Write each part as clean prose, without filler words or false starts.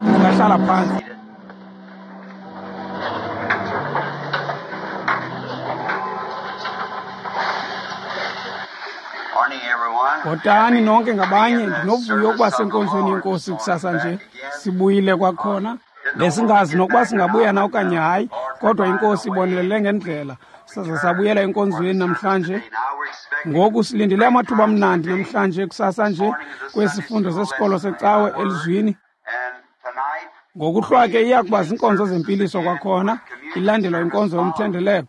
Ungahlala phantsi. Bhotani nonke ngabanye, ndinovuyo ukuba senkonzweni yenkosi kusasa nje. Sibuyile kwakhona. Besingazi nokuba singabuya na okanye hayi, kodwa inkosi ibonelele ngendlela. Saze sabuyela enkonzweni namhlanje. Ngoku silindele amathuba amnandi namhlanje kusasa nje kwesifundo sesikolo secawe elizwini. Ngokuhlwa ke iya kuba ziinkonzo zempiliso kwakhona, ilandelwa inkonzo yomthendeleko.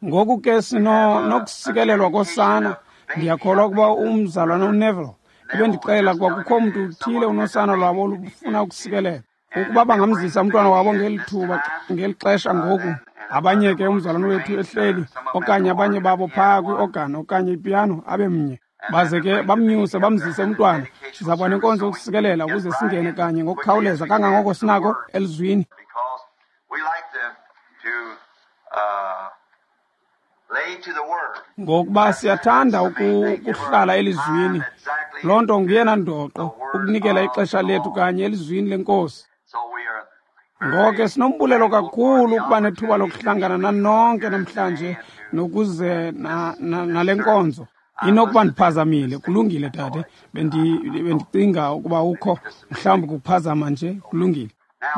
Ngoku ke sinokusikelelwa kosana. Ndiyakholwa ukuba umzalwana uNeville ebendixelela ukuba kukho mntu uthile unosana lwabo olufuna ukusikelelwa. Ukuba bangamzisa umntwana wabo ngeli thuba, ngeli xesha ngoku. Abanye ke umzalwana wethu ehleli, okanye abanye babo phaa kwi-organ okanye ipiyano, abe mnye. Baze ke bamnyuse bamzise umntwana. Siza kuba nenkonzo yokusikelela ukuze singene kanye ngokukhawuleza kangangoko sinako elizwini. Ngokuba siyathanda ukuhlala elizwini. Loo nto nguyena ndoqo, ukunikela ixesha lethu kanye elizwini lenkosi. Ngoko ke sinombulelo kakhulu ukuba nethuba lokuhlangana nanonke namhlanje nokuze nale nkonzo. Inokuba ndiphazamile, kulungile dade, bendicinga ukuba ukho, mhlawumbi kukuphazama nje, kulungile.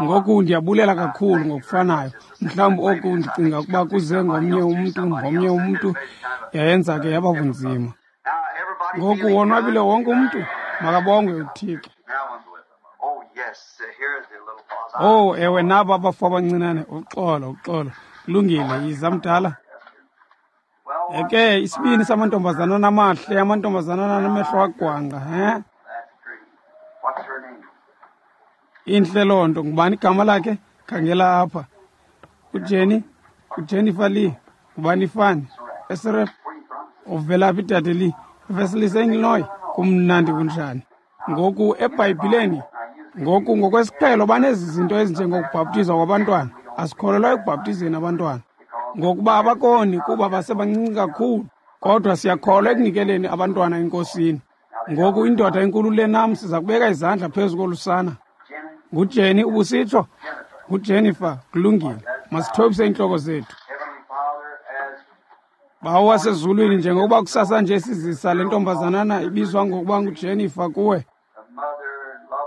Ngoku ndiyabulela kakhulu ngokufanayo. Mhlawumbi oku ndicinga ukuba kuze ngomnye umntu, yayenza ke yaba bunzima. Ngoku wonwabile wonke umntu, makabongwe uThixo. Oh, ewe, nabo abafo abancinane, uxolo, uxolo. Kulungile, yiza mdala. Eke isibini samantombazanana amahle, amantombazanana anamehlo agwangqa, he? Intle loo nto. Ngubani igama lakhe? Khangela apha. UJenny, uJennifer Lee. Ngubani ifani? Esref. Uvela phi dade Lee? Veselise Illinois. Kumnandi kunjani? Ngoku eBhayibhileni, ngoku ngokwesiqhelo banezi zinto ezinjengokubhaptizwa kwabantwana. Asikholelwa ekubhaptizeni abantwana, ngokuba abakoni kuba basebancinci kakhulu, kodwa siyakholwa ekunikeleni abantwana enkosini. Ngoku indoda enkulu le nam siza kubeka izandla phezu kolusana. NguJenny ubusitsho? NguJennifer, kulungile. Masithobise iintloko zethu. Bawo wasezulwini, njengokuba kusasa nje sizisa le ntombazanana ibizwa ngokuba nguJennifer kuwe,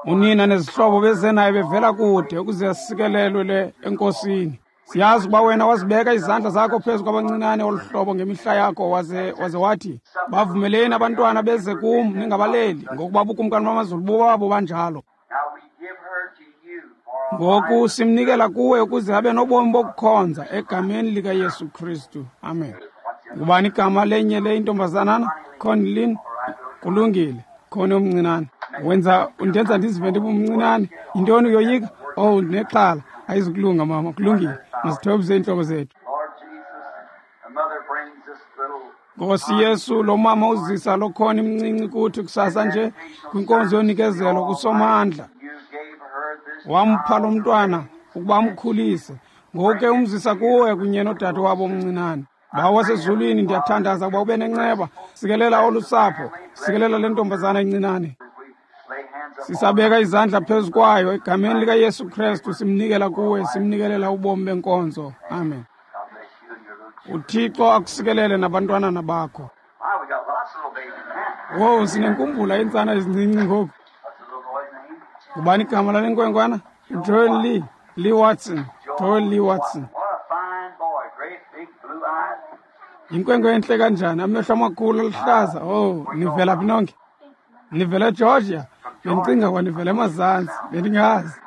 unina nezihlobo beze naye bevela kude ukuze asikelelwe le enkosini. Siyazi ukuba wena wazibeka izandla zakho phezu kwabancinane olu hlobo ngemihla yakho, waze wathi, bavumeleni abantwana beze kum, ningabaleli, ngokuba ubukumkani bamazulu bobabo banjalo. Ngoku simnikela kuwe ukuze abe nobomi bokukhonza egameni likaYesu Kristu. Amen. Ngubani igama lenye le intombazanana? Conlin. Kulungile. Khona omncinane. Wenza undenza ndizive ndibumncinane. Yintoni uyoyika? Oh, ndinexhala. Ayizukulunga mama, kulungile. Masithobise iintloko zethu. Nkosi Yesu, lo mama uzisa lo khona imncinci kuthi kusasa nje kwinkonzo yonikezelo kuSomandla. Wampha lo mntwana ukuba amkhulise. Ngoku ke umzisa kuwe kunye nodade wabo omncinane. Bawo wasezulwini, ndiyathandaza ukuba ube nenceba. Sikelela olu sapho, sikelela le ntombazana incinane. Sisabeka izandla phezu kwayo egameni likaYesu Kristu, simnikela kuwe, simnikelela ubomi benkonzo. Amen. UThixo akusikelele nabantwanana bakho. Wowu, sinenkumbula iintsana ezincinci ngoku. Ngubani igama lale nkwenkwana? Joel Lee, Lee Watson, Joel Lee Watson. Yinkwenkwe entle kanjani, amehlo amakhulu aluhlaza. Oh, nivela phi nonke? Nivela eGeorgia? Bendicinga kwa nivela emazantsi, bendingazi.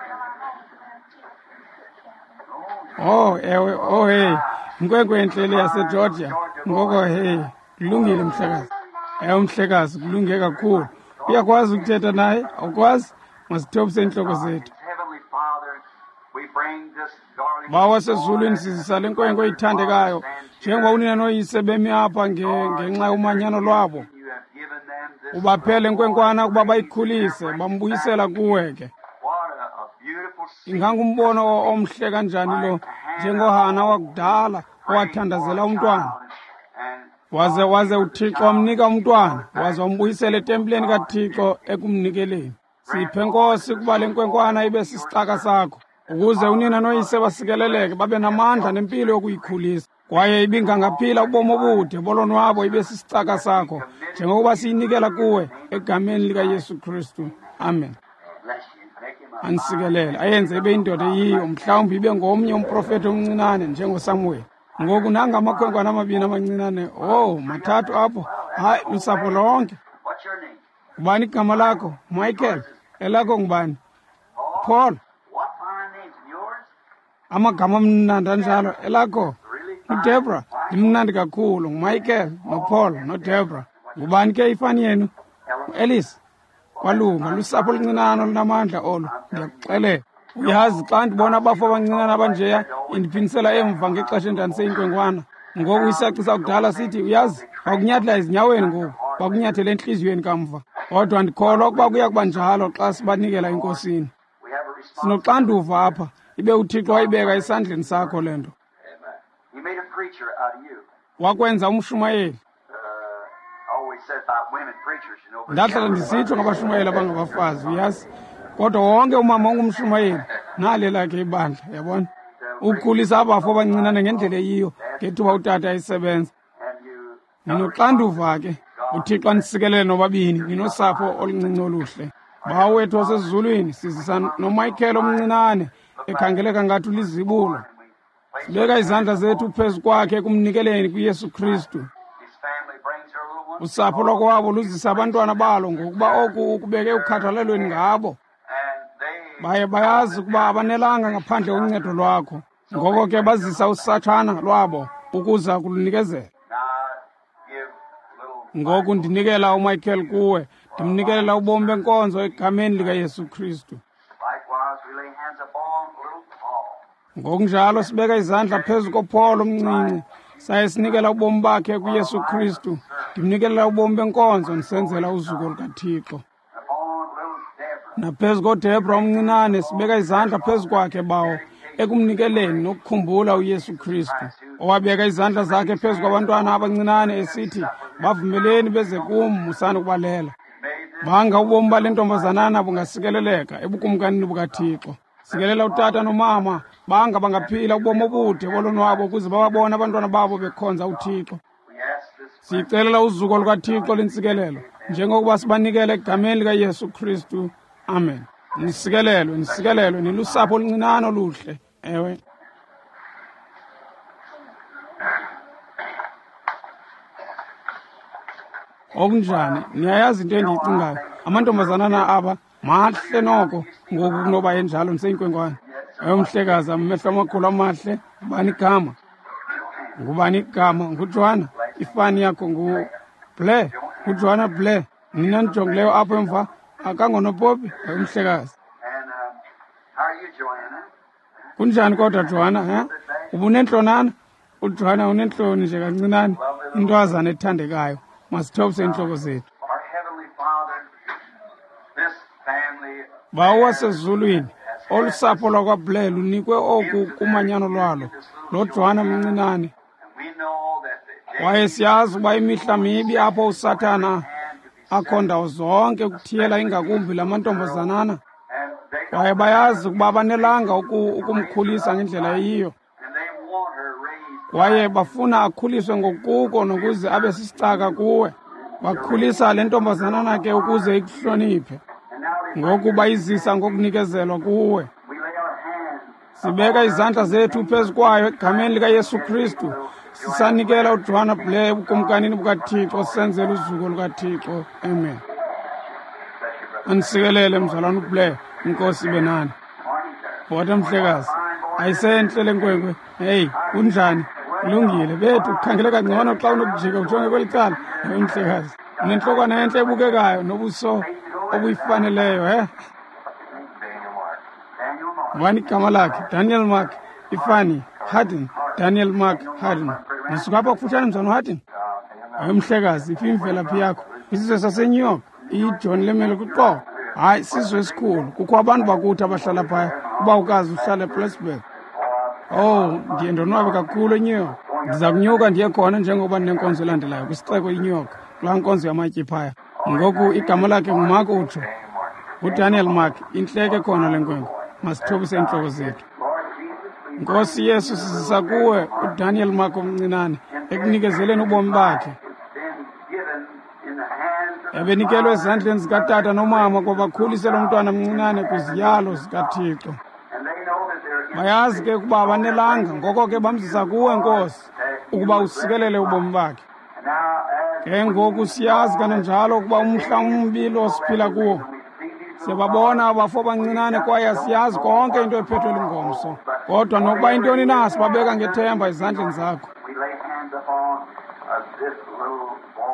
Oh, ewe, oh hey, inkwenkwe entle le yaseGeorgia. Ngoko hey, kulungile mhlekazi. Ewe mhlekazi, kulunge kakhulu. Uyakwazi ukuthetha naye? Awukwazi? Masithobise iintloko zethu. Bawo wasezulwini, sizisa le nkwenkwe ithandekayo njengoba unina noyise bemi apha ngenxa yomanyano lwabo. Ubaphele nkwenkwana ukuba bayikhulise, bambuyisela kuwe ke. Ingangumbono omhle kanjani lo, njengoHana wakudala owathandazela umntwana. Waze uThixo wamnika umntwana, waze wambuyisela etempileni kaThixo ekumnikeleni. Siphe, Nkosi, ukuba le nkwenkwana ibe sisicaka sakho, ukuze unina noyise basikeleleke, babe namandla nempilo yokuyikhulisa. Kwaye ibingangaphila ubomi obude bolonwabo ibe sisicaka sakho, njengokuba siyinikela kuwe egameni likaYesu Kristu. Amen. Anisikelele, ayenze ibe indoda eyiyo, mhlawumbi ibe ngomnye umprofethi omncinane njengoSamuel. Ngoku nanga amakhwenkwana amabini amancinane, oh, mathathu apho, hayi, lusapho lonke. Ngubani igama lakho? Michael. Elakho ngubani? Paul. Amagama amnandi anjalo. Elakho? UDebra. Limnandi kakhulu. NguMichael noPaul noDebra. Ngubani ke ifani yenu? UElice. Kwalunga, lusapho oluncinane olunamandla olu, ndiyakuxelela. Uyazi, xa ndibona abafo abancinane abanjeya, indiphindisela emva ngexesha endandiseyinkwenkwana. Ngoku isaci sakudala sithi, uyazi, bakunyathela ezinyaweni ngoku, bakunyathela entliziyweni kamva. Kodwa ndikholwa ukuba kuya kuba njalo xa sibanikela eNkosini. Sinoxanduva apha, ibe uThixo wayibeka esandleni sakho le nto. Wakwenza umshumayeli. Ndahlala ndisitsho ngabashumayeli abangabafazi, uyazi. Kodwa wonke umama ungumshumayeli, nale lakhe ibandla, yabona. Ukhulisa abafo abancinane ngendlela eyiyo ngethuba utata esebenza. Ninoxanduva ke, uThixo anisikelele nobabini, ninosapho oluncinci oluhle. Bawo wethu wasezulwini, sizisa noMichael omncinane ekhangeleka ngathi ulizibulo. Sibeka izandla zethu phezu kwakhe ekumnikeleni kuYesu Kristu. Usapho lwakwabo luzisa abantwana balo ngokuba oku ukubeke ukhathalelweni ngabo. Baye bayazi ukuba abanelanga ngaphandle koncedo lwakho. Ngoko ke bazisa usatshana lwabo ukuza kulunikezela. Ngoku ndinikela uMichael kuwe, ndimnikelela ubomi benkonzo egameni likaYesu Kristu. Ngokunjalo sibeka izandla phezu koPaul omncinci, saye sinikela ubomi bakhe kuYesu Kristu. Ndimnikelela ubomi benkonzo ndisenzela uzuko lukaThixo. Naphezu koDebra omncinane sibeka izandla phezu kwakhe, Bawo, ekumnikeleni nokukhumbula uYesu Kristu, owabeka izandla zakhe phezu kwabantwana abancinane esithi, bavumeleni beze kum, musani ukubalela. Banga ubomi bale ntombazanana bungasikeleleka ebukumkanini bukaThixo. Sikelela utata nomama, banga bangaphila ubomi obude bolonwabo ukuze bababone abantwana babo bekhonza uThixo. Siyicelela uzuko lukaThixo lentsikelelo, njengokuba sibanikele egameni likaYesu Kristu. Amen. Nisikelelwe, nisikelelwe, nilusapho oluncinane oluhle. Ewe. Okunjani, niyayazi into endiyicingayo. Amantombazanana aba mahle noko ngoku kunoba enjalo ndiseyinkwenkwana. Ewe, mhlekazi, amehlo amakhulu amahle. Ngubani igama? Ngubani igama? NguJohana. Ifani yakho nguBlair. NguJohana Blair. Nina nijongileyo apho emva, akangonopopi. Ewe, mhlekazi. Kunjani kodwa, Johanna? He? Ubunentlonana? UJohanna unentloni nje kancinane, intwazana ethandekayo. Masithobise iintloko zethu. Bawo wasezulwini, olu sapho lwakwaBlair lunikwe oku kumanyano lwalo, lo Johanna mncinane. Kwaye siyazi ukuba imihla mibi apho uSathana akho ndawo zonke ukuthiyela ingakumbi la mantombazanana. Kwaye bayazi ukuba abanelanga ukumkhulisa ngendlela eyiyo. Kwaye bafuna akhuliswe ngokuko nokuze abe sisicaka kuwe. Bakhulisa le ntombazanana ke ukuze ikuhloniphe. Ngoku bayizisa ngokunikezelwa kuwe. Sibeka izandla zethu phezu kwayo egameni likaYesu Kristu. Sisanikela uJohana Blair ebukumkanini bukaThixo, senzela uzuko lukaThixo. Amen. Anisikelele mzalwana uBlair, inkosi ibe nani. Bhota mhlekazi, ayisentle le nkwenkwe. Hey, kunjani? Kulungile bethu, kukhangeleka ngcono xa unokujika ujonge kweli cala. Hey, mhlekazi, unentlokwana entle ebukekayo nobuso obuyifaneleyo, he? Ngubani igama lakhe? Daniel Mark Ifani Hardin. Daniel Mark Hardin. Nisuka apha kufutshane mzana uHardin? Hayi mhlekazi, iphi imvelaphi yakho? Isizwe saseNew York, iJohn Lemele kuqobo. Hayi, sisizwe esikhulu. Kukho abantu bakuthi abahlala phaya. Ubawukazi uhlala ePlattsburgh. Oh, ndiye ndonwabe kakhulu eNew York. Ndiza kunyuka ndiye khona njengoba ndinenkonzo elandelayo kwisixeko iNew York, kulaa nkonzo yamatye phaya. Ngoku igama lakhe nguMark utsho. NguDaniel Mark, intleke khona le nkwenkwe. Masithobise iintloko zethu. Nkosi Yesu, sizisa kuwe uDaniel Mark omncinane ekunikezeleni ubomi bakhe. Ebenikelwe ezandleni zikatata nomama ukuba bakhulise lo mntwana mncinane kwiziyalo zikaThixo. Bayazi ke ukuba abanelanga, ngoko ke bamzisa kuwe, Nkosi, ukuba usikelele ubomi bakhe. Ke ngoku siyazi kananjalo ukuba umhla umbi lo siphila kuwo. Siyababona abafo abancinane kwaye asiyazi konke into ephethwe lingomso. Kodwa nokuba intoni na, sibabeka ngethemba ezandleni zakho.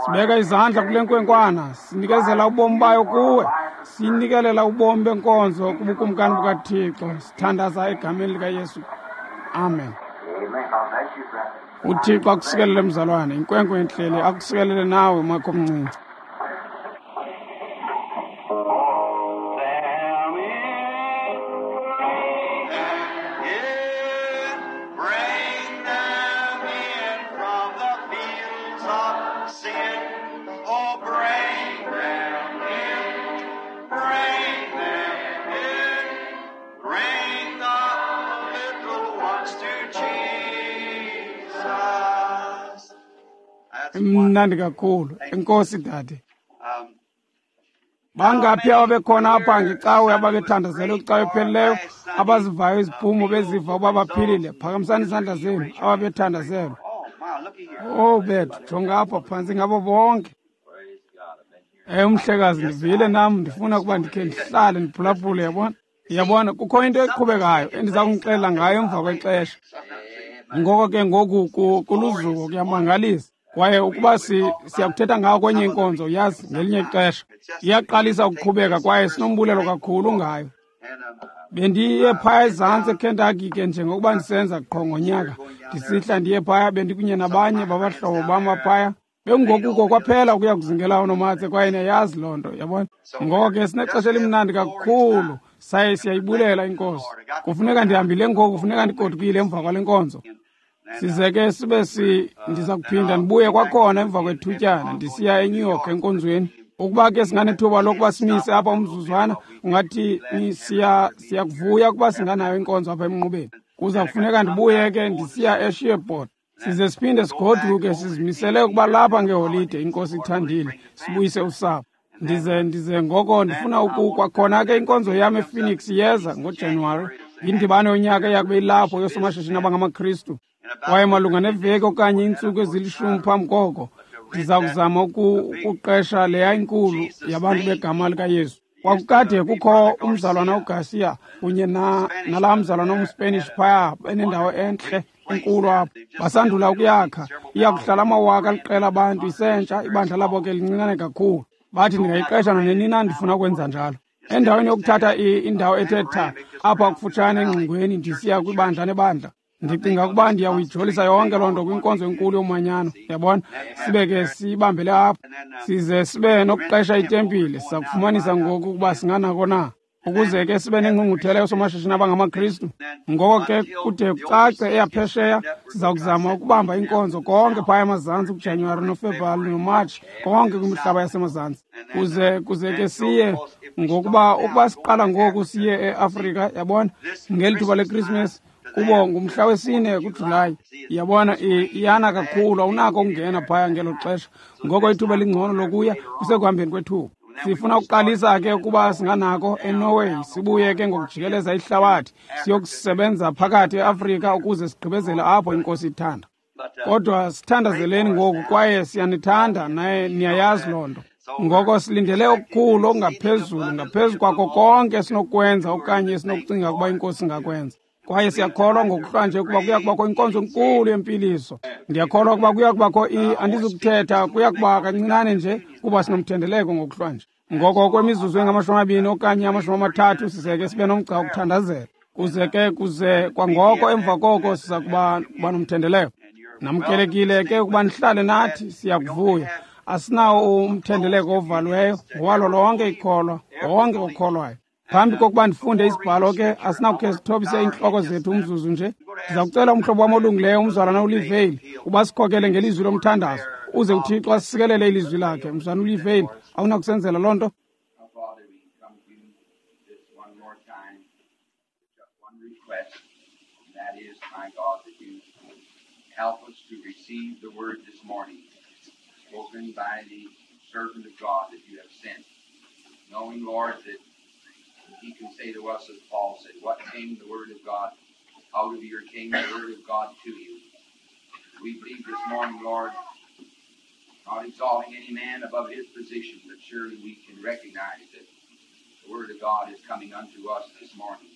Sibeka izandla kule nkwenkwana, sinikezela ubomi bayo kuwe, sinikelela ubomi benkonzo kubukumkani bukaThixo. Sithandaza egameni likaYesu. Amen. UThixo akusikelele mzalwane, inkwenkwe entlele akusikelele nawe makho omncinci. Bring them in from the fields of sin. Oh, bring them in. Bring them in. Bring the little ones to Jesus. That's Imnandi kakhulu. Enkosi dade. Bangaphi ababekhona apha ngecawe ababethandazelwe kwicawe ephelileyo, abazivayo iziphumo beziva uba baphilile? Phakamisani izandla zenu ababethandazelwe. Oh, my, looky here. Oh bethu, jonga apha phantsi ngabo bonke. Umhlekazi, ndivile nam, ndifuna ukuba ndikhe ndihlale ndiphulaphule, yabona? Yabona, kukho into eqhubekayo endiza kunixelela ngayo emva kwexesha. Ngoko ke ngoku kuluzuko, kuyamangalisa. Kwaye ukuba siyakuthetha ngawo kwenye inkonzo, yazi, ngelinye ixesha. Iyaqalisa ukuqhubeka kwaye sinombulelo kakhulu ngayo. Bendiye phaya ezantsi eKentucky ke njengokuba ndisenza qho ngonyaka. Ndisihla ndiye phaya, bendikunye nabanye babahlobo bam aphaya. Bekungokuko kwaphela ukuya kuzingela oonomatse kwaye niyayazi loo nto, yabona? Ngoko ke sinexesha elimnandi kakhulu, saye siyayibulela inkosi. Kufuneka ndihambile ngoku, kufuneka ndigodukile emva kwale nkonzo. Size ke sibe ndiza kuphinda ndibuye kwakhona emva kwethutyana, ndisiya eNew York enkonzweni. Ukuba ke singanethuba lokuba simise apha umzuzwana, ungathi siyakuvuya ukuba singanayo inkonzo apha emnqubeni. Kuza kufuneka ndibuye ke ndisiya eSheport. Size siphinde sigoduke, sizimisele ukuba lapha ngeholide, inkosi ithandile, sibuyise usapho. Ndize ngoko ndifuna kwakhona ke inkonzo yam ePhoenix iyeza ngoJanuwari. Yindibano yonyaka eyakube ilapho yoosomashishini abangamaKristu. Kwaye malunga neveki okanye iintsuku ezilishumi phambi koko, ndiza kuzama ukuqesha leya inkulu yabantu begama likaYesu. Kwakukade kukho umzalwana uGarcia kunye nalaa mzalwana umSpanish phaya, benendawo entle enkulu apho. Basandula ukuyakha, iya kuhlala amawaka aliqela abantu, isentsha, ibandla labo ke lincinane kakhulu. Bathi ndingayiqesha nanini na ndifuna ukwenza njalo. Endaweni yokuthatha indawo ethe tha apha kufutshane engxingweni ndisiya kwibandla nebandla, ndicinga ukuba ndiyawuyijolisa yonke loo nto kwinkonzo enkulu yomanyano, yabona? Sibe ke siyibambele apho, size sibe nokuqesha itempile. Siza kufumanisa ngoku ukuba singanako na, ukuze ke sibe nengqungquthela yoosomashishini abangamaKristu. Ngoko ke kude kucace eyaphesheya, siza kuzama ukubamba inkonzo konke phaya emazantsi kuJanuwari noFebruwari noMatshi, konke kwimihlaba yasemazantsi. Kuze ke siye ngokuba ukuba siqala ngoku siye eAfrika, yabona, ngeli thuba leKrismesi, kubo ngumhla wesine kuJulayi. Yabona, iyana kakhulu, awunako ukungena phaya ngelo xesha. Ngoko ithuba elingcono lokuya kusekuhambeni kwethuba. Sifuna ukuqalisa ke ukuba singanako eNorway, sibuye ke ngokujikeleza ihlabathi, siyokusebenza phakathi eAfrika ukuze sigqibezele apho inkosi ithanda. Kodwa sithandazeleni ngoku kwaye siyanithanda naye niyayazi loo nto. Ngoko silindele okukhulu okungaphezulu, ngaphezu kwako konke esinokwenza okanye esinokucinga ukuba inkosi ingakwenza. Kwaye siyakholwa ngokuhlwanje ukuba kuya kubakho inkonzo enkulu yempiliso. Ndiyakholwa ukuba kuya kubakho andizukuthetha, kuya kuba kancinane nje kuba sinomthendeleko ngokuhlwanje. Ngoko kwemizuzu engama-20 okanye 30 sizeke sibe nomgca wokuthandazela. Kuze kwangoko emva koko siza kuba nomthendeleko. Namkelekile ke ukuba nihlale nathi, siyakuvuya. Asinawo umthendeleko ovalweyo, ngowalo lonke ikholwa, wonke okholwayo. Phambi kokuba ndifunde isibhalo ke, asinakukhe sithobise iintloko zethu umzuzu nje. Ndiza kucela umhlobo wam olungileyo, umzalwana uLivale, uba sikhokele ngelizwi lomthandazo, uze uThixo asisikelele ilizwi lakhe. Mzalwana uLivale, awunakusenzela loo nto? Father, we come to you time, just one request, and that is, my God, that you help us to receive the word this morning, spoken by the servant of God that you have sent, knowing, Lord, that he can say to us, as Paul said, what came the word of God out of your came the word of God to you. We believe this morning, Lord, not exalting any man above his position, but surely we can recognize that the word of God is coming unto us this morning.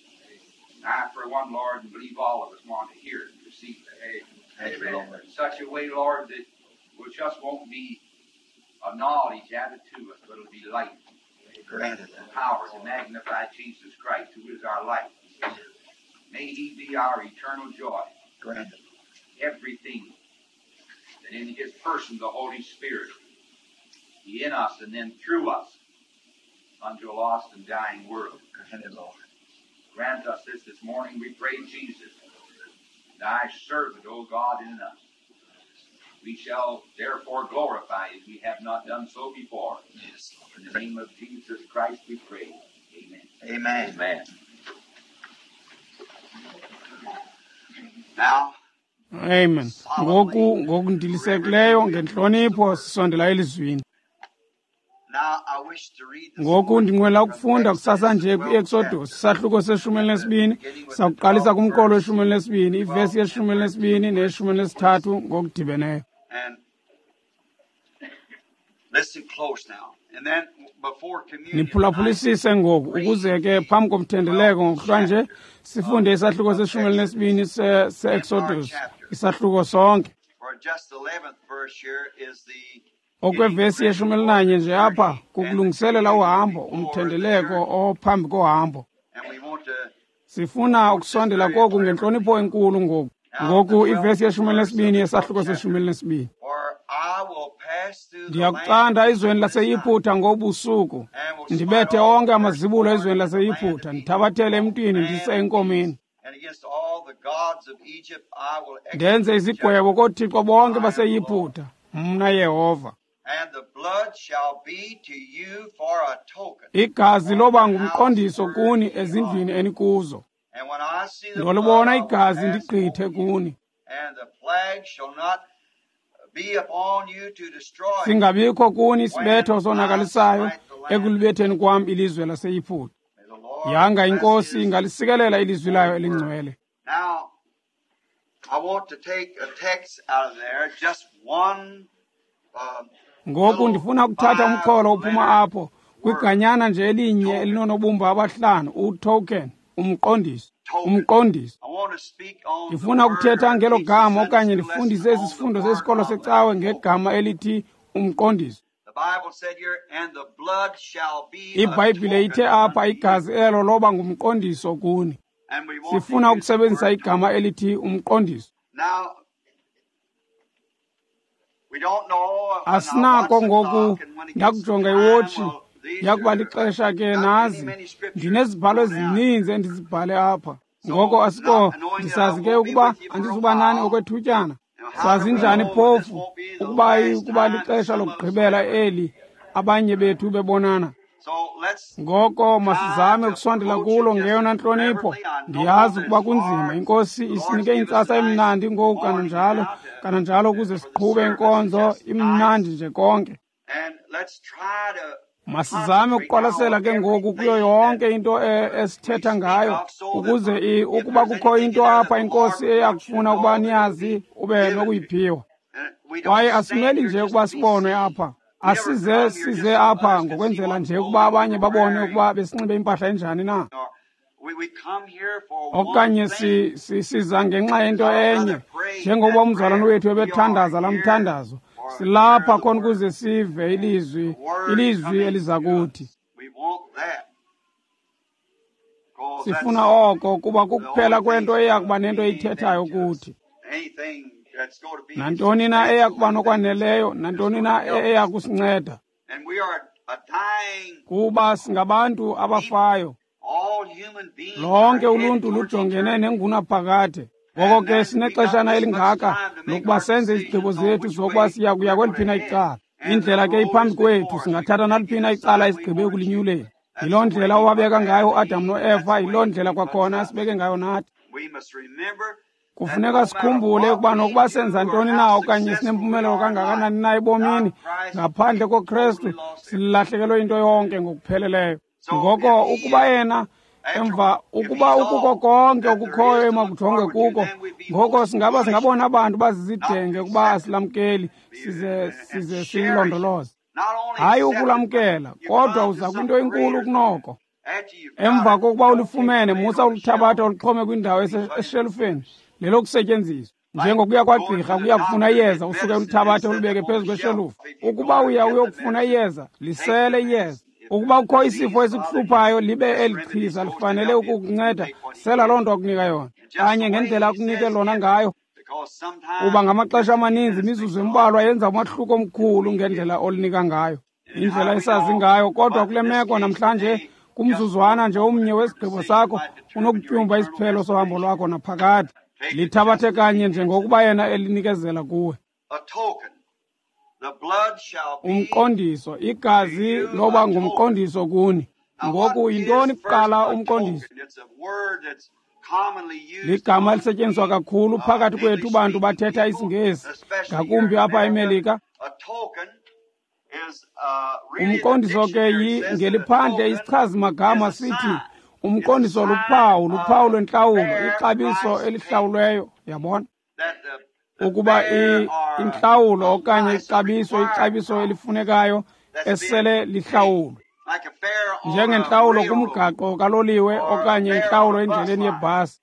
And I, for one, Lord, and believe all of us want to hear it and receive it. Amen. In such a way, Lord, that it just won't be a knowledge added to us, but it'll be light. Granted. The power to magnify Jesus Christ, who is our life. May he be our eternal joy. Granted. Everything that in his person, the Holy Spirit, be in us and then through us unto a lost and dying world. Granted, Lord. Grant us this morning, we pray, Jesus, thy servant, O God, in us. We shall therefore glorify as we have not done so before. Yes, Lord. In the name of Jesus Christ we pray. Amen. Amen. Amen. Now, Amen. Ngoku ngokundilisekileyo ngentlonipho sisondela elizwini. now I wish to read this Ngoku morning ndinqwela from ukufunda kusasa nje Exodus 12 kwi-Exodus isahluko seshumi elinesibini. Sakuqalisa kumqolo weshumi elinesibini, ivesi yeshumi elinesibini neyeshumi elinesithathu ngokudibeneyo. And listen close now. And then before communion, Niphulaphulisise ngoku ukuze ke phambi komthendeleko ngokuhlwa nje sifunde isahluko seshumi elinesibini se-Exodus, isahluko sonke. for just the 11th verse here is the Okwevesi yeshumi elinanye nje apha kukulungiselela uhambo, umthendeleko ophambi kohambo. And we want to Sifuna ukusondela koku ngentlonipho enkulu ngoku. Ngoku ivesi yeshumi elinesibini yesahluko seshumi elinesibini. For I will pass through the Ndiyakucanda land ezweni laseYiputa ngobusuku, ndibethe onke amazibulo ezweni laseYiputa, ndithabathele emntwini ndise enkomeni. and against all the gods of Egypt I will execute Ndenze izigwebo koothixo bonke baseYiputa, mna Yehova. And the blood shall be to you for a token. Igazi loba ngumqondiso kuni ezindlwini enikuzo. And when I see the blood, Ndolibona I will igazi pass ndigqithe over you, kuni. and the plague shall not be upon you to destroy you. Singabikho kuni isibetho sonakalisayo ekulibetheni kwam ilizwe laseYiputa. May the Lord Yanga bless inkosi his ingalisikelele ilizwi layo elingcwele. Now, I want to take a text out of there, just one. Ngoku ndifuna ukuthatha umxholo ophuma apho kwiganyana nje elinye elinonobumba abahlanu, utoken, umqondiso, umqondiso. I want to speak on the Ndifuna word ukuthetha or ngelo teach gama the okanye Sunday school ndifundise lesson esi on sifundo the word sesikolo of secawe the ngegama elithi umqondiso. The Bible said here, and the blood shall be a IBhayibhile ithe token apha unto you. igazi elo loba ngumqondiso kuni. And we want to Sifuna use the ukusebenzisa word igama elithi umqondiso. Now, we don't know when I watch Asinako the ngoku clock and when it gets ndakujonga time, iwotshi well, these yakuba are lixesha ke not many, nazi many scriptures ndinezibhalo go down. ezininzi endizibhale apha. Ngoko asiko ndisazi ke ukuba andizuba nani okwethutyana. Sazi njani phofu ukuba ukuba lixesha lokugqibela eli abanye bethu bebonana. So let's Ngoko masizame ukusondela kulo ngeyona ntlonipho. Ndiyazi ukuba kunzima. Inkosi isinike intsasa emnandi ngoku kananjalo, kananjalo ukuze siqhube inkonzo imnandi nje konke. and let's try to Masizame ukuqwalasela ke ngoku kuyo yonke into esithetha ngayo ukuze ukuba kukho into apha inkosi eyakufuna ukuba niyazi ube nokuyiphiwa. And we don't Kwaye stand asimeli here nje just ukuba to be sibonwe seen. apha. We never Asize come here size just so apha others can see ngokwenzela what nje ukuba clothing abanye we're babone wearing. ukuba besinxibe impahla enjani na. Or we come here for one Okanye thing. siza ngenxa yento enye njengoba umzalwane wethu ebethandaza laa mthandazo. Silapha khona ukuze sive ilizwi, Word ilizwi coming eliza to kuthi. us. We want that. 'Cause Sifuna that's oko kuba the kukuphela only kwento thing eya that's kuba going to nento mean eyithethayo anything to us. kuthi. Anything that's going to be Nantoni na eya substantial, kuba anything nokwaneleyo, that's nantoni going na to help eya us. kusinceda. And we are a dying Kuba singabantu people. abafayo. All human beings are Lonke headed uluntu towards lujongene eternity. nengunaphakade. Ngoko And ke then we got sinexeshana this much elingaka time to make lokuba our senze izigqibo decisions on zethu which zokuba way siya kuya we're going kweliphi to na head. icala. And the Indlela ke road iphambi is kwethu, before us. We singathatha can naliphi pick na either icala side we esigqibe want to choose. ekulinyuleni. Yiloo ndlela owabeka ngayo uAdam noEva, yiloo ndlela kwakhona asibeke ngayo nathi. Kufuneka sikhumbule ukuba nokuba senza ntoni na okanye sinempumelelo kangakanani na ebomini, ngaphandle koKrestu silahlekelwe into yonke ngokupheleleyo. Ngoko ukuba yena emva ukuba ukuko konke okukhoyo emakujonge kuko, ngoko singaba singabona abantu bazizidenge ukuba asilamkeli size siyilondoloze. Hayi ukulamkela, kodwa uza kwinto enkulu kunoko. Emva kokuba ulifumene, musa ulithabatha ulixhome kwindawo eshelufeni lelokusetyenziswa. Njengokuya kwagqirha kuya kufuna iyeza, usuke ulithabathe ulibeke phezu kweshelufu. Ukuba uya uyokufuna iyeza, lisele iyeza. Ukuba kukho isifo esikuhluphayo, libe eli chiza lifanele ukukunceda, sela loo nto akunika yona kanye ngendlela akunike lona ngayo. Kuba ngamaxesha amaninzi imizuzu embalwa yenza umahluko omkhulu ngendlela olinika ngayo, indlela esazi ngayo. Kodwa kule meko namhlanje, kumzuzwana nje omnye wesigqibo sakho unokutyumba isiphelo sohambo lwakho naphakade. Lithabathe kanye njengokuba yena elinikezela kuwe. Umqondiso, igazi loba ngumqondiso kuni. Ngoku yintoni kuqala umqondiso? Ligama elisetyenziswa kakhulu phakathi kwethu bantu bathetha isiNgesi, ngakumbi apha eMelika. Umqondiso ke ngeliphandle isichazi-magama sithi umqondiso luphawu, luphawu lwentlawulo, ixabiso elihlawulweyo, yabona? Ukuba intlawulo okanye ixabiso, ixabiso elifunekayo esele lihlawulwe. Njengentlawulo kumgaqo kaloliwe okanye intlawulo endleleni yebhasi.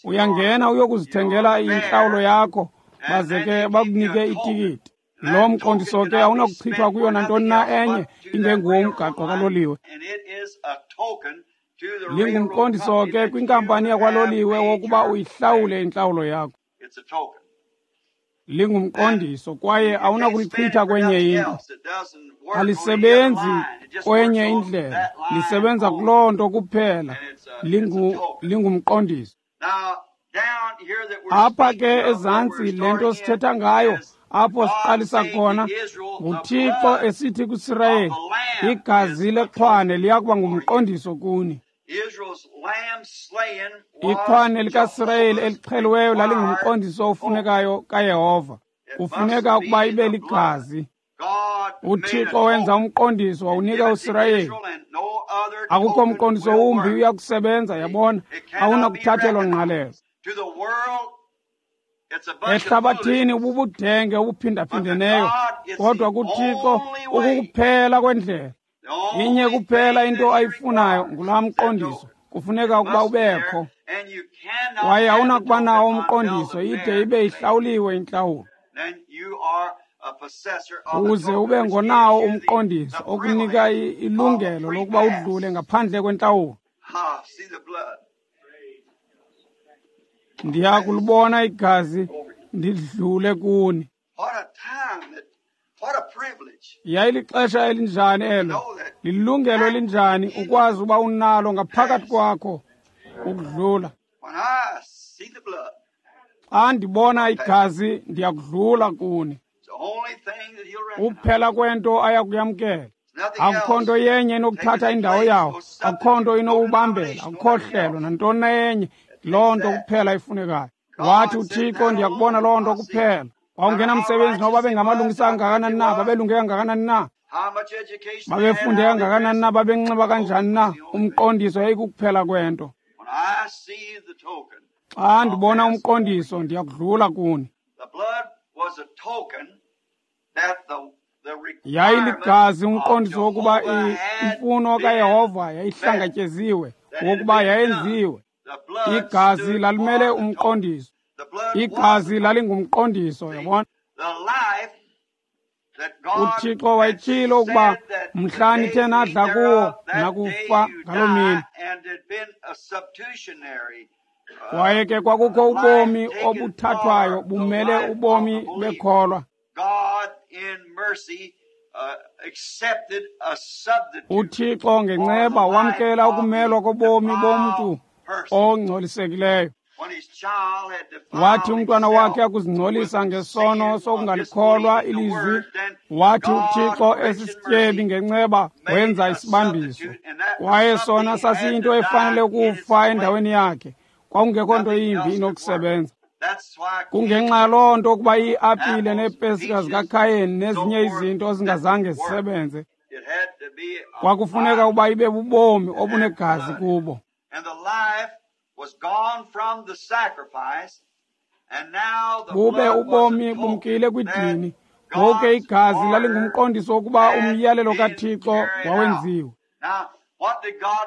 Uyangena uyokuzithengela intlawulo yakho, baze ke bakunike itikiti. Lo mqondiso ke awunakuchithwa kuyo nantoni na enye ingenguwo umgaqo kaloliwe. Lingumqondiso ke kwinkampani yakwaloliwe wokuba uyihlawule intlawulo yakho. Lingumqondiso kwaye awunakulichitha kwenye into. Alisebenzi kwenye indlela, lisebenza kuloo nto kuphela. Lingumqondiso. Apha ke ezantsi le nto sithetha ngayo, apho siqalisa khona, nguThixo esithi kuSirayeli, igazi lexhwane liya kuba ngumqondiso kuni. Ixhwane likaSirayeli elixheliweyo lalingumqondiso ofunekayo kaYehova. Kufuneka ukuba ibe ligazi. UThixo wenza umqondiso wawunika uSirayeli. Akukho mqondiso wumbi uya kusebenza, yabona, awunakuthathelwa ngqalelo. Ehlabathini ububudenge obuphindaphindeneyo, kodwa kuThixo ukukuphela kwendlela. Inye kuphela into ayifunayo ngulaa mqondiso. Kufuneka ukuba ubekho. Kwaye awunakuba nawo umqondiso ide ibe ihlawuliwe intlawulo. Uze ube ngonawo umqondiso okunika ilungelo lokuba udlule ngaphandle kwentlawulo. Ndiya kulibona igazi ndidlule kuni. Yayilixesha elinjani elo, lilungelo elinjani ukwazi uba unalo ngaphakathi kwakho ukudlula. Xa ndibona igazi ndiyakudlula kuni. Kuphela kwento ayakuyamkela. Akukho nto yenye inokuthatha indawo yawo, akukho nto inowubambela, akukho hlelo nantoni na yenye. Loo nto kuphela ifunekayo. Wathi uThixo, ndiyakubona loo nto kuphela. Wawungenamsebenzi noba bengamalungisa kangakanani na, babelunge kangakanani na, babefunde kangakanani na, babenxiba kanjani na, umqondiso yayikukuphela kwento. Xa ndibona umqondiso ndiyakudlula kuni. Yayiligazi umqondiso wokuba imfuno kaYehova yayihlangatyeziwe, wokuba yayenziwe. Igazi lalimele umqondiso. Igazi lalingumqondiso, yabona. UThixo wayetshilo ukuba mhla nithe nadla kuwo nakufa ngaloo mini. Kwaye ke kwakukho ubomi obuthathwayo bumele ubomi bekholwa. UThixo ngenceba wamkela ukumelwa kobomi bomntu ongcolisekileyo. Wathi umntwana wakhe akuzingcolisa ngesono sokungalikholwa ilizwi, wathi uThixo esisityebi ngenceba wenza isibambiso. Kwaye sona sasiyinto efanele ukufa endaweni yakhe. Kwakungekho nto yimbi inokusebenza. Kungenxa yaloo nto ukuba iiapile neepesika zikaKhayeni nezinye izinto zingazange zisebenze. Kwakufuneka ukuba ibe bubomi obunegazi kubo. Bube ubomi bumkile kwidini. Ngoku ke igazi lalingumqondiso wokuba umyalelo kaThixo wawenziwe.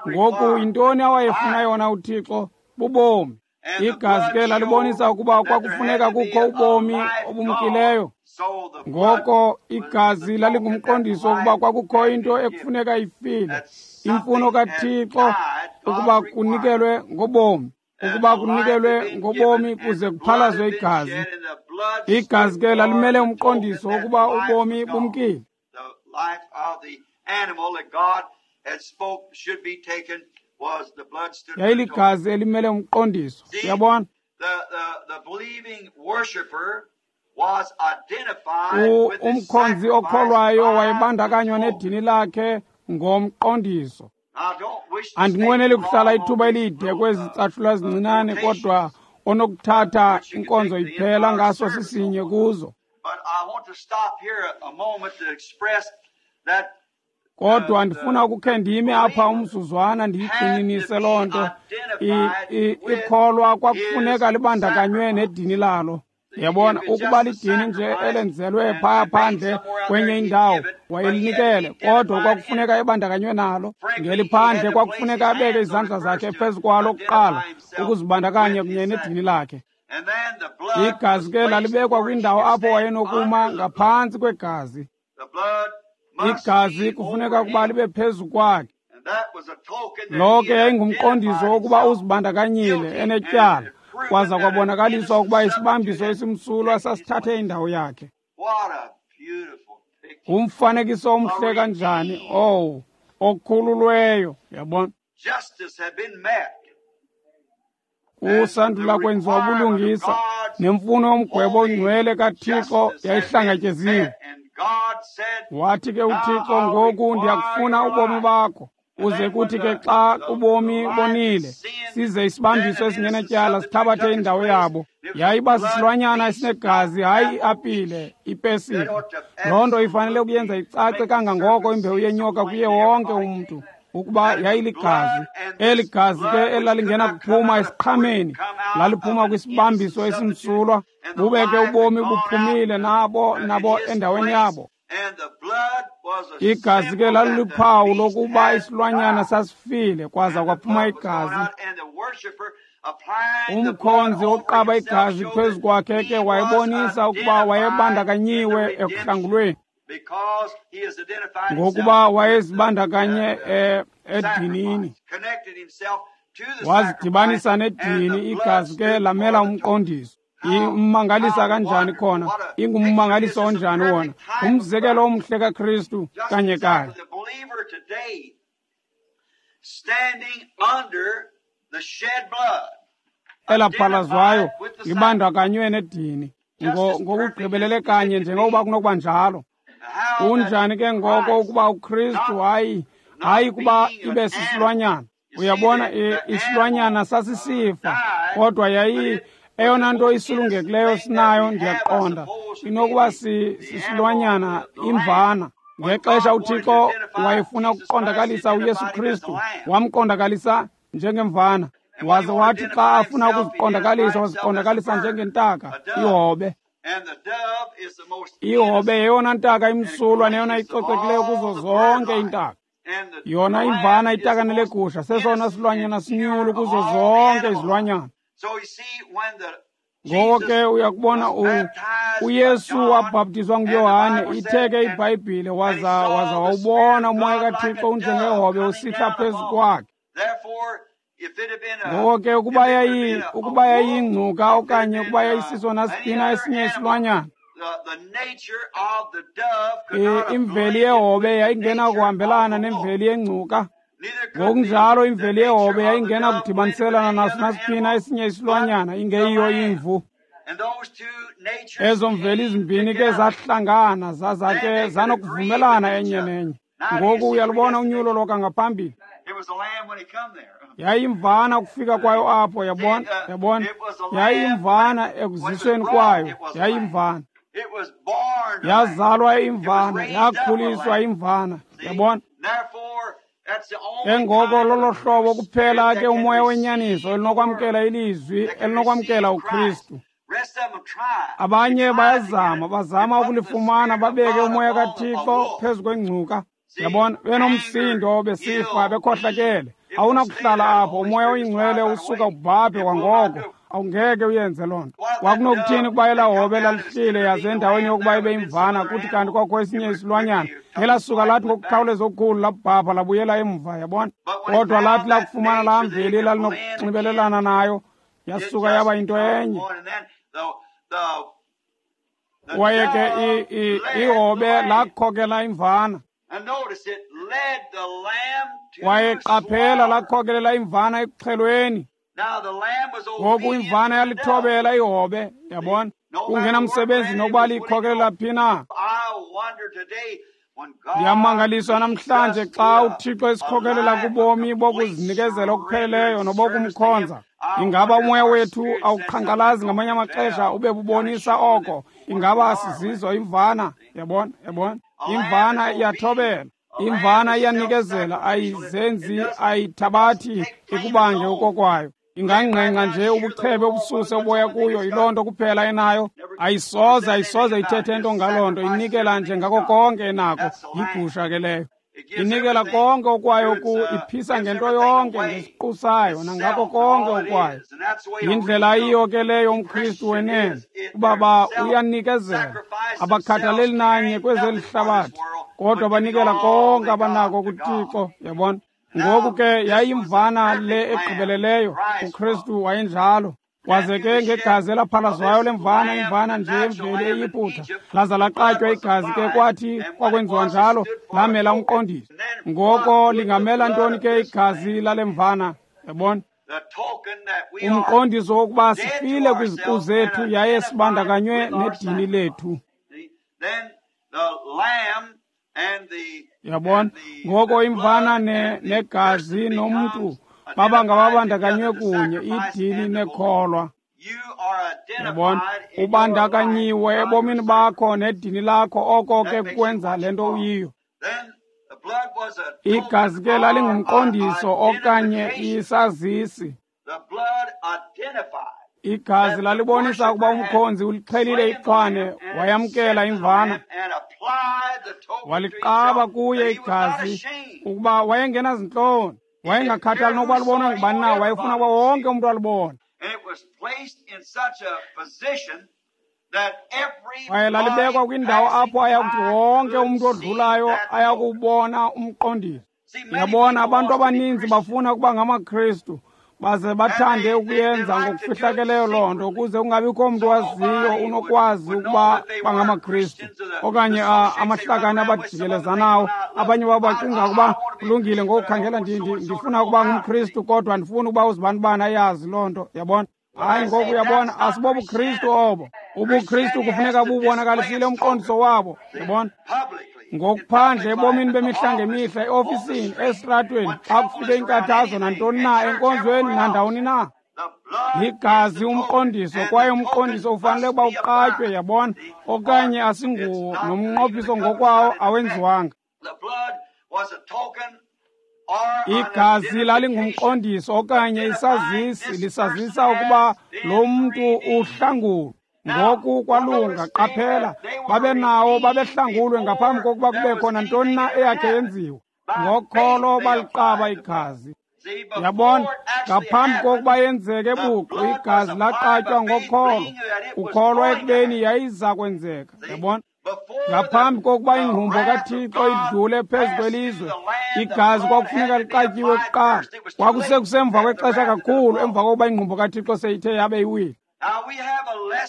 Ngoku yintoni awayefuna yona uThixo? Bubomi. Igazi ke lalibonisa ukuba kwakufuneka kukho ubomi obumkileyo. Ngoko igazi lalingumqondiso wokuba kwakukho into ekufuneka ifile, imfuno kaThixo ukuba kunikelwe ngobomi, ukuba kunikelwe ngobomi kuze kuphalazwe igazi. Igazi ke lalimele umqondiso wokuba ubomi bumkile. Yayiligazi elimele umqondiso. Uyabona? Umkhonzi okholwayo wayebandakanywa nedini lakhe ngomqondiso. Andinqweneli kuhlala ithuba elide kwezi catshulwa zincinane, kodwa onokuthatha inkonzo iphela ngaso sisinye kuzo. Kodwa ndifuna ukukhe ndime apha umzuzwana ndiyigxininise loo nto. Ikholwa kwakufuneka libandakanywe nedini lalo. Yabona, ukuba lidini nje elenzelwe phaya phandle kwenye indawo, wayelinikele, kodwa kwakufuneka ebandakanywe nalo. Ngeliphandle kwakufuneka abeke izandla zakhe phezu kwalo kuqala, ukuzibandakanya kunye nedini lakhe. Igazi ke lalibekwa kwindawo apho wayenokuma ngaphantsi kwegazi. Igazi kufuneka ukuba libe phezu kwakhe. Lo ke yayingumqondiso wokuba uzibandakanyile enetyala, kwaza kwabonakaliswa ukuba isibambiso esimsulwa sasithathe indawo yakhe. Ngumfanekiso omhle kanjani owu okhululweyo, yabona. Kusandula kwenziwa ubulungisa, nemfuno yomgwebo ongcwele kaThixo yayihlangatyeziwe. Wathi ke uThixo, ngoku ndiyakufuna ubomi bakho, uze kuthi ke xa ubomi bonile, size isibambiso esingenatyala sithabathe indawo yabo. Yayiba sisilwanyana esinegazi, hayi iapile, ipesika. Loo nto ifanele ukuyenza icace kangangoko imbewu yenyoka kuye wonke umntu, ukuba yayiligazi. Eli gazi ke elalingena kuphuma esiqhameni, laliphuma kwisibambiso esimsulwa, bube ke ubomi buphumile nabo endaweni yabo. Igazi ke laliluphawu lokuba isilwanyana sasifile, kwaza kwaphuma igazi. Umkhonzi oqaba igazi phezu kwakhe ke wayebonisa ukuba wayebandakanyiwe ekuhlangulweni, ngokuba wayezibandakanye edinini, wazidibanisa nedini. Igazi ke lamela umqondiso. Immangalisa kanjani khona, ingummangaliso onjani wona, umzekelo omhle kaKristu kanye kanye. Elaphalazwayo libandakanywe nedini ngokugqibelele kanye njengokuba kunokuba njalo. Kunjani ke ngoko ukuba uKristu hayi kuba ibe sisilwanyana. Uyabona, isilwanyana sasisifa, kodwa yayi eyona nto isulungekileyo sinayo, ndiyaqonda, inokuba sisilwanyana imvana. Ngexesha uThixo wayefuna ukuqondakalisa uYesu Kristu, wamqondakalisa njengemvana. Waze wathi xa afuna ukuziqondakalisa, waziqondakalisa njengentaka, ihobe. Ihobe yeyona ntaka imsulwa neyona icocekileyo kuzo zonke iintaka. Yona imvana itakane legusha sesona silwanyana sinyulu kuzo zonke izilwanyana. Ngoko ke uyakubona uYesu wabhaptizwa nguYohane, ithe ke iBhayibhile, waza wawubona umoya kaThixo unjengehobe usihla phezu kwakhe. Ngoko ke ukuba yayingcuka okanye ukuba yayisiso nasiphi esinye isilwanyana, imveli yehobe yayingenakuhambelana nemveli yengcuka. Ngokunjalo imveli yehobe yayingena kudibaniselana naso nasiphina esinye isilwanyana ingeyiyo imvu. Ezo mveli zimbini ke zahlangana zaza ke zanokuvumelana enye nenye. Ngoku uyalubona unyulo lokangaphambili. Yayimvana ukufika kwayo apho, yabona, yabona. Yayimvana ekuzisweni kwayo, yayimvana. Yazalwa imvana, yakhuliswa imvana, yabona. Ke ngoko lolo hlobo kuphela ke umoya wenyaniso elinokwamkela ilizwi, elinokwamkela uKristu. Abanye bayazama, bazama ukulifumana babeke umoya kaThixo phezu kwengcuka. Yabona, benomsindo, besifa, bekhohlakele. Awunakuhlala apho, umoya oyingcwele usuka ubhabhe kwangoko. Awungeke uyenze loo nto. Kwakunokuthini ukuba elaa hobe lalihlile yaze endaweni yokuba ibe imvana kuthi kanti kwakho esinye isilwanyana ngelasuka lathi ngokukhawuleza okukhulu labhabha labuyela emva, yabona. Kodwa lathi lakufumana laa mveli lalinokunxibelelana nayo, yasuka yaba yinto enye. Kwaye ke ihobe lakhokela imvana. Kwaye qaphela lakhokelela imvana ekuxhelweni. Ngoku imvana yalithobela ihobe, yabona. Kungenamsebenzi nokuba liyikhokelela phi na. Ndiyamangaliswa namhlanje xa uThixo esikhokelela kubomi bokuzinikezela okupheleleyo nobokumkhonza. Ingaba umoya wethu awuqhankqalazi ngamanye amaxesha ube bubonisa oko? Ingaba asizizo imvana? Yabona, yabona. Imvana iyathobela. Imvana iyanikezela, ayizenzi, ayithabathi ikubange okokwayo. Ingangqengqa nje ubuchebe obususe uboya kuyo, yiloo nto kuphela enayo. Ayisoze, ayisoze ithethe nto ngaloo nto, inikela nje ngako konke enako. Yigusha ke leyo. Inikela konke okwayo ku, iphisa ngento yonke, ngesiqu sayo, nangako konke okwayo. Yindlela ayiyo ke leyo umKristu wenene, ubaba uyanikezela. Abakhathaleli nanye kwezeli hlabathi, kodwa banikela konke abanako kuThixo, yabona. Ngoku ke yayimvana le egqibeleleyo, uKristu wayenjalo. Waze ke ngegazi elaphalazwayo lemvana, imvana nje emveli eYiputa, laza laqatywa igazi ke kwathi kwakwenziwa njalo, lamela umqondiso. Ngoko lingamela ntoni ke igazi lale mvana, yabona? Umqondiso wokuba sifile kwiziqu zethu yaye sibandakanywe nedini lethu. Yabona? Ngoko imvana negazi nomntu baba ngababandakanywe kunye, idini nekholwa. Yabona? Ubandakanyiwe ebomini bakho nedini lakho, oko ke kwenza le nto uyiyo. Igazi ke lalingumqondiso okanye isazisi. Igazi lalibonisa ukuba umkhonzi ulixhelile ixhwane, wayamkela imvana. Waliqaba kuye igazi ukuba wayengenazintloni. Wayengakhathali nokuba libonwa ngubani na, wayefuna ukuba wonke umntu alibone. Kwaye lalibekwa kwindawo apho ayakuthi wonke umntu odlulayo ayakuwubona umqondiso. Yabona, abantu abaninzi bafuna ukuba ngamaKristu, baze bathande ukuyenza ngokufihlakeleyo loo nto ukuze kungabikho mntu waziyo unokwazi ukuba bangamaKristu okanye amahlakani abajikelezanawo. Abanye babo bacinga ukuba kulungile ngokukhangela ndifuna ukuba ngumKristu kodwa ndifuna ukuba uzibanibani ayazi loo nto, yabona. Hayi, ngoku uyabona, asibobuKristu obo. UbuKristu kufuneka bubonakalisile umqondiso wabo, yabona. Ngokuphandle ebomini bemihla ngemihla, eofisini, esitratweni, xa kufike inkathazo nantoni na, enkonzweni nandawoni na. Ligazi umqondiso, kwaye umqondiso ufanele ukuba uqatywe, yabona, okanye asinguwo, nomnqophiso ngokwawo awenziwanga. Igazi lalingumqondiso okanye isazisi, lisazisa ukuba lo mntu uhlangulwe. Ngoku kwalunga, qaphela, babenawo, babehlangulwe ngaphambi kokuba kubekho nantoni na eyakhe yenziwa. Ngokholo baliqaba igazi. Yabona, ngaphambi kokuba yenzeke buqu, igazi laqatywa ngokholo, ukholwa ekubeni yayiza kwenzeka. Yabona, ngaphambi kokuba ingqumbo kaThixo idlule phezu kwelizwe, igazi kwakufuneka liqatyiwe kuqala. Kwakusekusemva kwexesha kakhulu emva kokuba ingqumbo kaThixo seyithe yabe iwile.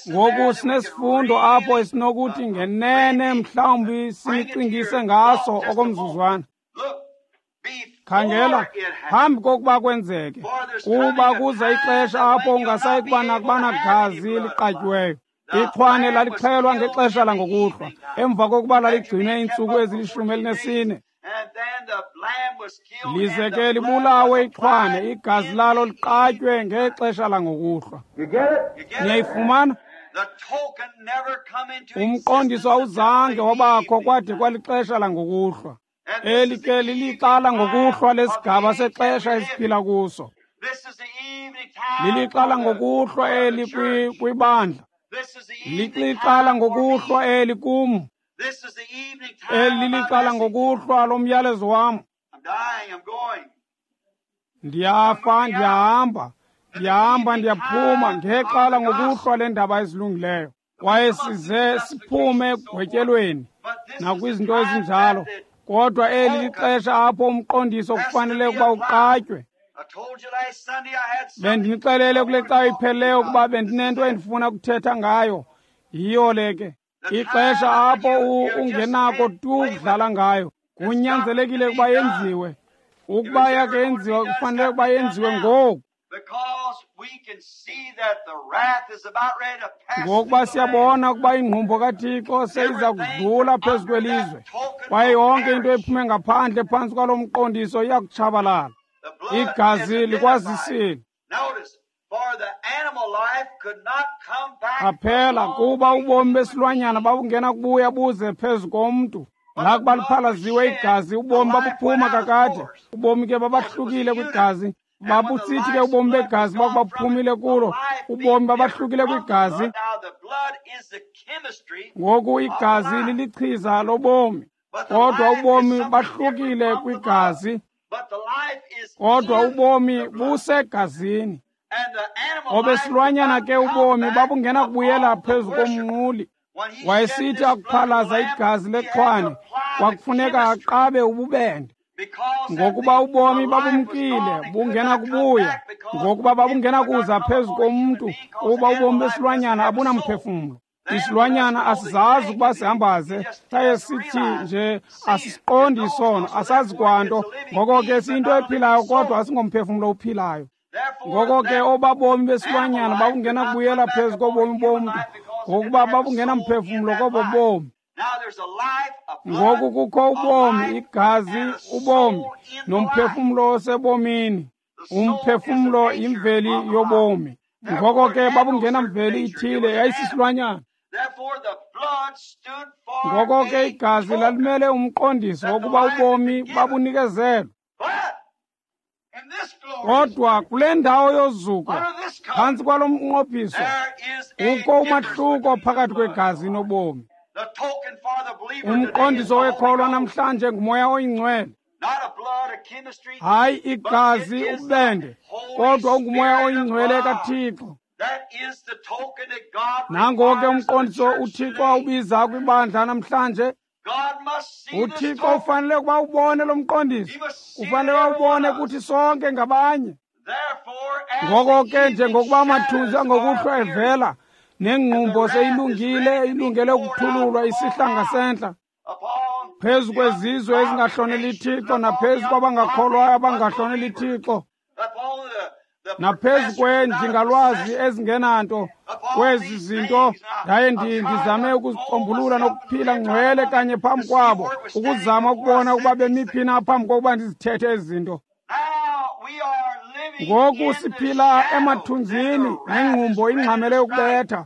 Ngoku sinesifundo apho esinokuthi ngenene mhlawumbi sinicingise ngaso okomzuzwana. Khangela, phambi kokuba kwenzeke, kuba kuza ixesha apho ungasayi kuba nakuba nagazi liqatyiweyo. Ixhwane lalixhelwa ngexesha langokuhlwa, emva kokuba laligcinwe iintsuku ezili-14. Lize ke libulawe ixhwane, igazi lalo liqatywe ngexesha langokuhlwa. Niyayifumana? Umqondiso awuzange wabakho kwade kwalixesha langokuhlwa. Eli ke lilixa langokuhlwa lesigaba sexesha esiphila kuso. Lilixa langokuhlwa eli kwibandla. Lilixa langokuhlwa eli kum. Eli lilixa langokuhlwa lomyalezo wam. Ndiyafa, ndiyahamba. Ndiyahamba, ndiyaphuma ngexa langokuhlwa lendaba ezilungileyo. Kwaye size siphume ekugwetyelweni nakwizinto ezinjalo. Kodwa eli lixesha apho umqondiso kufanele ukuba uqatywe. Bendinixelele kule cawa iphelileyo ukuba bendinento endifuna ukuthetha ngayo. Yiyo le ke. Ixesha apho ungenako tu ukudlala ngayo. Kunyanzelekile ukuba yenziwe. Ukuba yakhe yenziwa, kufanele ukuba yenziwe ngoku. Ngokuba siyabona ukuba ingqumbo kaThixo seyiza kudlula phezu kwelizwe, kwaye yonke into ephume ngaphandle phantsi kwalo mqondiso iya kutshabalala. Igazi likwazisile. Qaphela, kuba ubomi besilwanyana babungena kubuya buze phezu komntu. Lakuba liphalaziwe igazi, ubomi babuphuma kakade. Ubomi ke babahlukile kwigazi. Babusithi ke ubomi begazi bakuba buphumile kulo, ubomi babahlukile kwigazi. Ngoku igazi lilichiza lobomi, kodwa ubomi bahlukile kwigazi. Kodwa ubomi busegazini. Obesilwanyana ke ubomi babungena kubuyela phezu komnquli. Wayesithi akuphalaza igazi lexhwane, kwakufuneka aqabe ububende. Ngokuba ubomi babumkile, bungena kubuya. Ngokuba babungena kuza phezu komntu, kuba ubomi besilwanyana abunamphefumlo. Isilwanyana asizazi ukuba sihambaze, saye sithi nje asisiqondi isono, asazi kwanto. Ngoko ke siyinto ephilayo, kodwa asingomphefumlo uphilayo. Ngoko ke obabomi besilwanyana babungena kubuyela phezu kobomi bomntu, ngokuba babungenamphefumlo kobo bomi. Ngoku kukho ubomi, igazi, ubomi, nomphefumlo osebomini. Umphefumlo yimveli yobomi. Ngoko ke babungenamveli ithile, yayisisilwanyana. Ngoko ke igazi lalimele umqondiso wokuba ubomi babunikezelwe. Kodwa kule ndawo yozuko, phantsi kwalo mnqophiso, kukho umahluko phakathi kwegazi nobomi. Umqondiso wekholwa namhlanje nguMoya oyiNgcwele. Hayi igazi ububende, kodwa unguMoya oyiNgcwele kaThixo. Nango ke umqondiso uThixo awubiza kwibandla namhlanje. UThixo ufanele ukuba ubone lo mqondiso, ufanele awubone kuthi sonke ngabanye. Ngoko ke njengokuba amathunzi angokuhlwa evela, nengqumbo seyilungile, ilungele ukuthululwa isihla ngasentla phezu kwezizwe ezingahloneli Thixo, naphezu kwabangakholwayo abangahloneli Thixo, naphezu kweenjingalwazi ezingenanto kwezi zinto. Ndaye ndizame ukuzicombulula nokuphila ngcwele kanye phambi kwabo, ukuzama ukubona ukuba bemi phi na phambi kokuba ndizithethe ezi zinto. Ngoku siphila emathunzini nengqumbo ingxamele ukubetha.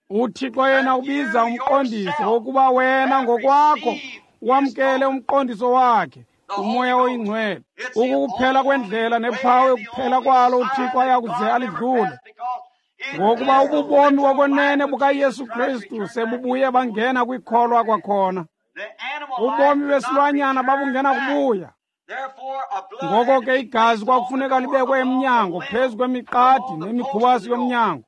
UThixo yena ubiza umqondiso wokuba wena ngokwakho wamkele umqondiso wakhe, uMoya oyiNgcwele. Ukukuphela kwendlela nephawu ekuphela kwalo uThixo ayakuze alidlule. Ngokuba ububomi bokwenene bukaYesu Kristu sebubuye bangena kwikholwa kwakhona. Ubomi besilwanyana babungena kubuya. Ngoko ke igazi kwakufuneka libekwe emnyango, phezu kwemiqadi nemikhubasi yomnyango,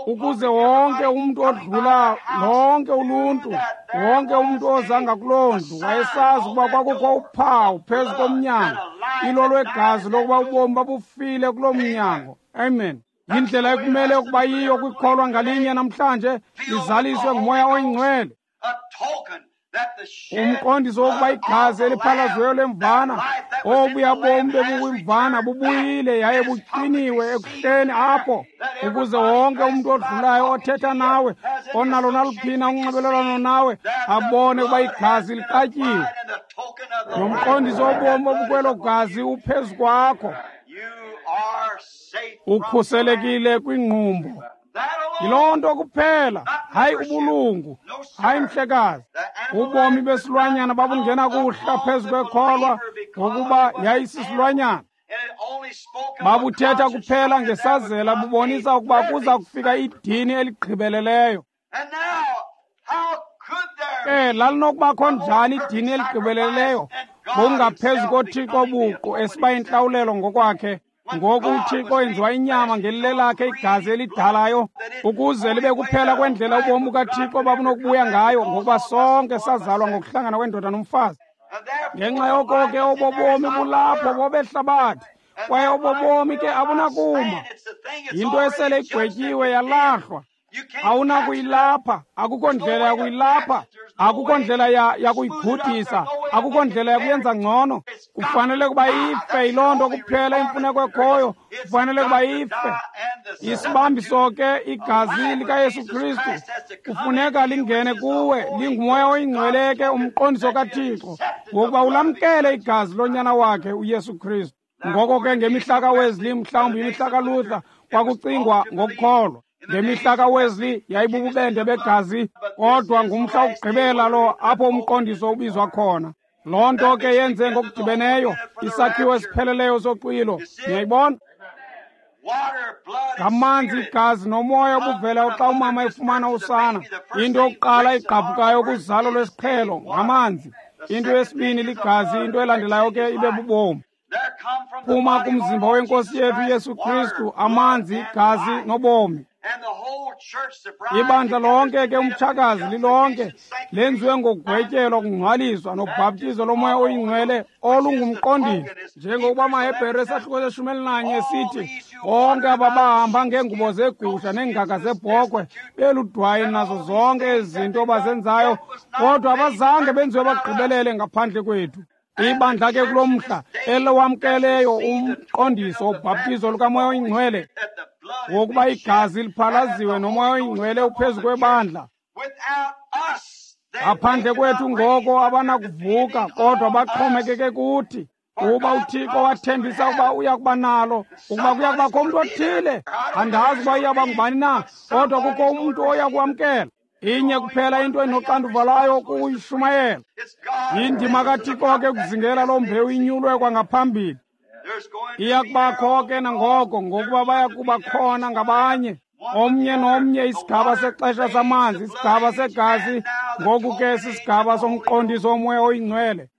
ukuze wonke umntu odlula, lonke uluntu, wonke umntu ozanga kuloo ndlu wayesazi ukuba kwakukho uphawu phezu komnyango, ilo lwegazi lokuba ubomi babufile kuloo mnyango. Amen. Yindlela ekumele ukuba yiyo kwikholwa ngalinye namhlanje, lizaliswe nguMoya oyiNgcwele. Umqondiso wokuba igazi eliphalaziweyo lemvana, obuya bomi bebukwimvana, bubuyile yaye buqiniwe ekuhleni apho, ukuze wonke umntu odlulayo othetha nawe, onalo naluphina unxibelelwano nawe, abone ukuba igazi liqatyiwe. Nomqondiso wobomi obukwelo gazi uphezu kwakho. Ukhuselekile kwingqumbo. Yiloo nto kuphela, hayi ubulungu, hayi mhlekazi. Ubomi besilwanyana babungena kuhla phezu kwekholwa ngokuba yayisisilwanyana. Babuthetha kuphela ngesazela, bubonisa ukuba kuza kufika idini eligqibeleleyo. Ke lalinokubakho njani idini eligqibeleleyo ngokungaphezu koThixo buqu esiba intlawulelo ngokwakhe? Ngoku uThixo enziwa inyama ngelilelakhe igazi elidalayo, ukuze libe kuphela kwendlela ubomi bukaThixo babunokubuya ngayo, ngokuba sonke sazalwa ngokuhlangana kwendoda nomfazi. Ngenxa yoko ke obo bomi bulapho bobehlabathi, kwaye obo bomi ke abunakuma. Yinto esele igwetyiwe yalahlwa. Awunakuyilapha, akukho ndlela yakuyilapha, akukho ndlela yakuyigudisa, akukho ndlela yakuyenza ngcono. Kufanele kuba ife, yiloo nto kuphela imfuneko ekhoyo, kufanele kuba ife. Isibambiso ke igazi likaYesu Kristu kufuneka lingene kuwe, linguMoya oyiNgcwele ke, umqondiso kaThixo, ngokuba ulamkele igazi lonyana wakhe uYesu Kristu. Ngoko ke ngemihla kaWesley, mhlawumbi imihla kaLuther, kwakucingwa ngokukholwa. Ngemihla kaWesley yayibububende begazi, kodwa ngumhla wokugqibela lo apho umqondiso ubizwa khona. Loo nto ke yenze ngokudibeneyo isakhiwo esipheleleyo soxwilo. Niyayibona? Ngamanzi, igazi nomoya obuvelayo xa umama efumana usana. Into yokuqala igqabhukayo kuzalo lwesiqhelo ngamanzi. Into yesibini ligazi, into elandelayo ke ibe bubomi. Phuma kumzimba wenkosi yethu Yesu Kristu amanzi, igazi nobomi. Ibandla lonke ke, umtshakazi lilonke, lenziwe ngokugwetyelwa, kungcwaliswa nobhaptizo lomoya oyingcwele olungumqondiso, njengokuba amaHebhere esahluko seshumi elinanye sithi bonke aba bahamba ngeengubo zegusha neengaga zebhokhwe beludwayi nazo zonke ezi zinto bazenzayo, kodwa abazange benziwe bagqibelele ngaphandle kwethu. Ibandla ke kulo mhla elowamkeleyo umqondiso wobhaptizo lukamoya oyingcwele, wokuba igazi liphalaziwe nomoya oyingcwele uphezu kwebandla. Ngaphandle kwethu ngoko abanakuvuka, kodwa baxhomekeke kuthi, kuba uThixo wathembisa ukuba uya kuba nalo, ukuba kuya kubakho umntu othile. Andazi uba iyawuba ngubani na, kodwa kukho umntu oya kuwamkela. Inye kuphela into enoxanduva lwayo kuyishumayela. Yindima kaThixo ke ukuzingela loo mbewu inyulwe kwangaphambili. Iya kubakho ke nangoko, ngokuba baya kuba khona ngabanye, omnye nomnye, isigaba sexesha samanzi, isigaba segazi, ngoku ke sisigaba somqondiso womoya oyingcwele.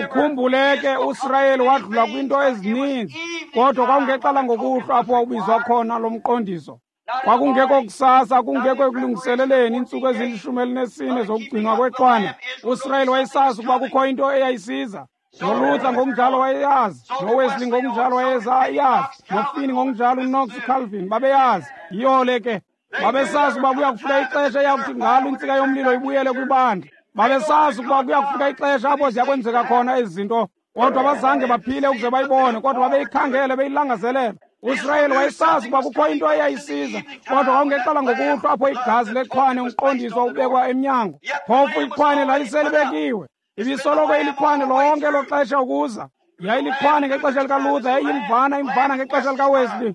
Ukhumbule ke uSirayeli wadlula kwinto ezininzi, kodwa kwakungexesha ngokuhlwa apho wawubizwa khona lo mqondiso. Kwakungekho kusasa, kungekho ekulungiseleleni iintsuku ezili-14 zokugcinwa kwexwana. USirayeli wayesazi ukuba kukho into eyayisiza. NoLuther ngokunjalo wayeyazi, noWesley ngokunjalo wayeyazi, noFinney ngokunjalo, uKnox, uCalvin babeyazi. Yiyo le ke. Babesazi ukuba kuya kufika ixesha eyakuthi ngalo intsika yomlilo ibuyele kwibandla. Babesazi ukuba kuya kufika ixesha apho ziya kwenzeka khona ezi zinto, kodwa abazange baphile ukuze bayibone, kodwa babeyikhangele beyilangazelela. USirayeli wayesazi ukuba kukho into eyayisiza, kodwa kwakungexesha ngokuhlwa apho igazi lexhwane umqondiso ubekwa emnyango. Phofu ixhwane laliselibekiwe. Ibisoloko ilikhwane lonke elo xesha ukuza. Yayilikhwane ngexesha likaLuther, yayiyimvana, imvana ngexesha likaWesley.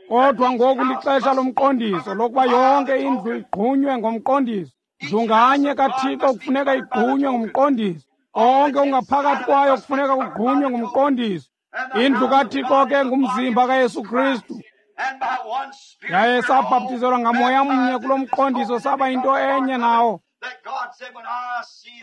Kodwa ngoku lixesha lomqondiso, lokuba yonke indlu igqunywe ngomqondiso. Ndlu nganye kaThixo kufuneka igqunywe ngumqondiso. Konke okungaphakathi kwayo kufuneka kugqunywe ngumqondiso. Indlu kaThixo ke ngumzimba kaYesu Kristu. Yaye sabhaptizelwa ngamoya mnye kulo mqondiso, saba yinto enye nawo.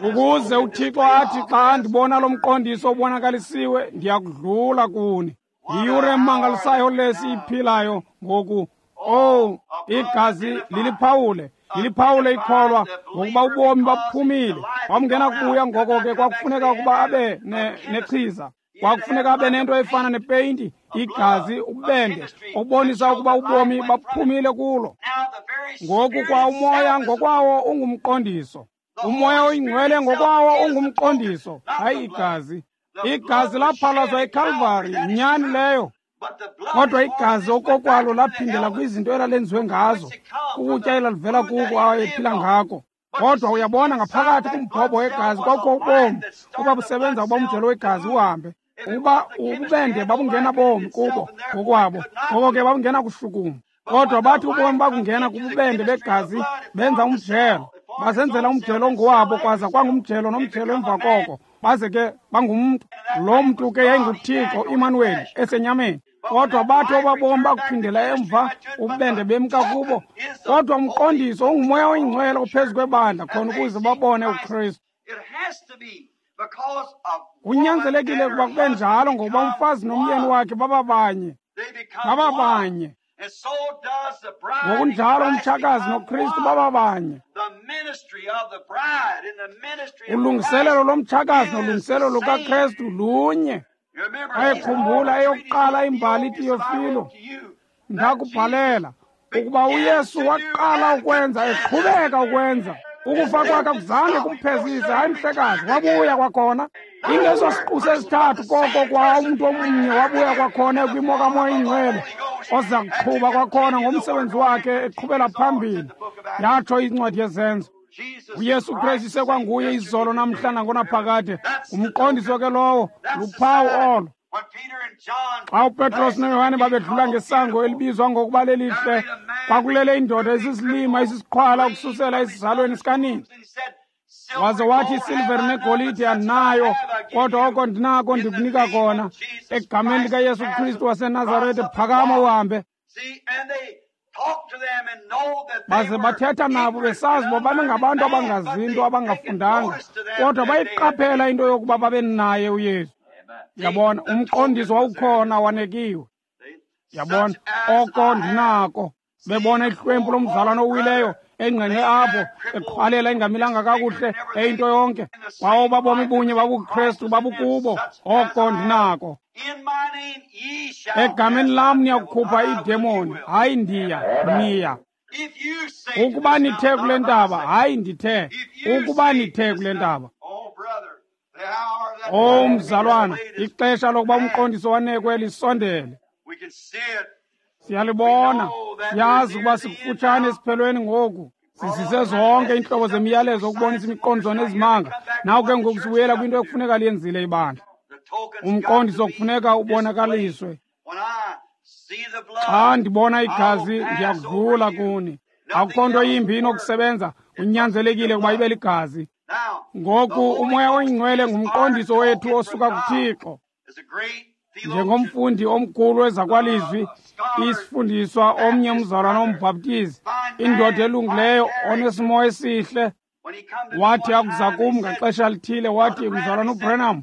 Ukuze uThixo athi, xa ndibona lo mqondiso ubonakalisiwe, ndiyakudlula kuni. Yiyure emangalisayo le siyiphilayo ngoku. Oh, igazi liliphawule, liliphawule ikholwa, ngokuba ubomi babuphumile. Wamngena kubuya, ngoko ke kwakufuneka ukuba abe nechiza. Kwakufuneka abe nento efana nepeyinti, igazi, ububende, obonisa ukuba ubomi baphumile kulo. Ngoku kwa umoya ngokwawo ungumqondiso. Umoya oyingcwele ngokwawo ungumqondiso, hayi igazi. Igazi laphalazwa eKalvari, nyani leyo. Kodwa igazi okokwalo laphindela kwizinto elalenziwe ngazo, ukutya elalivela kuko awayephila ngako. Kodwa uyabona ngaphakathi kumbhobho wegazi kwakukho ubomi obabusebenza ukuba umjelo wegazi uhambe. Ukuba ububende babungenabomi kubo ngokwabo, ngoko ke babungenakushukuma. Kodwa bathi ubomi bakungena kububende begazi benza umjelo, basenzela umjelo ongowabo, kwaza kwangumjelo nomjelo emva koko, baze ke bangumntu. Lo mntu ke yayinguThixo Imanuweli esenyameni. Kodwa bathi obabomi bakuphindela emva, ububende bemka kubo. Kodwa umqondiso ungumoya oyingcwele ophezu kwebandla khona ukuze babone uKristu. Kunyanzelekile ukuba kube njalo ngokuba umfazi nomyeni wakhe bababanye, bababanye. Ngokunjalo umtshakazi noKristu bababanye. Ulungiselelo lomtshakazi nolungiselelo lukaKristu lunye. Ayekhumbula eyokuqala imbali Tiyofilo, ndakubhalela ukuba uYesu waqala ukwenza, eqhubeka ukwenza. Ukufa kwakhe akuzange kumphezise, hayi mhlekazi, wabuya kwakhona. Ingeso siqu sesithathu koko kwa umntu omnye wabuya kwakhona kwimo kaMoya Oyingcwele, oza kuqhuba kwakhona ngomsebenzi wakhe eqhubela phambili. Yatsho incwadi yeZenzo. uYesu Kristu sekwanguye izolo namhla nangonaphakade. Umqondiso ke lowo, luphawu olo. Xa uPetros noYohane babedlula ngesango elibizwa ngokuba lelihle, kwakulele indoda esisilima esisiqhwala ukususela esizalweni sikanina. Waze wathi, isilivere negolide andinayo, kodwa oko ndinako ndikunika kona. Egameni likaYesu Kristu waseNazarete, phakama uhambe. Baze bathetha nabo besazi uba babengabantu abangazinto, abangafundanga, kodwa bayiqaphela into yokuba babenaye uYesu. Yabona, umqondiso wawukhona wanekiwe. Yabona, oko ndinako. Bebona ihlwempu lomzalwana owileyo engqengqe apho, eqhwalela engamilanga kakuhle, eyinto yonke. Kwawo babomi bunye babuKristu babukubo, oko ndinako. Egameni lam niyakukhupha iidemoni, hayi ndiya, niya. Ukuba nithe kule ntaba, hayi ndithe, ukuba nithe kule ntaba. O mzalwana, ixesha lokuba umqondiso wanekwe lisondele. Siyalibona, siyazi ukuba sikufutshane esiphelweni ngoku. Sizise zonke iintlobo zemiyalezo ukubonisa imiqondiso nezimanga. Naw ke ngoku sibuyela kwinto ekufuneka liyenzile ibandla. Umqondiso kufuneka ubonakaliswe. Xa ndibona igazi ndiyakudlula kuni. Akukho nto yimbi inokusebenza, kunyanzelekile ukuba ibe ligazi. Ngoku uMoya Oyingcwele ngumqondiso wethu osuka kuThixo. Njengomfundi omkhulu wezakwalizwi, isifundiswa omnye umzalwana ombhaptizi, indoda elungileyo onesimo esihle, wathi akuza kum ngaxesha lithile, wathi, mzalwana uBranham,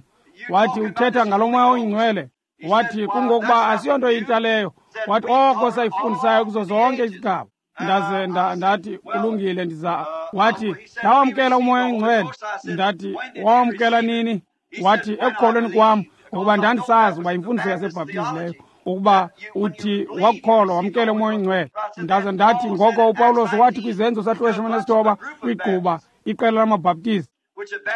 wathi uthetha ngalo Moya Oyingcwele. Wathi kungokuba asiyonto intsha leyo. Wathi oko sayifundisayo kuzo zonke izigaba. Ndaze ndathi kulungile, ndiza. Wathi ndawamkela uMoya Oyingcwele. Ndathi wawamkela nini? Wathi ekukholweni kwam, ngokuba ndandisazi uba imfundiso yasebhaptizi leyo, ukuba uthi wakukholwa wamkele uMoya Oyingcwele. Ndaze ndathi ngoko uPawulos wathi kwiZenzo 19 kwigquba iqela lamabhaptizi,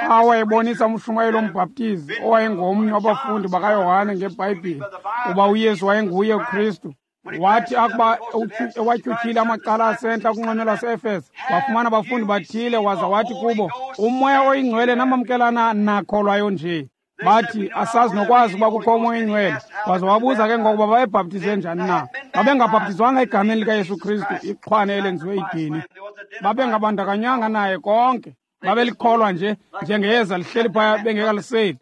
xa wayebonisa umshumayeli wombhaptizi owayengomnye wabafundi bakaYohane ngeBhayibhile uba uYesu wayenguye uKristu. Wathi akuba ewatyhutyhile amacala asentla kunxweme lwase-Efese, wafumana abafundi bathile, waza wathi kubo, uMoya Oyingcwele namamkelana nakholwayo nje. Bathi asazi nokwazi ukuba kukho uMoya Oyingcwele. Waza wabuza ke ngokuba babebhaptizwe njani na. Babengabhaptizwanga egameni likaYesu Kristu, ixhwane elenziwe idini. Babengabandakanyanga naye konke. Babelikholwa nje njengeyeza lihleli phaya bengekaliseli.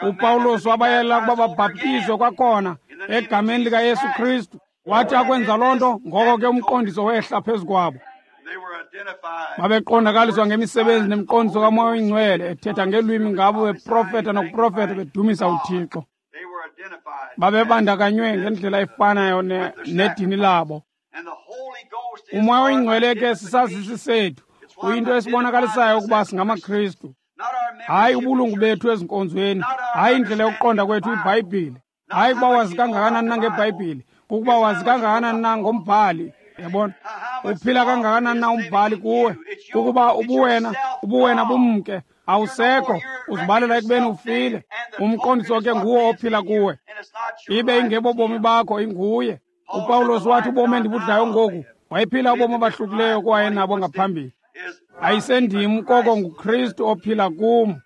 uPawulos wabayela ukuba babhaptizwe kwakhona egameni likaYesu Kristu. Wathi akwenza loo nto, ngoko ke umqondiso wehla phezu kwabo. Babeqondakaliswa ngemisebenzi nemiqondiso kaMoya Oyingcwele, ethetha ngeelwimi ngabo, beprofeta nokuprofeta, bedumisa uThixo. Babebandakanywe ngendlela efanayo nedini labo. uMoya Oyingcwele ke sisazisi sethu, uyinto esibonakalisayo ukuba singamaKristu. Hayi ubulungu bethu ezinkonzweni, Hayi indlela yokuqonda kwethu iBhayibhile. Hayi kuba wazi kangakanani na ngeBhayibhile, kukuba wazi kangakanani na ngombhali. Yabona? Uphila kangakanani na umbhali kuwe, kukuba ubuwena bumke, awusekho, uzibalela ekubeni ufile. Umqondiso ke nguwo ophila kuwe, ibe ingebo bomi bakho, inguye. uPawulos wathi ubomi endibudlayo ngoku, wayephila ubomi obahlukileyo kwaye nabo ngaphambili. Ayisendim koko nguKristu ophila kum.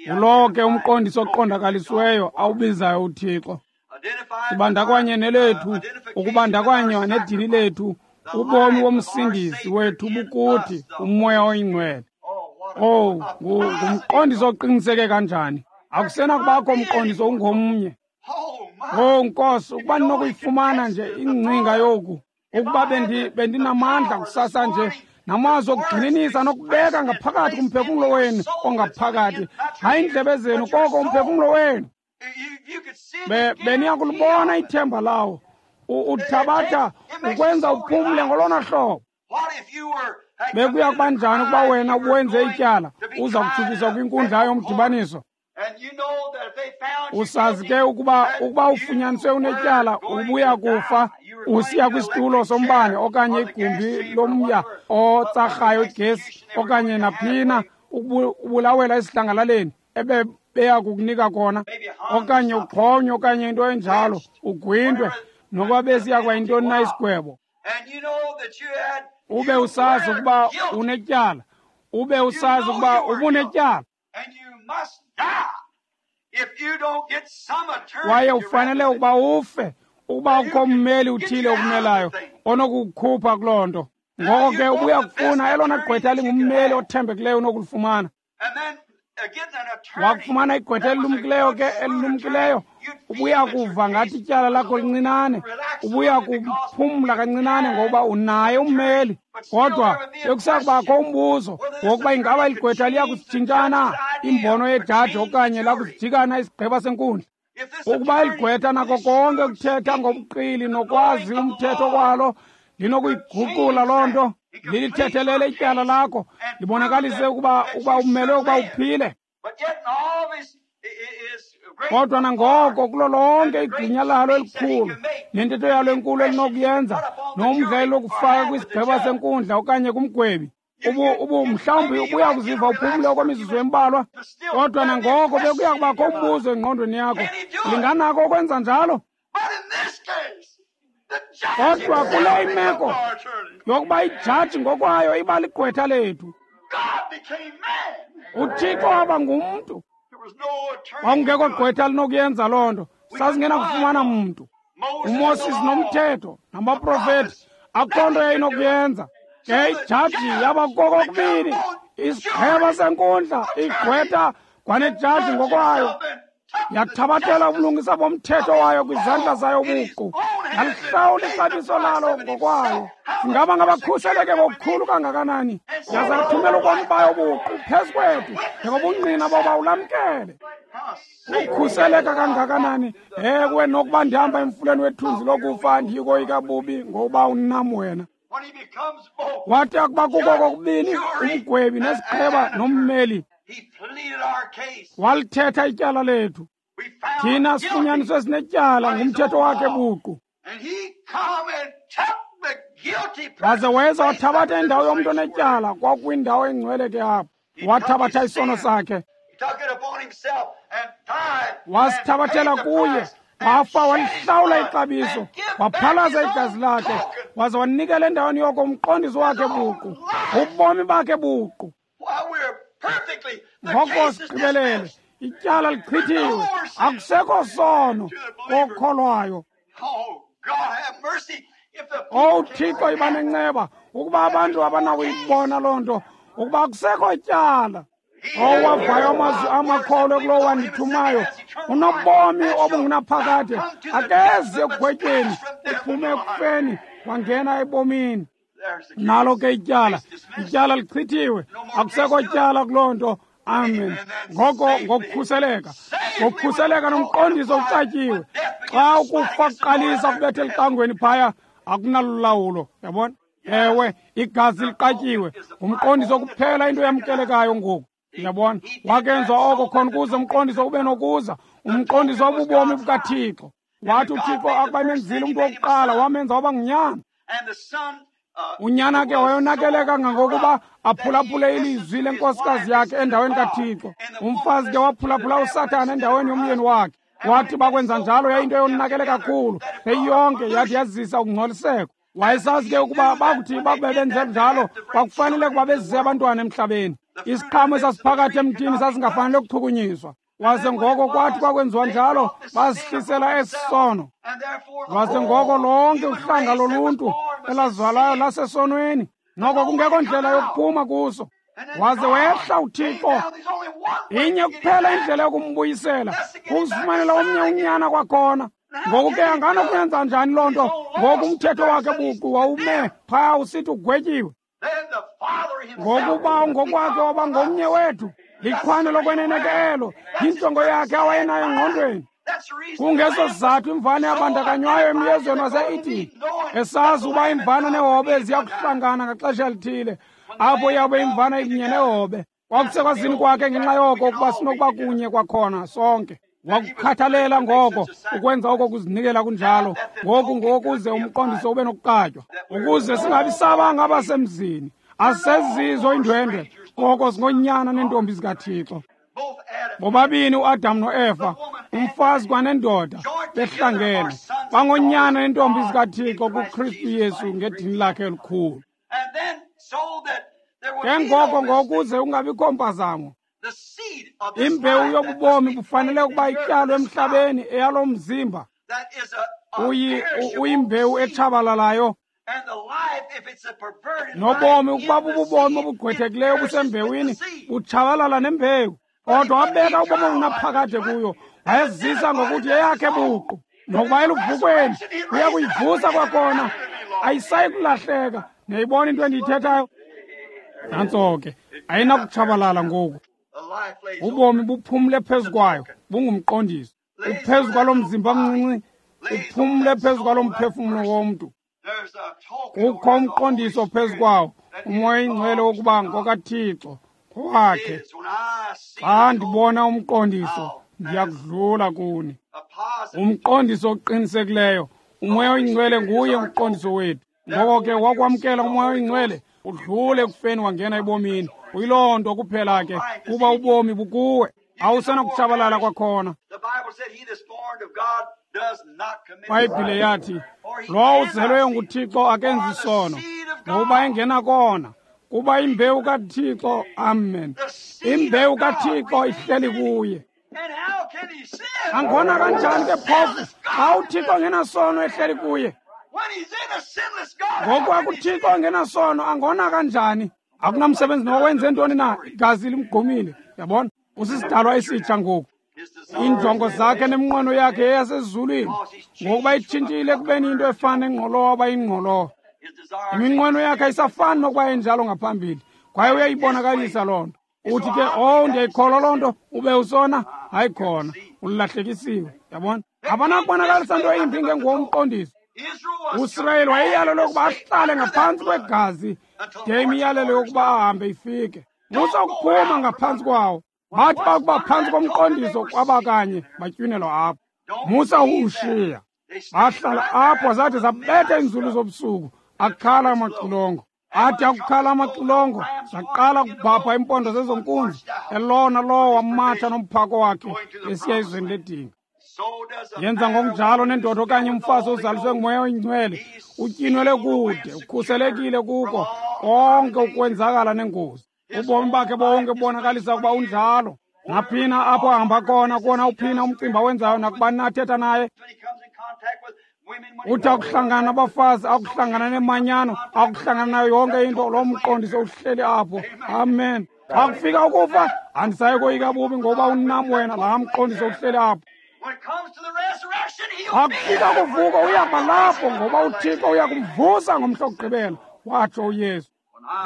Ngulowo ke umqondiso oqondakalisiweyo awubizayo uThixo. Sibandakanye nelethu, ukubandakanywa nedini lethu, ubomi bomsindisi wethu bukuthi, uMoya oyiNgcwele. Oh, ngumqondiso oqiniseke kanjani. Akusenakubakho umqondiso ungomnye. Oh Nkosi, ukuba ndinokuyifumana nje ingcinga yoku, ukuba bendinamandla kusasa nje, namazwi okugxininisa nokubeka ngaphakathi kumphefumlo wenu ongaphakathi, hayi indlebe zenu koko umphefumlo wenu. Beniyakulibona ithemba lawo. Uthabatha ukwenza uphumle ngolona hlobo. Bekuya kuba njani ukuba wena uwenze ityala, uza kutshutshiswa kwinkundla yomdibaniso? Usazi ke ukuba ufunyaniswe unetyala, ubuya kufa, usiya kwisitulo sombane okanye igumbi lomya otsarhayo igesi okanye naphina, ubulawela esidlangalaleni ebe beya kukunika kona, okanye uxhonywe okanye into enjalo, ugwintwe, nokuba besiya kwa yintoni na isigwebo. Ube usazi ukuba unetyala, ube usazi ukuba ubunetyala, kwaye ufanele ukuba ufe ukuba ukho ummeli uthile okumelayo onokukukhupha kuloo nto. Ngoko ke ubuya kufuna elona gqwetha lingummeli othembekileyo unokulifumana. Wakufumana igqwetha elilumkileyo ke, elilumkileyo, ubuya kuva ngathi ityala lakho lincinane, ubuya kuphumla kancinane ngokuba unaye ummeli. Kodwa bekusakubakho umbuzo wokuba ingaba igqwetha liya kusitshintshana imbono yejaji okanye lakusijikana isigqeba senkundla. Ukuba iligqwetha nako konke ukuthetha ngobuqili nokwazi umthetho kwalo linokuyiguqula loo nto, lilithethelele ityala lakho, libonakalise ukuba umelwe ukuba uphile. Kodwa nangoko kulo lonke igunya lalo elikhulu nentetho yalo enkulu elinokuyenza nomdla elokufaka kwisigqeba senkundla okanye kumgwebi, mhlawumbi ubuya kuziva uphumle okwemizuzu embalwa, kodwa nangoko bekuya kubakho umbuzo engqondweni yakho, linganako ukwenza njalo? Kodwa kule imeko yokuba ijaji ngokwayo iba ligqwetha lethu, uThixo waba ngumntu. Kwakungekho gqwetha linokuyenza loo nto, sasingenakufumana mntu. uMoses nomthetho nabaprofeti, akukho nto yayinokuyenza. Ke ijaji yaba kokokubini, isigqeba senkundla, igqwetha kwanejaji ngokwayo. Yathabathela ubulungisa bomthetho wayo kwizandla zayo buqu, yalihlawula ixabiso lalo ngokwayo. Singaba ngabakhuseleke ngokukhulu kangakanani, yaza yathumela ubomi bayo buqu phezu kwethu njengobungqina boba ulamkele. Ukhuseleka kangakanani! Ewe, nokuba ndihamba emfuleni wethunzi lokufa, andiyikoyika bubi, ngokuba unam wena. Wathi akuba kuko kokubini umgwebi nesigqeba nommeli, walithetha ityala lethu. Thina sifunyaniswe sinetyala ngumthetho wakhe buqu. Waze weza wathabatha indawo yomntu onetyala, kwakwindawo engcwele ke apho. Wathabatha isono sakhe, wasithabathela kuye, wafa, walihlawula ixabiso, waphalaza igazi lakhe, waze wanikela endaweni yoko umqondiso wakhe buqu, ubomi bakhe buqu. Ngoko sigqibelele, ityala lichithiwe, akusekho sono kokholwayo. Owu Thixo, iba nenceba ukuba abantu abanakuyibona loo nto, ukuba akusekho tyala. Owavayo amazwi amakholwe kulowo wandithumayo unobomi obungunaphakade, akezi ekugwetyweni, uphume ekufeni wangena ebomini. Nalo ke ityala, ityala lichithiwe, akusekho tyala kuloo nto. Amen. Ngoko ngokukhuseleka, ngokukhuseleka nomqondiso ucatyiwe. Xa ukufa kuqalisa kubetha elicangweni phaya, akunalulawulo, yabona? Ewe, igazi liqatyiwe, ngumqondiso kuphela into yamkelekayo ngoku. Uyabona, wakenza oko khona ukuze umqondiso ube nokuza, umqondiso wobubomi bukaThixo. Wathi uThixo akuba emenzile umntu wokuqala, wamenza waba ngunyana. Unyana ke wayonakele kangangokuba aphulaphule ilizwi lenkosikazi yakhe endaweni kaThixo. Umfazi ke waphulaphula uSathana endaweni yomyeni wakhe. Wathi bakwenza njalo yayinto eyonakele kakhulu, yeyonke yathi yazisa ukungcoliseko. Wayesazi ke ukuba bakuthi bakube benze njalo kwakufanele ukuba bezise abantwana emhlabeni. Isiqhamo esasiphakathi emthini sasingafanele ukuchukunyiswa. Waze ngoko kwathi kwakwenziwa njalo bazihlisela esi sono. Waze ngoko lonke uhlanga loluntu elazalwayo lasesonweni, noko kungekho ndlela yokuphuma kuso. Waze wehla uThixo. Inye kuphela indlela yokumbuyisela, kuzifumanela omnye unyana kwakhona. Ngoku ke anganokuyenza njani loo nto? Ngoku umthetho wakhe buqu wawume phaya usithi ugwetyiwe. Ngokuba ngokwakhe waba ngomnye wethu, liqhwane lokwenene ke elo, yinjongo yakhe awayenayo engqondweni. Kungeso sizathu imvana yabandakanywayo emyezweni wase-Edeni, esazi uba imvana nehobe ziyakuhlangana ngaxesha elithile, apho yabe imvana ikunye nehobe. Kwakusekwazini kwakhe ngenxa yoko ukuba sinokuba kunye kwakhona sonke. Wakukhathalela ngoko ukwenza oko kuzinikela kunjalo, ngoku ngokuze umqondiso ube nokuqatywa, ukuze singabi sabanga abasemzini. Asezizo iindwendwe, koko singonyana neentombi zikaThixo. Bobabini uAdam noEva, umfazi kwanendoda, behlangene bangonyana neentombi zikaThixo kuKristu Yesu ngedini lakhe elikhulu. Ke ngoko ngokuze ungabikho mpazamo, imbewu yobubomi bufanele ukuba ityalwe emhlabeni eyalo mzimba uyimbewu etshabalalayo. Nobomi ukuba bububomi obugqwethekileyo obusembewini butshabalala nembewu. Kodwa wabeka ubomi obunaphakade kuyo, wayezisa ngokuthi yeyakhe buqu. Nokuba eluvukweni uya kuyivusa kwakhona, ayisayi kulahleka. Niyayibona into endiyithethayo? Nantso ke, ayinakutshabalala ngoku. Ubomi buphumle phezu kwayo, bungumqondiso. Uphezu kwalo mzimba mncinci, uphumle phezu kwalo mphefumlo womntu. Kukho umqondiso phezu kwawo, uMoya oyiNgcwele wokuba ngokaThixo, ngowakhe. Xa ndibona umqondiso, ndiyakudlula kuni. Umqondiso oqinisekileyo, uMoya oyiNgcwele nguye umqondiso wethu. Ngoko ke wakwamkela uMoya oyiNgcwele, udlule ekufeni wangena ebomini. Uyiloo nto kuphela ke, kuba ubomi bukuwe, awusenakutshabalala kwakhona. IBhayibhile yathi, lowo uzelweyo nguThixo akenzi sono, ngokuba engenakona, kuba imbewu kaThixo, amen, imbewu kaThixo ihleli kuye. Angona kanjani ke phofu xa uThixo engenasono ehleli kuye? Ngoku uThixo engenasono angona kanjani? Akunamsebenzi nowenze ntoni na, igazi limgqumile. Yabona, usisidalwa esitsha ngoku. Iinjongo zakhe neminqweno yakhe yeyasezulwini, ngokuba itshintshile ekubeni into efana nengqolowa aba yingqolowa. Iminqweno yakhe ayisafani nokuba enjalo ngaphambili, kwaye uyayibonakalisa loo nto. Uthi ke, oh, ndiyayikholwa loo nto, ube usona? Hayi khona, ulahlekisiwe. Yabona, abanakubonakalisa nto imbi ngengomqondiso. USirayeli wayeyalelwe ukuba ahlale ngaphantsi kwegazi de imiyalelo yokuba ahambe ifike. Musa ukuphuma ngaphantsi kwawo. Bathi bakuba phantsi komqondiso kwabakanye batywinelwa apho. Musa uwushiya. Bahlala apho zathi zabetha iinzulu zobusuku, akhala amaxilongo. Athi akukhala amaxilongo, zaqala ukubhabha iimpondo zezonkunzi, elona lowo wamatsha nomphako wakhe esiya ezweni ledinga. Yenza ngokunjalo nendoda okanye umfazi ozaliswe nguMoya oyiNgcwele, utyinwele kude, ukhuselekile kuko konke ukwenzakala nengozi. Ubomi bakhe bonke bubonakalisa ukuba unjalo. Naphina apho ahamba khona, kuwona uphina umcimbi awenzayo, nakubani athetha naye. Uthi akuhlangana nabafazi, akuhlangana nemanyano, akuhlangana nayo yonke into, loo mqondiso uhleli apho. Amen. Xa kufika ukufa, andisayi koyika bubi ngoba unam wena, laa mqondiso uhleli apho. Xa kufika kuvuko uyakuba lapho ngoba uThixo uyakumvusa ngomhla wokugqibela, watsho uYesu.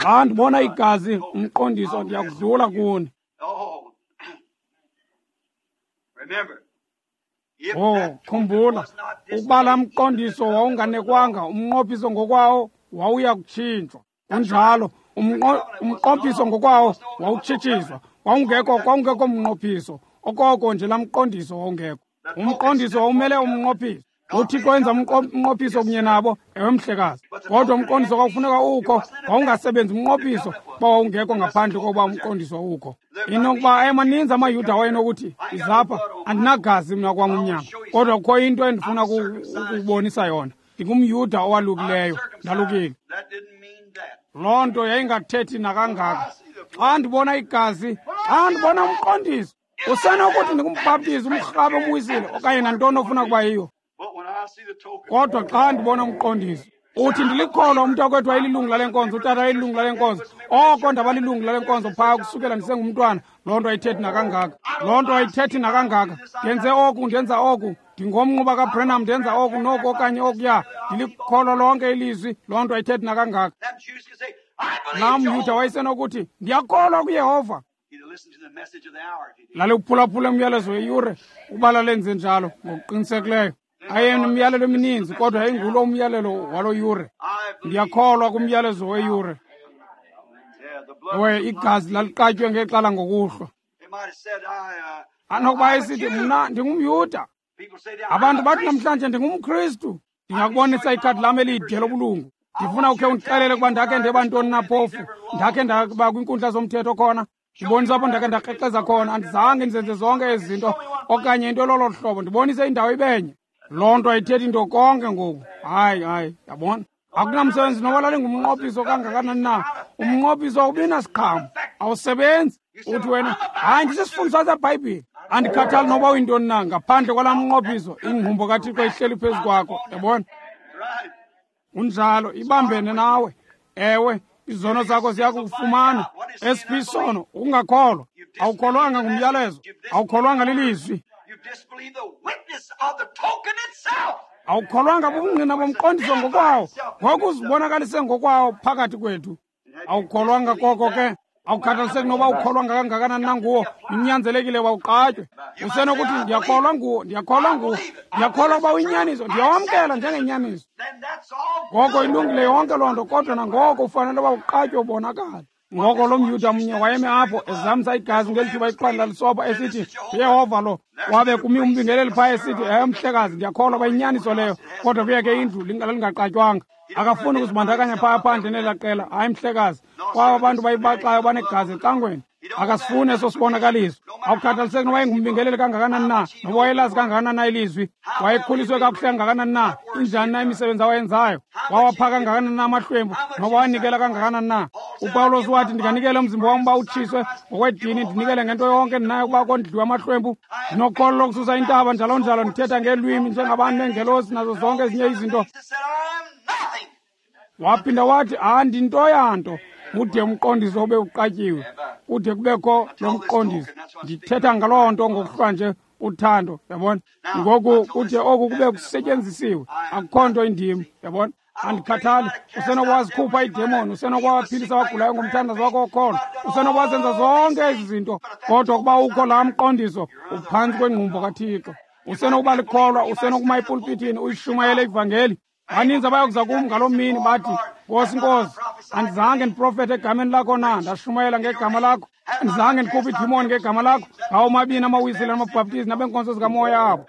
Xa ndibona igazi, umqondiso, ndiyakudlula kuni. Oh, khumbula, ukuba laa mqondiso wawunganekwanga, umnqophiso ngokwawo wawuya kutshintshwa. Kunjalo, umnqophiso ngokwawo wawutshitshiswa. Kwawungekho mnqophiso, okoko nje laa mqondiso wawungekho. Umqondiso wawumele umnqophiso. UThixo wenza umnqophiso kunye nabo, ewe mhlekazi. Kodwa umqondiso kwakufuneka ukho, wawungasebenzi umnqophiso kuba wawungekho ngaphandle kokuba umqondiso ukho. Inokuba ayemaninzi amaYuda wayenokuthi, izapha, andinagazi mna kwam umnyama, kodwa kukho into endifuna ukubonisa yona. NdingumYuda owalukileyo, ndalukile. Loo nto yayingathethi nakangaka. Xa ndibona igazi, xa ndibona umqondiso, usenokuthi ndingumbhaptizi, umrhabe, umwisile, okanye nantoni ofuna kuba yiyo. Kodwa xa ndibona umqondiso, uthi ndilikholwa, umntakwethu wayelilungu lale nkonzo, utata wayelilungu lale nkonzo, oko ndabalilungu lale nkonzo phaa kusukela ndisengumntwana. Loo nto ayithethi nakangaka. Loo nto ayithethi nakangaka. Ndenze oku, ndenza oku, ndingomnquba kaBrenham, ndenza oku noku okanye okuya, ndilikholwa lonke ilizwi. Loo nto ayithethi nakangaka. Laa mYuda wayesenokuthi, ndiyakholwa kuYehova. Laliwuphulaphula umyalezo weyure ukuba lalenze njalo ngokuqinisekileyo. Ayenemiyalelo emininzi, kodwa yayingulo umyalelo walo yure. Ndiyakholwa kumyalezo weyure. Ewe, igazi laliqatywe ngexala ngokuhlwa. Anokuba esithi, mna ndingumYuda. Abantu bathi namhlanje ndingumKristu. Ndingakubonisa ikhadi lam elide lobulungu. Ndifuna ukhe undixelele ukuba ndakhe ndeba ntoni na phofu, ndakhe ndaba kwiinkundla zomthetho khona. Ndibonisa apho ndakhe ndakrexeza khona. Andizange ndizenze zonke ezi zinto okanye into lolo hlobo. Ndibonise indawo ibenye. Loo nto ayithethi nto konke ngoku. Hayi, hayi, yabona. Akunamsebenzi noba lalingumnqophiso kangakanani na. Umnqophiso awubi nasiqhamo, awusebenzi. Uthi wena, hayi, ndisisifundiswa seBhayibhile. Andikhathali noba uyintoni na, ngaphandle kwalaa mnqophiso, ingqumbo kaThixo ihleli phezu kwakho. Yabona? Unjalo, ibambene nawe. Ewe, izono zakho ziyakufumana. Esiphi isono? Ukungakholwa. Awukholwanga ngumyalezo, awukholwanga lilizwi. Awukholwanga bubungqina bomqondiso ngokwawo, ngoku uzibonakalise ngokwawo phakathi kwethu. Awukholwanga koko ke. Awukhathaliseki noba ukholwanga kangakanani na nguwo, unyanzelekile wawuqatywe. Usenokuthi ndiyakholwa nguwo, ndiyakholwa nguwo, ndiyakholwa ukuba uyinyaniso, ndiyawamkela njengenyaniso. Ngoko ilungile yonke loo nto, kodwa nangoko ufanele uba uqatywe ubonakale. Ngoko lo mYuda mnye wayemi apho ezamsa igazi ngeli thuba iqanda lisoba, esithi, uYehova lo. Wabe kumi umbingeleli phaa esithi, ewe mhlekazi, ndiyakholwa uba inyaniso leyo, kodwa kuye ke indlu lingaqatywanga. Akafuni ukuzibandakanya phaa phandle nelaa qela. Hayi mhlekazi, kwaba bantu bayibaxayo banegazi ecangweni. Akasifuni eso sibonakaliso. Awukhathaliseki noba wayengumbingeleli kangakanani na, noba wayelazi kangakanani na ilizwi, wayekhuliswe kakuhle kangakanani na, injani na imisebenzi awayenzayo, wawapha kangakanani na amahlwempu, noba wanikela kangakanani na. UPawulos wathi, ndinganikela umzimba wam uba utshiswe ngokwedini, ndinikele ngento yonke ndinayo ukuba kondliwe amahlwempu. Ndinokholo lokususa intaba, njalo njalo, ndithetha ngeelwimi njengabantu neengelosi nazo zonke ezinye izinto. Waphinda wathi, andinto yanto, ude umqondiso ube uqatyiwe, kude kubekho lo mqondiso. Ndithetha ngaloo nto ngokuhlwa nje, uthando, yabona. Ngoku kude oku kube kusetyenzisiwe, akukho nto indim, yabona. Andikhathali, usenokwazikhupha iidemoni, usenokwaphilisa abagulayo ngomthandazo wakho wokholo, usenokwazenza zonke ezi zinto, kodwa ukuba ukho laa mqondiso, uphantsi kwengqumbo kaThixo. Usenokuba likholwa, usenokuma epulpitini uyishumayele ivangeli. Baninzi abayokuza kum ngaloo mini bathi, Nkosi, Nkosi, andizange ndiprofethe egameni lakho na, ndashumayela ngegama lakho? Andizange ndikhuphe iidimoni ngegama lakho? Ngawo mabini amawisile namabhaptizi nabeenkonzo zikamoya abo.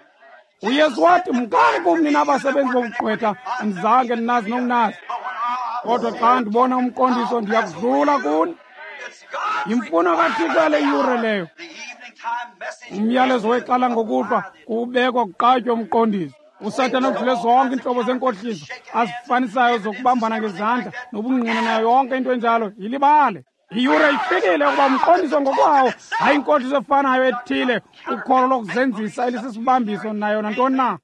UYesu wathi, mkani kum nina abasebenzi bobugqwetha, andizange ndinazi nokunazi. Kodwa xa ndibona umqondiso, ndiyakudlula kuni. Yimfuno kaThixo yale yure leyo. Umyalezo wexala ngokuhlwa kuwubekwa kuqatywe umqondiso. uSathana udlule zonke iintlobo zenkohliso azifanisayo zokubambana ngezandla nobungqina nayo yonke into enjalo. Yilibale. Iyure ifikile ukuba umqondiso ngokwawo, hayi inkohliso efanayo ethile, ukholo lokuzenzisa elisisibambiso nayo nantoni na.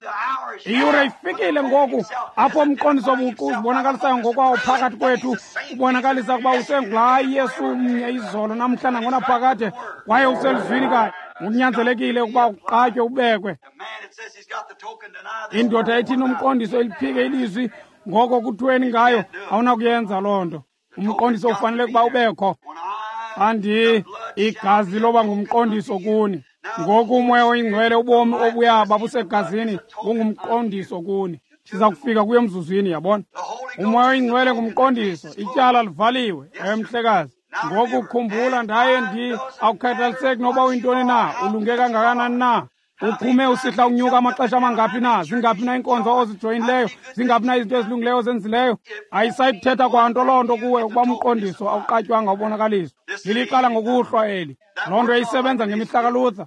Iyure ifikile ngoku apho umqondiso buqu uzibonakalisayo ngokwawo phakathi kwethu, ubonakalisa ukuba usengulaa Yesu mnye izolo namhla nangonaphakade, kwaye uselizwini kanye. Kunyanzelekile ukuba uqatywe ubekwe. Indoda ethi inomqondiso eliphike ilizwi, ngoko kuthweni ngayo? Awunakuyenza loo nto. Umqondiso ufanele ukuba ubekho. Andi igazi loba ngumqondiso kuni. Ngoku umoya oyingcwele, ubomi obuya babusegazini, bungumqondiso kuni. Siza kufika kuyo emzuzwini, yabona. Umoya oyingcwele ngumqondiso, ityala livaliwe. Ewe mhlekazi. Ngoku khumbula, ndaye awukhathaliseki noba uyintoni na, ulunge kangakanani na, uphume usihla unyuka amaxesha amangaphi na, zingaphi na iinkonzo ozijoyinileyo, zingaphi na izinto ezilungileyo ozenzileyo, ayisayithetha kwanto loo nto kuwe ukuba umqondiso awuqatywanga ubonakaliswa. Liliqala ngokuhlwa eli. Loo nto yayisebenza ngemihla kaLuther,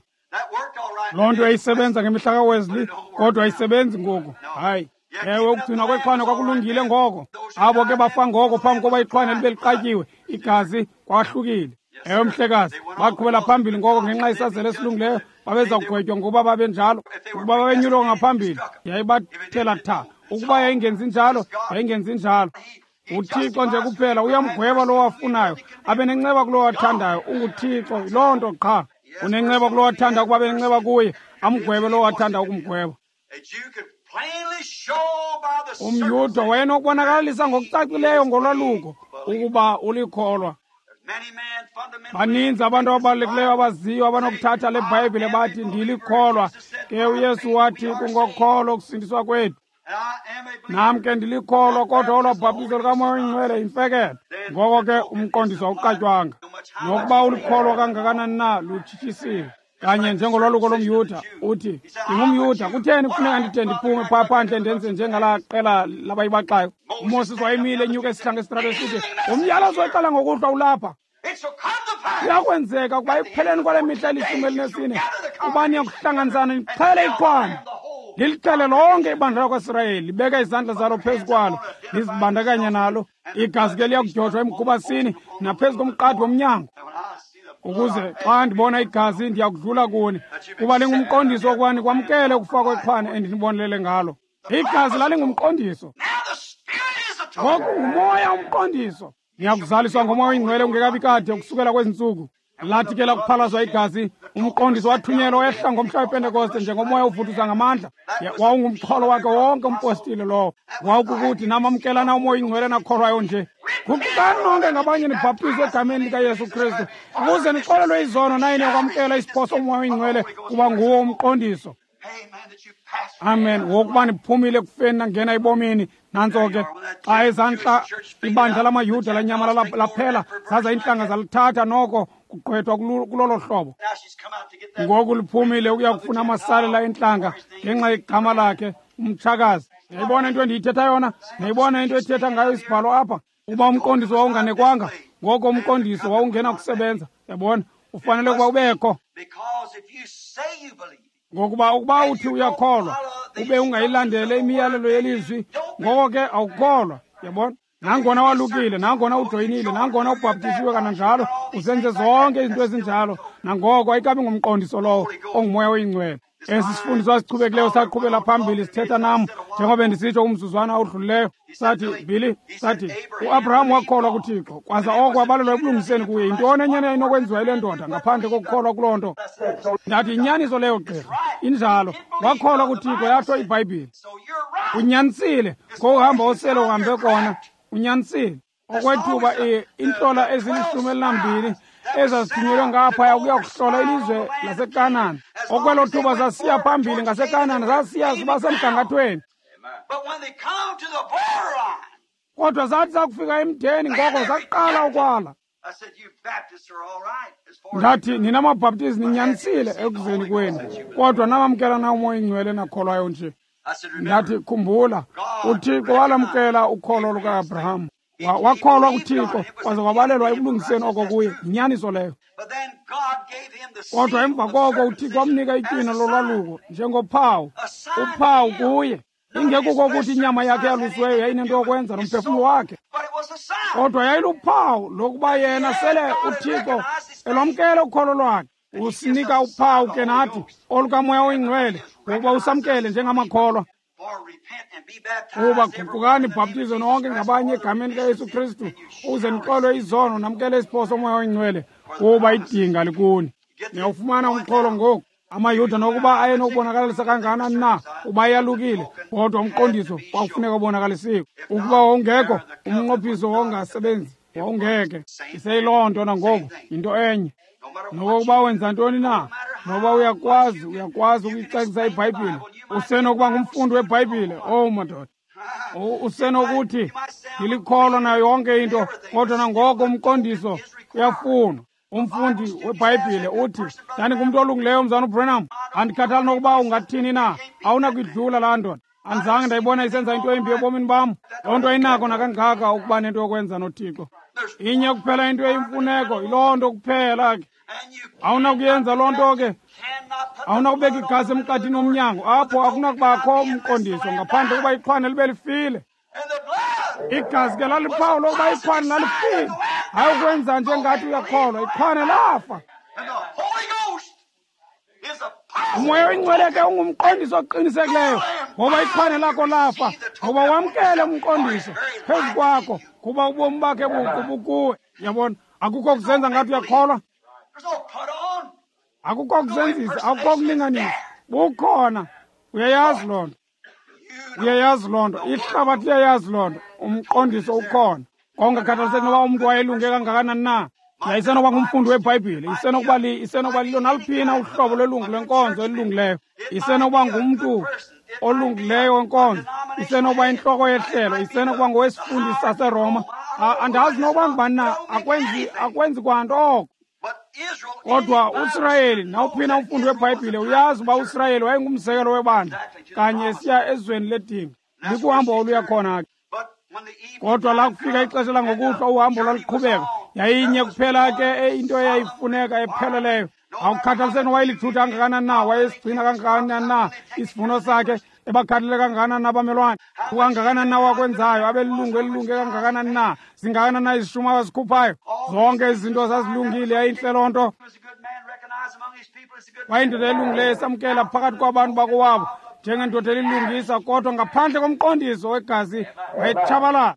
loo nto yayisebenza ngemihla kaWesley, kodwa ayisebenzi ngoku. Hayi. Ewe, ukugcinwa kwexhwane kwakulungile ngoko. Abo ke bafa ngoko phambi koba ixhwane libe liqatyiwe igazi, kwahlukile. Ewe, mhlekazi, baqhubela phambili ngoko ngenxa yesazela esilungileyo, babeza kugwetywa ngokuba babenjalo. Ukuba babenyulwa ngaphambili, yayibathela tha. Ukuba yayingenzi njalo, yayingenzi njalo. UThixo nje kuphela uyamgweba lowo afunayo, abe nenceba kulowo athandayo. UnguThixo, yiloo nto qha. Unenceba kulowo athanda ukuba abe nenceba kuye, amgwebe lowo athanda ukumgweba. UmYuda wayenokubonakalisa ngokucacileyo ngolwaluko ukuba ulikholwa. Baninzi abantu ababalulekileyo abaziyo abanokuthatha le Bhayibhile bathi ndilikholwa. Ke uYesu wathi kungokholo ukusindiswa kwethu. Nam ke ndilikholwa, kodwa olwa bhaptizo lukaMoya oyiNgcwele yimfeketho. Ngoko ke umqondiso awuqatywanga. Nokuba ulikholwa kangakanani na, lutshitshisiwe. Kanye njengolwaluko lomYuda, uthi ndingumYuda, kutheni kufuneka ndide ndiphume phaa phandle ndenze njengalaa qela labayibaxayo? UMoses wayemile enyuka esihlanga esitrato esithi umyalezo weqala ngokuhlwa ulapha. Kuyakwenzeka ukuba ekupheleni kwale mihla eli-14 uba niyakuhlanganisana nixhele ixhwane, lilixhele lonke ibandla lakwaSirayeli, libeka izandla zalo phezu kwalo, lizibandakanya nalo. Igazi ke liyakudyojwa emgubasini naphezu komqadi womnyango, ukuze xa ndibona igazi ndiyakudlula kuni, kuba lingumqondiso wokuba nikwamkele ukufa kwexhwane endinibonelele ngalo. Igazi lalingumqondiso. Ngoku nguMoya umqondiso. Niyakuzaliswa ngoMoya oyiNgcwele ungekabi kade ukusukela kwezi ntsuku. Lathi ke lakuphalazwa igazi, umqondiso wathunyelwa wehla ngomhla wePentekoste njengomoya ovuthuza ngamandla. Wawungumxholo wakhe wonke umpostile lowo. Wawukukuthi namamkelana uMoya oyiNgcwele nakholwayo nje. Guqukani nonke ngabanye nibhaptizwe egameni likaYesu Kristu ukuze nixolelwe izono naye niyokwamkela isipho soMoya oyiNgcwele, kuba nguwo umqondiso. Amen. Wokuba niphumile ekufeni nangena ebomini. Nantso ke xa ezantla ibandla lamaYuda lanyamala laphela, zaza iintlanga zalithatha noko kugqwethwa kulolo hlobo. Ngoku liphumile ukuya kufuna amasalela entlanga ngenxa yegama lakhe, umtshakazi. Niyayibona into endiyithetha yona? Niyayibona into ethetha ngayo isibhalo apha? Uba umqondiso wawunganekwanga, ngoko umqondiso wawungena kusebenza. Yabona, ufanele ukuba ubekho. Ngokuba ukuba uthi uyakholwa ube ungayilandele imiyalelo yelizwi, ngoko ke awukholwa. Yabona, nangona walukile, nangona ujoyinile, nangona ubhaptisiwe kananjalo, uzenze zonke izinto ezinjalo, nangoko ayikabi ngumqondiso lowo onguMoya oyiNgcwele. Esi sifundiso asichubekileyo saqhubela phambili sithetha nam njengoba ndisitsho kumzuzwana odlulileyo. Sathi, Billy, sathi uAbraham wakholwa kuThixo, kwaza oko wabalelwa ekulungiseni kuye. Yintoni enye inokwenziwa yile ndoda ngaphandle kokukholwa kuloo nto? Ndathi yinyaniso leyo, gqirha, injalo. Wakholwa kuThixo, yatsho iBhayibhile. Unyanisile, ngokuhamba osele uhambe kona, unyanisile. Okwethuba iintlola ezili-12 ezazithunyelwe ngaphaya ukuya kuhlola ilizwe laseKanani, okwelo thuba zasiya phambili ngaseKanani, zasiya ziba semgangathweni. Kodwa zathi zakufika emdeni, ngoko zaqala ukwala. Ndathi, nina maBhaptizi ninyanisile ekuzeni kwenu, kodwa namamkela na uMoya oyiNgcwele nakholwayo nje? Ndathi, khumbula, uThixo walamkela ukholo luka-Abraham. Wakholwa kuThixo kwaze wabalelwa ekulungiseni oko kuye. Yinyaniso leyo. Kodwa emva koko uThixo wamnika itywina lolwaluko njengophawu, uphawu kuye. Ingekuko ukuthi inyama yakhe yalusiweyo yayinento yokwenza nomphefumlo wakhe, kodwa yayiluphawu lokuba yena sele uThixo elwamkele ukholo lwakhe. Usinika uphawu ke nathi olukaMoya oyiNgcwele ngokuba usamkele njengamakholwa. Kuba guqukani bhaptizo nonke ngabanye egameni likaYesu Kristu ukuze nixolwe izono namkele isipho soMoya oyiNgcwele, kuba idinga likuni. Niyawufumana umxholo ngoku. AmaYuda nokuba ayenokubonakalisa kangakanani na uba ayalukile, kodwa umqondiso kwakufuneka ubonakalisiwe. Ukuba wawungekho, umnqophiso wawungasebenzi, wawungeke. Iseyiloo nto nangoku, yinto enye. Nokokuba wenza ntoni na, noba uyakwazi ukuyicacisa iBhayibhile, usenokuba ngumfundi weBhayibhile. Oh madoda, Usenokuthi ndilikholwa nayo yonke into, kodwa nangoko umqondiso uyafunwa. Umfundi weBhayibhile uthi, ndandingumntu olungileyo, mzana uBranham, andikhathali nokuba ungathini na, awunakuyidlula laa ndoda. Andizange ndayibona isenza into embi ebomini bam. Loo nto ayinako nakangaka ukuba nento yokwenza noThixo. Inye kuphela into eyimfuneko, yiloo nto kuphela ke. Awunakuyenza loo nto ke. Awunakubeka igazi emqathini womnyango, apho akunakubakho umqondiso ngaphandle kokuba ixhwane libe lifile. Igazi ke laliphawu lokuba ixhwane lalifile. Hayi ukwenza nje ngathi uyakholwa, ixhwane lafa. Umoya oyingcwele ke ungumqondiso oqinisekileyo, ngoba ixhwane lakho lafa, ngoba wamkele umqondiso phezu kwakho, kuba ubomi bakhe buqu bukuwe. Yabona, akukho kuzenza ngathi uyakholwa, akukho kuzenzisa, akukho kulinganisa, bukhona. Uyayazi loo nto, uyayazi loo nto, ihlabathi liyayazi loo nto. Umqondiso ukhona. Kongakhathaliseki noba umntu wayelunge kangakanani na, yayisenokuba ngumfundi weBhayibhile, isenokuba lilo naliphina uhlobo lwelungu lwenkonzo elilungileyo, isenokuba ngumntu olungileyo wenkonzo, isenokuba intloko yehlelo, isenokuba ngowesifundisi saseRoma. Andazi nokuba ngubani na, akwenzi kwanto oko. Kodwa uSirayeli, nawuphina umfundi weBhayibhile uyazi uba uSirayeli wayengumzekelo webandla kanye esiya ezweni ledinga, likuhambo oluya khona ke. Kodwa lakufika ixesha langokuhlwa, uhambo lwaluqhubeka. Yayinye kuphela ke into eyayifuneka epheleleyo. Akukhathaliseki wayelithutha kangakanani na, wayesigcina kangakanani na isivuno sakhe, ebakhathalele kangakanani na abamelwane, kangakanani na wakwenzayo, abelilungu elilunge kangakanani na, zingakanani na izishumi abazikhuphayo. Zonke izinto zazilungile, yayintle loo nto. Wayindoda elungileyo esamkela phakathi kwabantu bakowabo njengendoda elilungisa, kodwa ngaphandle komqondiso wegazi wayetshabalala.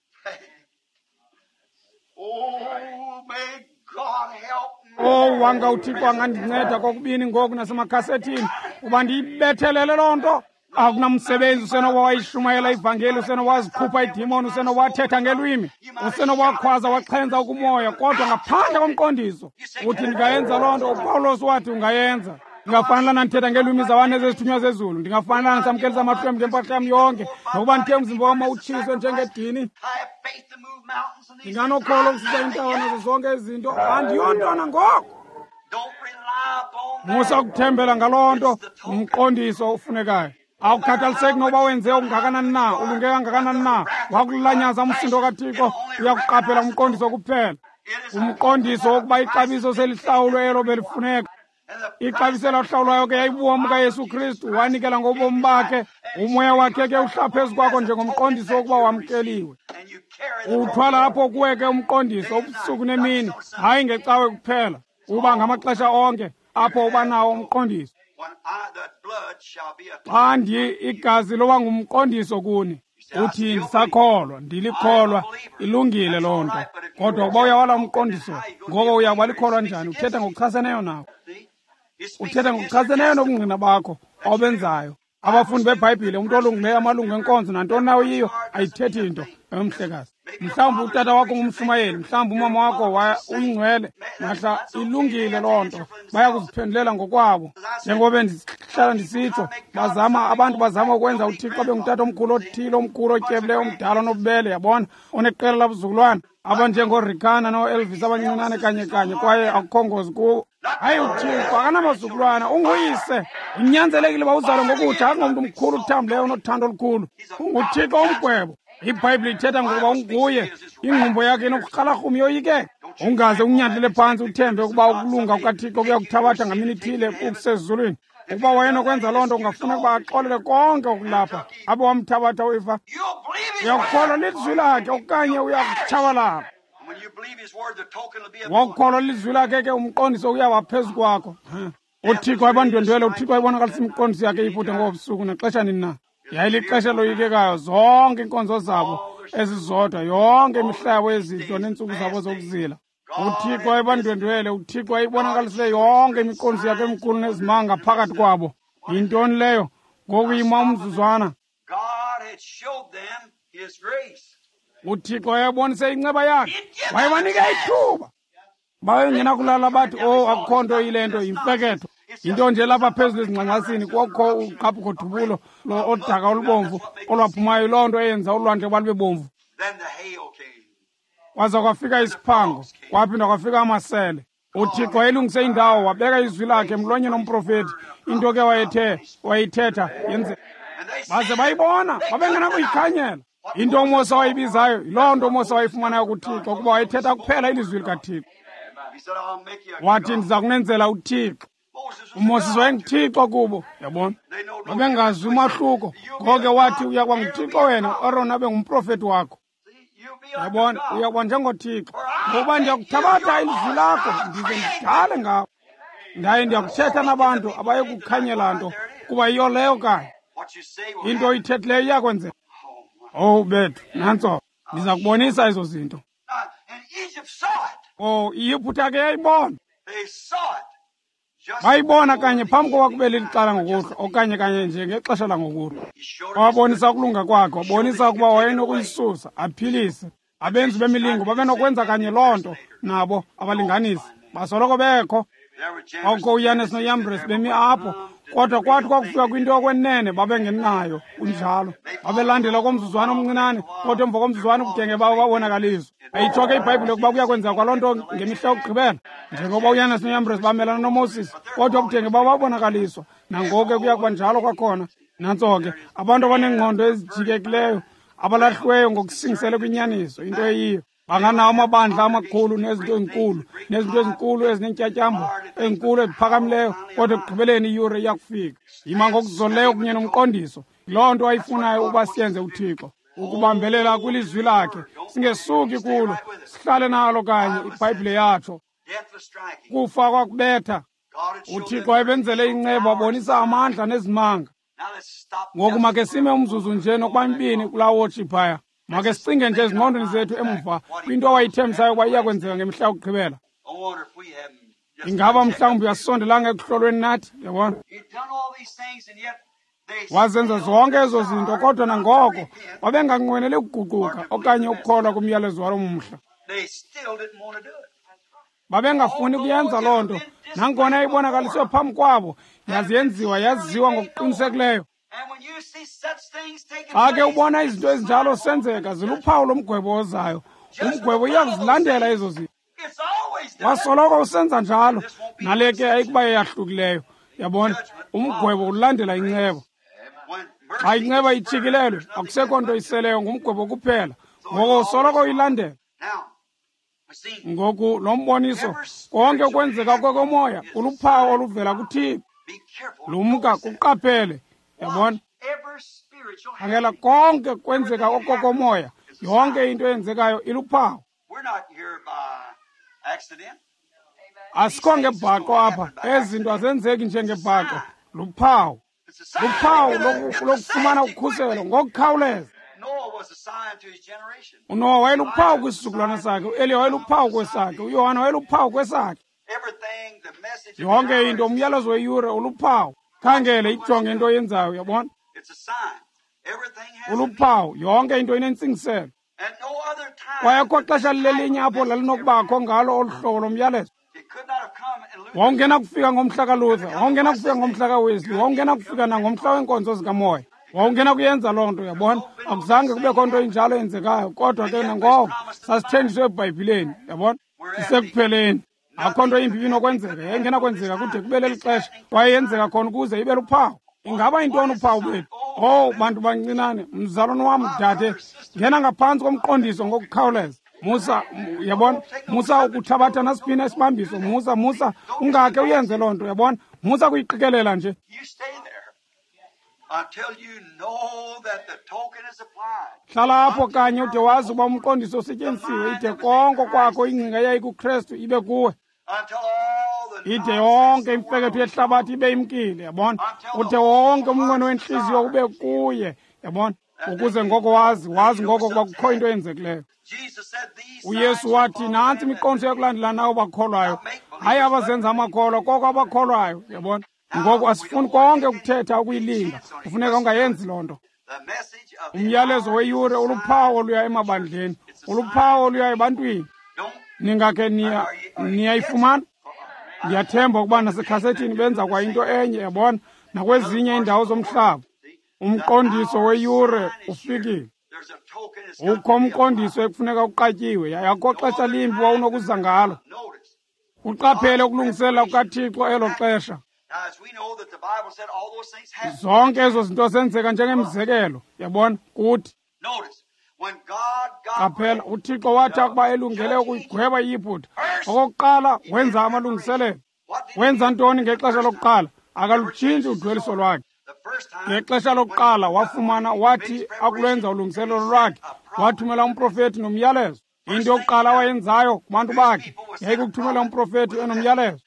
Oh, wanga uThixo angandinceda kokubini ngoku nasemakhasethini uba ndiyibethelele loo nto. Akunamsebenzi, usenoba wayishumayela ivangeli, usenoba wazikhupha idimoni, usenoba wathetha ngelwimi, usenoba wakhwaza waxhenza ukumoya, kodwa ngaphandle komqondiso. Uthi ndingayenza loo nto? uPawulos wathi ungayenza. Ndingafanelana ndithetha ngeelwimi zabantu ezezithunywa zezulu, ndingafanelana ndisamkelisa amahlwempu ngempahla yam yonke, nokuba ndithe umzimba wam utshiswe njengedini. Ndinganokholo ukususa iintaba nazo zonke izinto, andiyontwana ngoko. Musa ukuthembela ngaloo nto, umqondiso ofunekayo. Awukhathaliseki noba wenze okungakanani na, ulunge kangakanani na, wakulanyaza umsindo kaThixo, uyakuqaphela umqondiso kuphela. Umqondiso wokuba ixabiso selihlawulwe elo belifuneka. Ixabiso elahlawulwayo ke yayibubomi kaYesu Kristu, wanikela ngobomi bakhe. Umoya wakhe ke uhla phezu kwakho njengomqondiso wokuba wamkeliwe. Uthwala apho kuwe ke umqondiso ubusuku nemini, hayi ngecawe kuphela, uba ngamaxesha onke apho uba nawo umqondiso. Xa igazi loba ngumqondiso kuni, uthi ndisakholwa, ndilikholwa, ilungile loo nto. Kodwa ukuba uyawala umqondiso, ngoko uyakuba likholwa njani? Uthetha ngokuchaseneyo nawo. Uthetha ngokuchaseneyo nobungqina bakho obenzayo. Abafundi beBhayibhile, umntu olungileyo, amalungu enkonzo, nantoni na uyiyo, ayithethi nto emhlekazi. Mhlawumbi utata wakho ngumshumayeli, mhlawumbi umama wakho uyingcwele, mahla ilungile loo nto, baya kuziphendulela ngokwabo. Njengoba ndihlala ndisitsho, abantu bazama ukwenza uThixo abe ngutata omkhulu othile, omkhulu otyebileyo, omdala onobubele, yabona, oneqela labuzukulwana, abanjengoRikana noElvis abancinane kanye kanye, kwaye akukho ngozi kubo. Hayi, uThixo akanamazukulwana, unguyise. Unyanzelekile uba uzalwe ngokutsha, akungomntu mkhulu uthambileyo onothando olukhulu. UnguThixo umgwebo. IBhayibhile ithetha ngokuba unguye, ingqumbo yakhe inokurhalarhuma yoyikeka. Ungaze unyathele phantsi uthembe ukuba ukulunga kukaThixo kuyakuthabatha ngamini ithile kusezulwini. Ukuba wayenokwenza loo nto, ungafuna ukuba axolele konke okulapha abe wamthabatha uIfa. Uyakukholwa lizwi lakhe okanye uyakutshabalala. Wakukholwa lizwi lakhe ke umqondiso uyaba phezu kwakho. uThixo wayebandwendwele, uThixo wayibonakalisa imiqondiso yakhe eYiputa ngobusuku naxesha nini na. Yayilixesha loyikekayo, zonke iinkonzo zabo ezizodwa, yonke imihla yabo yezidlo neentsuku zabo zokuzila. uThixo wayebandwendwele, uThixo wayibonakalisile yonke imiqondiso yakhe emikhulu nezimanga phakathi kwabo. Yintoni leyo? Ngoku yima umzuzwana. uThixo wayebonise inceba yakhe, wayebanika ithuba. Babengenakulala bathi, oh, akukho nto yile nto, yimfeketho. Yinto nje lapha phezulu ezingxangxasini kwakho uqhaphuko-dubulo odaka olubomvu olwaphumayo, loo nto eyenza ulwandle ukuba lube bomvu. Kwaza kwafika isiphango, kwaphinda kwafika amasele. UThixo wayelungise indawo, wabeka izwi lakhe emlonyeni womprofethi. Into ke wayethe wayithetha yenze baze bayibona, babengenakuyikhanyela. Into uMose wayibizayo yiloo nto uMose wayifumanayo kuThixo, kuba wayethetha kuphela ilizwi likaThixo. Wathi, ndiza kunenzela uThixo. UMoses wayenguThixo kubo, yabona. Babengazi umahluko. Ngoko ke wathi, uyakuba nguThixo wena, uAron abe ngumprofethi wakho. Yabona, uyakuba njengoThixo. Ngokuba ndiyakuthabatha ilizwi lakho, ndize ndidale ngawo. Ndaye ndiyakuthetha nabantu abaye kukhanyela nto, kuba yiyo leyo kanye. Into oyithethileyo iyakwenzeka. Owu bethu, nantso, ndiza kubonisa ezo zinto. Oh, iYiphutha ke yayibona. Bayibona kanye phambi kokuba kube leli xala ngokuhlwa, okanye kanye nje ngexesha langokuhlwa. Wabonisa ukulunga kwakhe, wabonisa ukuba wayenokuyisusa, aphilise. Abenzi bemilingo babenokwenza kanye loo nto nabo abalinganisi. Basoloko bekho. Kwakukho uYanes noYambres bemi apho, kodwa kwathi kwakufika kwinto yokwenene babengenayo, kunjalo. Babelandela komzuzwana omncinane, kodwa emva komzuzwana ubudenge babo babonakaliswa. Ayitsho ke iBhayibhile ukuba kuya kwenzeka kwaloo nto ngemihla yokugqibela, njengoba uYanes noYambres bamelana noMoses, kodwa ubudenge babo babonakaliswa. Nangoku ke kuya kuba njalo kwakhona. Nantso ke, abantu abaneengqondo ezijikekileyo, abalahliweyo ngokusingisele kwinyaniso, into eyiyo. Banganawo amabandla amakhulu nezinto ezinkulu, nezinto ezinkulu ezinentyatyambo ezinkulu eziphakamileyo, kodwa ekugqibeleni iyure iyakufika. Yima ngokuzolileyo kunye nomqondiso. Loo nto ayifunayo ukuba siyenze uThixo, ukubambelela kwilizwi lakhe, singesuki kulo, sihlale nalo kanye. iBhayibhile yatsho. Kufa kwakubetha. UThixo wayebenzele inceba, wabonisa amandla nezimanga. Ngoku make sime umzuzu nje nokuba mibini kulaa wotshi phaya. Make sicinge nje ezingqondweni zethu emva kwinto awayithembisayo ukuba iyakwenzeka ngemihla yokugqibela. Ingaba mhlawumbi uyasondelanga ekuhlolweni nathi, yabona? Wazenza zonke ezo zinto, kodwa nangoko babenganqweneli ukuguquka okanye ukukholwa kumyalezo walo mhla. Babengafuni kuyenza loo nto, nangona ibonakaliswe phambi kwabo, yaze yenziwa yaziwa ngokuqinisekileyo. Xa ke ubona izinto ezinjalo senzeka, ziluphawu lomgwebo ozayo. Umgwebo uyakuzilandela ezo zinto. Wasoloko usenza njalo, nale ke ayikuba yeyahlukileyo. Yabona, umgwebo ulandela inceba. Xa inceba itshikilelwe, akusekho nto iseleyo, ngumgwebo kuphela. Ngoko usoloko uyilandela. Ngoku lo mboniso, konke kwenzeka kokomoya, kuluphawu oluvela kuThixo. Lumka, kuqaphele. Yabona, khangela, konke kwenzeka okokomoya, yonke into eyenzekayo iluphawu. Asikho ngebhaqo apha, ezi zinto azenzeki njengebhaqo. Luphawu, luphawu lokufumana ukhuselo ngokukhawuleza. UNowa wayeluphawu kwisizukulwana sakhe, uEliya wayeluphawu kwesakhe, uYohana wayeluphawu kwesakhe. Yonke into, umyalezo weyure uluphawu. Khangele, ijonge into oyenzayo, uyabona? Uluphawu, yonke into inentsingiselo. Kwayekho xesha lilelinye apho lalinokubakho ngalo olu hlobo lomyalezo. Wawungenakufika ngomhla kaLuther, wawungenakufika ngomhla kaWesley, wawungenakufika nangomhla weenkonzo zikamoya. Wawungenakuyenza loo nto, uyabona? Akuzange kubekho nto injalo eyenzekayo, kodwa ke nangoko sasithenjiswe eBhayibhileni, uyabona? Sisekupheleni. Akho nto imbi inokwenzeka, yayingenakwenzeka kude kube leli xesha, kwaye yenzeka khona ukuze ibe luphawu. Ingaba yintoni uphawu bethu? Owu, bantu bancinane, mzalwane wam, dade, ngena ngaphantsi komqondiso ngokukhawuleza. Musa, yabona, musa ukuthabatha nasiphi isibambiso, musa, musa, ungakhe uyenze loo nto, yabona? Musa kuyiqikelela nje. Hlala apho kanye ude wazi uba umqondiso usetyenzisiwe, ide konke kwakho ingcinga eyayikuKrestu ibe kuwe. Ide yonke imfeketho yehlabathi ibe imkile, yabona? Ude wonke umnqweno wentliziyo ube kuye, yabona? Ukuze ngoko wazi, wazi ngoko ukuba kukho into eyenzekileyo. UYesu wathi, nantsi imiqondiso yokulandela nawo bakholwayo, hayi abazenza amakholwa, koko abakholwayo, yabona? Ngoku asifuni konke ukuthetha ukuyilinga, kufuneka ungayenzi loo nto. Umyalezo weyure uluphawu oluya emabandleni, uluphawu oluya ebantwini. Ningakhe niyayifumana? Ndiyathemba ukuba nasekhasethi benza kwa into enye, yabona, nakwezinye iindawo zomhlaba. Umqondiso weyure ufikile. Ukho umqondiso ekufuneka uqatyiwe, yaye akukho xesha limbi wawunokuza ngalo. Uqaphele ukulungiselela kukaThixo elo xesha. Zonke ezo zinto zenzeka njengemizekelo, yabona, kuthi. Qaphela, uThixo wathi akuba elungele ukuyigweba iYiputa, okokuqala wenza amalungiselelo. Wenza ntoni ngexesha lokuqala? Akalutshintshi udweliso lwakhe. Ngexesha lokuqala wafumana, wathi akulwenza ulungiselelo lwakhe, wathumela umprofeti nomyalezo. Into yokuqala awayenzayo kubantu bakhe yayikukuthumela umprofeti enomyalezo.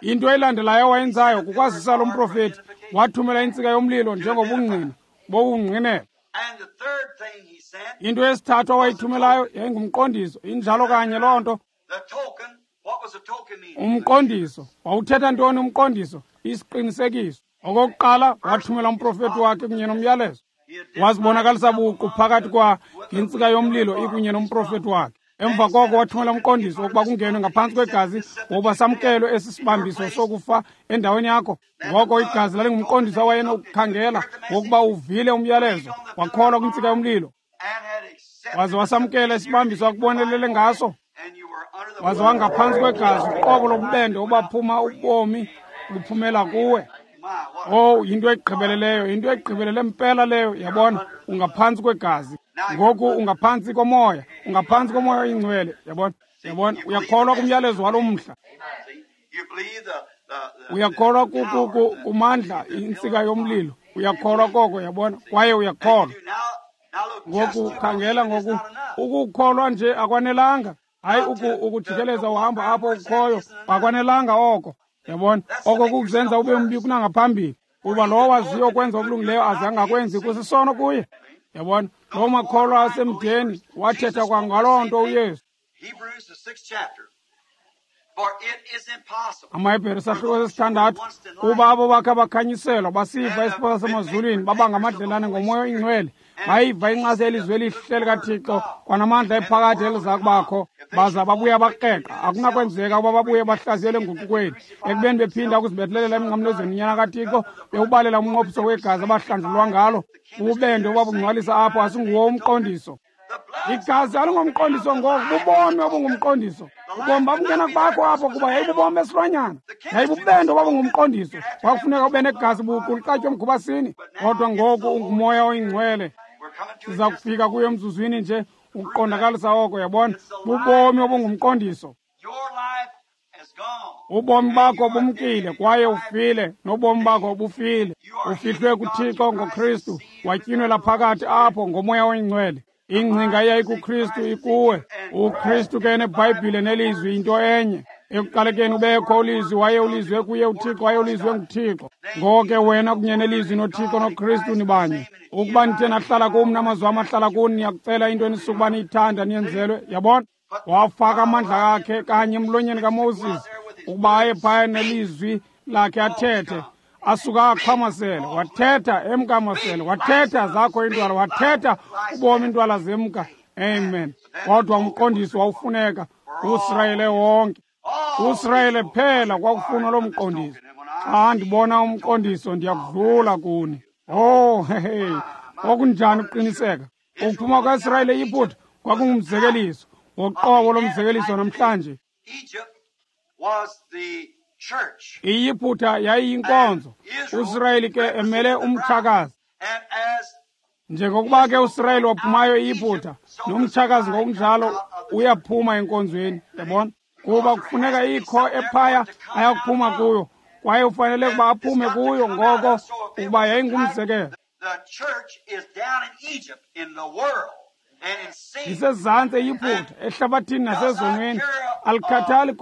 Into elandelayo awayenzayo kukwazisa lo mprofeti, wathumela intsika yomlilo njengobungqina bokungqinela. Into yesithathu awayithumelayo yayingumqondiso. Injalo kanye loo nto. Umqondiso wawuthetha ntoni umqondiso? Isiqinisekiso. Okokuqala wathumela umprofeti wakhe kunye nomyalezo. Wazibonakalisa buqu phakathi kwa ngentsika yomlilo ikunye nomprofeti wakhe. Emva koko wathumela umqondiso wokuba kungenwe ngaphantsi kwegazi, wokuba samkelwe esi sibambiso sokufa endaweni yakho. Ngoko igazi lalingumqondiso awayenokukhangela wokuba uvile umyalezo, wakholwa kwintsika yomlilo, waze wasamkela isibambiso akubonelele ngaso, waze wangaphantsi kwegazi, uqobo lobubende obaphuma ubomi buphumela kuwe. Oh, yinto egqibeleleyo, yinto egqibelele mpela leyo, yabona. Ungaphantsi kwegazi ngoku, ungaphantsi komoya, ungaphantsi komoya oyingcwele, yabona, yabona. Uyakholwa kumyalezo walo mhla, uyakholwa kumandla intsika yomlilo, uyakholwa koko, yabona, kwaye uyakholwa. Ngoku khangela, ngoku ukukholwa nje akwanelanga. Hayi, ukujikeleza uhamba apho ukhoyo akwanelanga oko, yabona. Oko kukuzenza ube mbi kunangaphambili, kuba lowo waziyo ukwenza okulungileyo aze angakwenzi kusisono kuye, yabona. Loo makholwa asemdeni wathetha kwangaloo nto uYesu. AmaHebhere sahluko sesithandathu, kuba abo bakhe bakhanyiselwa basiva isipho sasemazulwini, baba ngamadlelane ngomoya oyingcwele, bayiva incasa yelizwi elihle likaThixo kwanamandla ephakade eliza kubakho, baza babuya bakreqa. Akunakwenzeka ukuba babuye bahlaziyele enguqukweni, ekubeni bephinda ukuzibethelelela emnqamlezweni uNyana kaThixo, bewubalela umnqophiso wegazi abahlanjulwa ngalo. Ububende obabungcwalisa apho asinguwo umqondiso. Igazi alingomqondiso ngoku, bubomi obungumqondiso. Ubomi babungena kubakho apho kuba yayibubomi besilwanyana, yayibubende obabungumqondiso. Kwakufuneka ube negazi buqu liqatywe emkhubasini, kodwa ngoku ungumoya oyingcwele. Siza kufika kuyo emzuzwini nje ukuqondakalisa oko, yabona. Bubomi obungumqondiso. Ubomi bakho bumkile kwaye ufile, nobomi bakho bufile. Ufihlwe kuThixo ngoKristu, watyinwela phakathi apho ngomoya oyingcwele. Ingcinga eyayikuKristu ikuwe. UKristu ke neBhayibhile nelizwi yinto enye. Ekuqalekeni ubekho ulizwi, waye ulizwe kuye uThixo, waye ulizwe nguThixo. Ngoko ke wena kunye nelizwi noThixo noKristu nibanye. Ukuba nithe nahlala kum namazwi am ahlala kuni, niyakucela into enisukuba niyithanda niyenzelwe, yabona. Wafaka amandla akhe kanye emlonyeni kaMoses ukuba aye phaya nelizwi lakhe athethe. Asuka aqhamasele, wathetha emkamasele, wathetha zakho intwala, wathetha ubomi intwala zemka. Amen. Kodwa umqondiso wawufuneka kuSirayeli wonke. USirayeli phela kwakufunwa lo mqondiso. Xa ndibona umqondiso ndiyakudlula kuni. Oh, hehe, okunjani ukuqiniseka. Ukuphuma kwaSirayeli eYiputa kwakungumzekeliso woqobo lomzekeliso namhlanje. IYiputa yayiyinkonzo, uSirayeli ke emele umtshakazi. Njengokuba ke uSirayeli waphumayo eYiputa, nomtshakazi ngokunjalo uyaphuma enkonzweni, yabona, kuba kufuneka ikho ephaya ayakuphuma kuyo, kwaye ufanele ukuba aphume kuyo ngoko ukuba yayingumzekelo. Isezantsi eYiputa, ehlabathini nasezonweni, alikhathali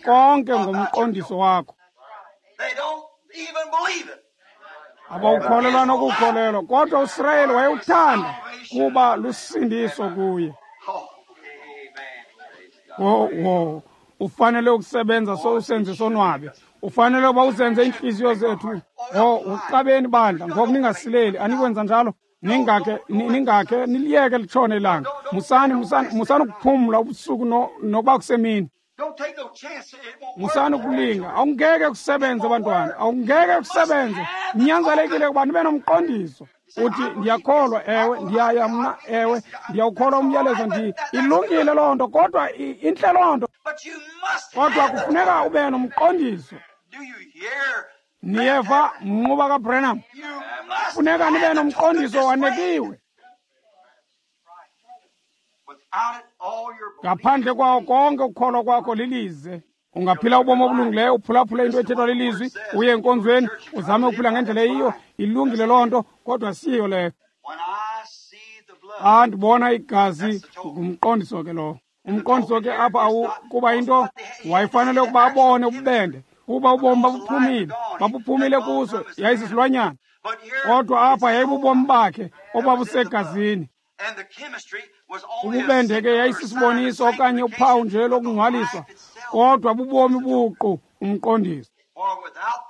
konke ngomqondiso wakho. Abawukholelwa nokukholelwa, kodwa uSirayeli wayewuthanda kuba lusindiso kuye. Wo, ufanele ukusebenza so usenze sonwabe. Ufanele uba usenze iintliziyo zethu. Oh, uxabeni bandla, ngoku ningasileli, anikwenza njalo. Ningakhe niliyeke litshone ilanga. Musani ukuphumla ubusuku nokuba kusemini. Musani ukulinga, awungeke kusebenze bantwana, awungeke kusebenze. Ninyanzelekile ukuba nibe nomqondiso. Uthi ndiyakholwa, ewe, ndiyaya mna, ewe, ndiyawukholwa umyalezo, ndi ilungile loo nto, kodwa intle loo nto. Kodwa kufuneka ube nomqondiso. Niyeva mnquba kaBranham? Kufuneka nibe nomqondiso wanekiwe. Ngaphandle kwawo konke ukukholwa kwakho lilize. Ungaphila ubomi obulungileyo, uphulaphule into ethethwa lilizwi, uye enkonzweni, uzame ukuphila ngendlela eyiyo, ilungile loo nto, kodwa siyo leyo. Xa ndibona igazi, ngumqondiso ke lowo. Umqondiso ke apha kuba into wayefanele ukuba abone ububende, kuba ubomi babuphumile kuso, yayisisilwanyana. Kodwa apha yayibubomi bakhe obabusegazini. Ububende ke yayisisiboniso okanye uphawu nje lokungcwaliswa, kodwa bubomi buqu umqondiso.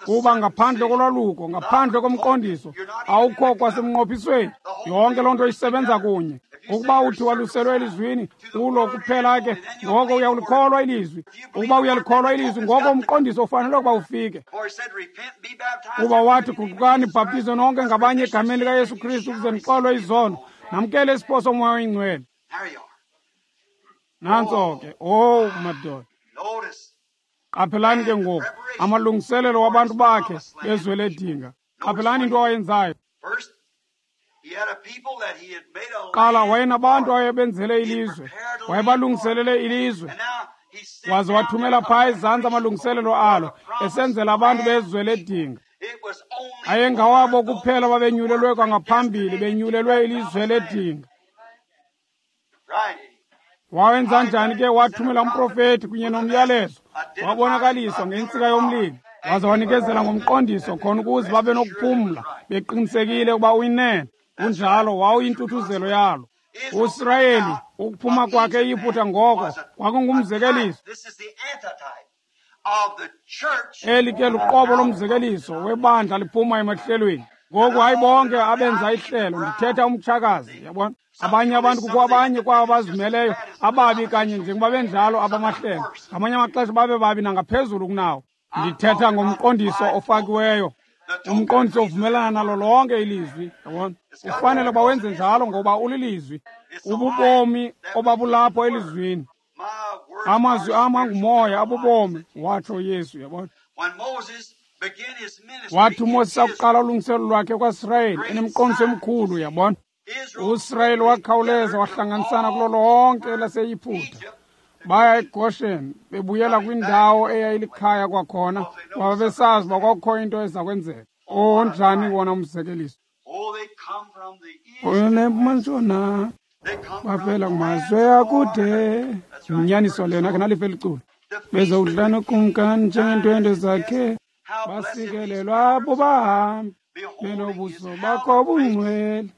Kuba ngaphandle kolwaluko, ngaphandle komqondiso, awukho kwasemnqophisweni. Yonke loo nto isebenza kunye. Ukuba uthi waluselwe elizwini, kulo kuphela ke, ngoko uyalikholwa ilizwi. Ukuba uyalikholwa ilizwi, ngoko umqondiso ufanele ukuba ufike. Kuba wathi, guqukani, bhaptizwe nonke ngabanye egameni likaYesu Kristu ukuze nixolwe izono, namkele isipho soMoya oyiNgcwele. Nantso ke, oh madoda. Qaphelani ke ngoku amalungiselelo wabantu bakhe bezwe ledinga. Qaphelani into awayenzayo. Qala wayenabantu awayebenzele ilizwe, wayebalungiselele ilizwe, waze wathumela phaa ezantsi amalungiselelo alo, esenzela abantu bezwe ledinga. Ayengawabo kuphela babenyulelwe kwangaphambili, benyulelwe ilizwe ledinga. Wawenza njani ke? Wathumela umprofeti kunye nomyalezo, wabonakaliswa ngentsika yomlilo, waze wanikezela ngomqondiso khona ukuze babe nokuphumla beqinisekile ukuba uyinene. Kunjalo, wawuyintuthuzelo yalo. USirayeli ukuphuma kwakhe eYiputa ngoko kwakungumzekeliso. Eli ke luqobo lomzekeliso webandla liphuma emahlelweni. Ngoku hayi bonke abenza ihlelo, ndithetha umtshakazi, yabona. Abanye abantu kukho abanye kwabo bazimeleyo ababi kanye njengoba benjalo abamahlelo. Ngamanye amaxesha babe babi nangaphezulu kunawo. Ndithetha ngomqondiso ofakiweyo. Umqondiso uvumelana nalo lonke ilizwi, yabona. Ufanele uba wenze njalo ngoba ulilizwi. Ububomi obabulapho elizwini. Amazwi am angumoya abubomi, watsho uYesu, yabona. Wathi uMoses akuqala ulungiselelo lwakhe kwaSirayeli enemiqondiso emikhulu, yabona. USirayeli wakhawuleza wahlanganisana kulo lonke elaseYiputa. Baya eGoshen, bebuyela kwindawo eyayilikhaya kwakhona, ngoba besazi uba kwakukho into eza kwenzeka. Onjani wona umzekeliso? Onemantshona bavela kumazwe akude. Yinyaniso lena ke nalife liculo. Bezowudla nokumkani njengeentwendwe zakhe, basikelelwa abo bahambi benobuso bakho bungcwele.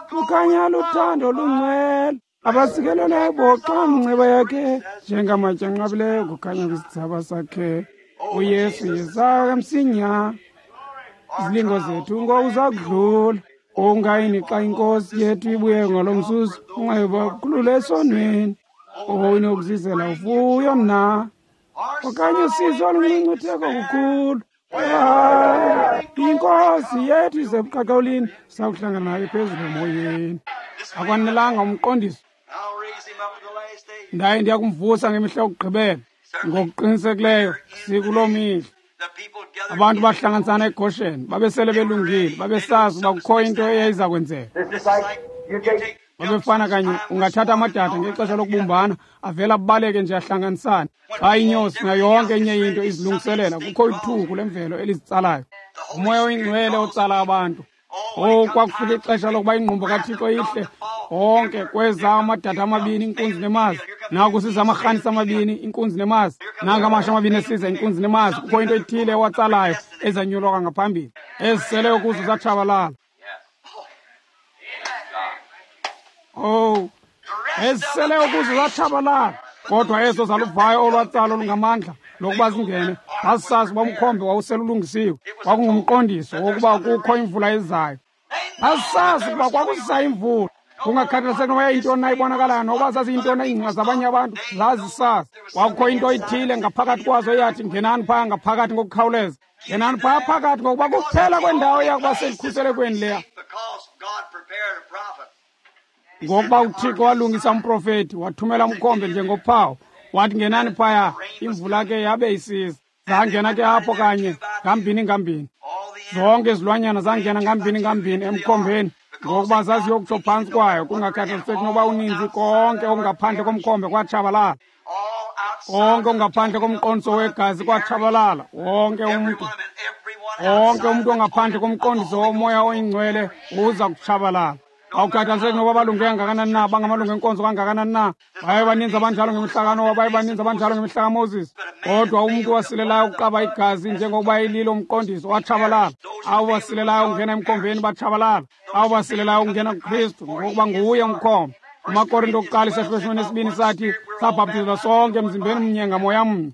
Kukhanya luthando lungcwele, abasikelelwayo boxa mnceba yakhe, njengamatye anqabileyo kukhanya kwisithsaba sakhe. uYesu yeza kamsinya, izilingo zethu ngoku zakudlula. Ungayini xa inkosi yethu ibuye ngalo mzuzu, ungayibakhulule esonweni. Oyinokuzizela uvuyo mna, okanye usizi oluncinci kukhulu. Inkosi yethu isebuqaqawulini, sakuhlangana nayo phezulu emoyeni. Akwanelanga umqondiso. Ndaye ndiya kumvusa ngemihla yokugqibela. Ngokuqinisekileyo sikuloo mihla. Abantu bahlanganisana eGoshen, babesele belungile, babesazi uba kukho into eyayiza kwenzeka. Babefana kanye, ungathatha amadada ngexesha lokubumbana, avela abaleke nje ahlanganisane. Xa inyosi nayo yonke enye into izilungiselela, kukho ithuku lemvelo elizitsalayo. Umoya oyingcwele otsala abantu. Oh, kwakufika ixesha lokuba ingqumbo kaThixo ihle. Onke kweza amadada amabini, inkunzi nemazi. Naku siza amarhanisi amabini, inkunzi nemazi. Nanka amasha amabini esiza, inkunzi nemazi. Kukho into ethile ewatsalayo ezanyulwa kwangaphambili, eziseleyo kuzo zatshabalala. Oh, eziseleyo kuzo zatshabalala. Kodwa ezo zaluvayo olwatsalo olungamandla lokuba zingene, zazisazi uba umkhombe wawuselulungisiwe. Kwakungumqondiso wokuba kukho imvula ezayo. Zazisazi ukuba kwakuza imvula. Kungakhathaliseki noba yayintoni na ibonakalayo, noba zaziyintoni iingcinga zabanye abantu, zazisazi. Kwakukho into ithile ngaphakathi kwazo eyathi, ngenani phaya ngaphakathi ngokukhawuleza. Ngenani phaya phakathi, ngokuba kuphela kwendawo eyakuba sekukhuselekweni leya. Ngokuba uThixo walungisa umprofethi, wathumela umkhombe njengophawu. Wathi ngenani phaya, imvula ke yabe isiza. Zangena ke apho kanye, ngambini ngambini. Zonke izilwanyana zangena ngambini ngambini emkhombeni, ngokuba zaziyokutsho phantsi kwayo. Kungakhathaliseki noba uninzi, konke okungaphandle komkhombe kwatshabalala. Konke okungaphandle komqondiso wegazi kwatshabalala. Wonke umntu, wonke umntu ongaphandle komqondiso womoya oyingcwele uza kutshabalala. Awukhathaliseki noba balunge kangakanani na, bangamalungu enkonzo kangakanani na, baye baninzi abanjalo ngemihla kaNowa, baye baninzi abanjalo ngemihla kaMoses. Kodwa umntu wasilelayo ukuqaba igazi njengokuba ililo umqondiso watshabalala. Abo basilelayo ukungena emkhombeni batshabalala. Abo basilelayo ukungena kuKristu, ngokuba nguye umkhombe. AmaKorinto okuqala isahluko 12 sathi sabhaptizwa sonke emzimbeni mnye ngamoya mnye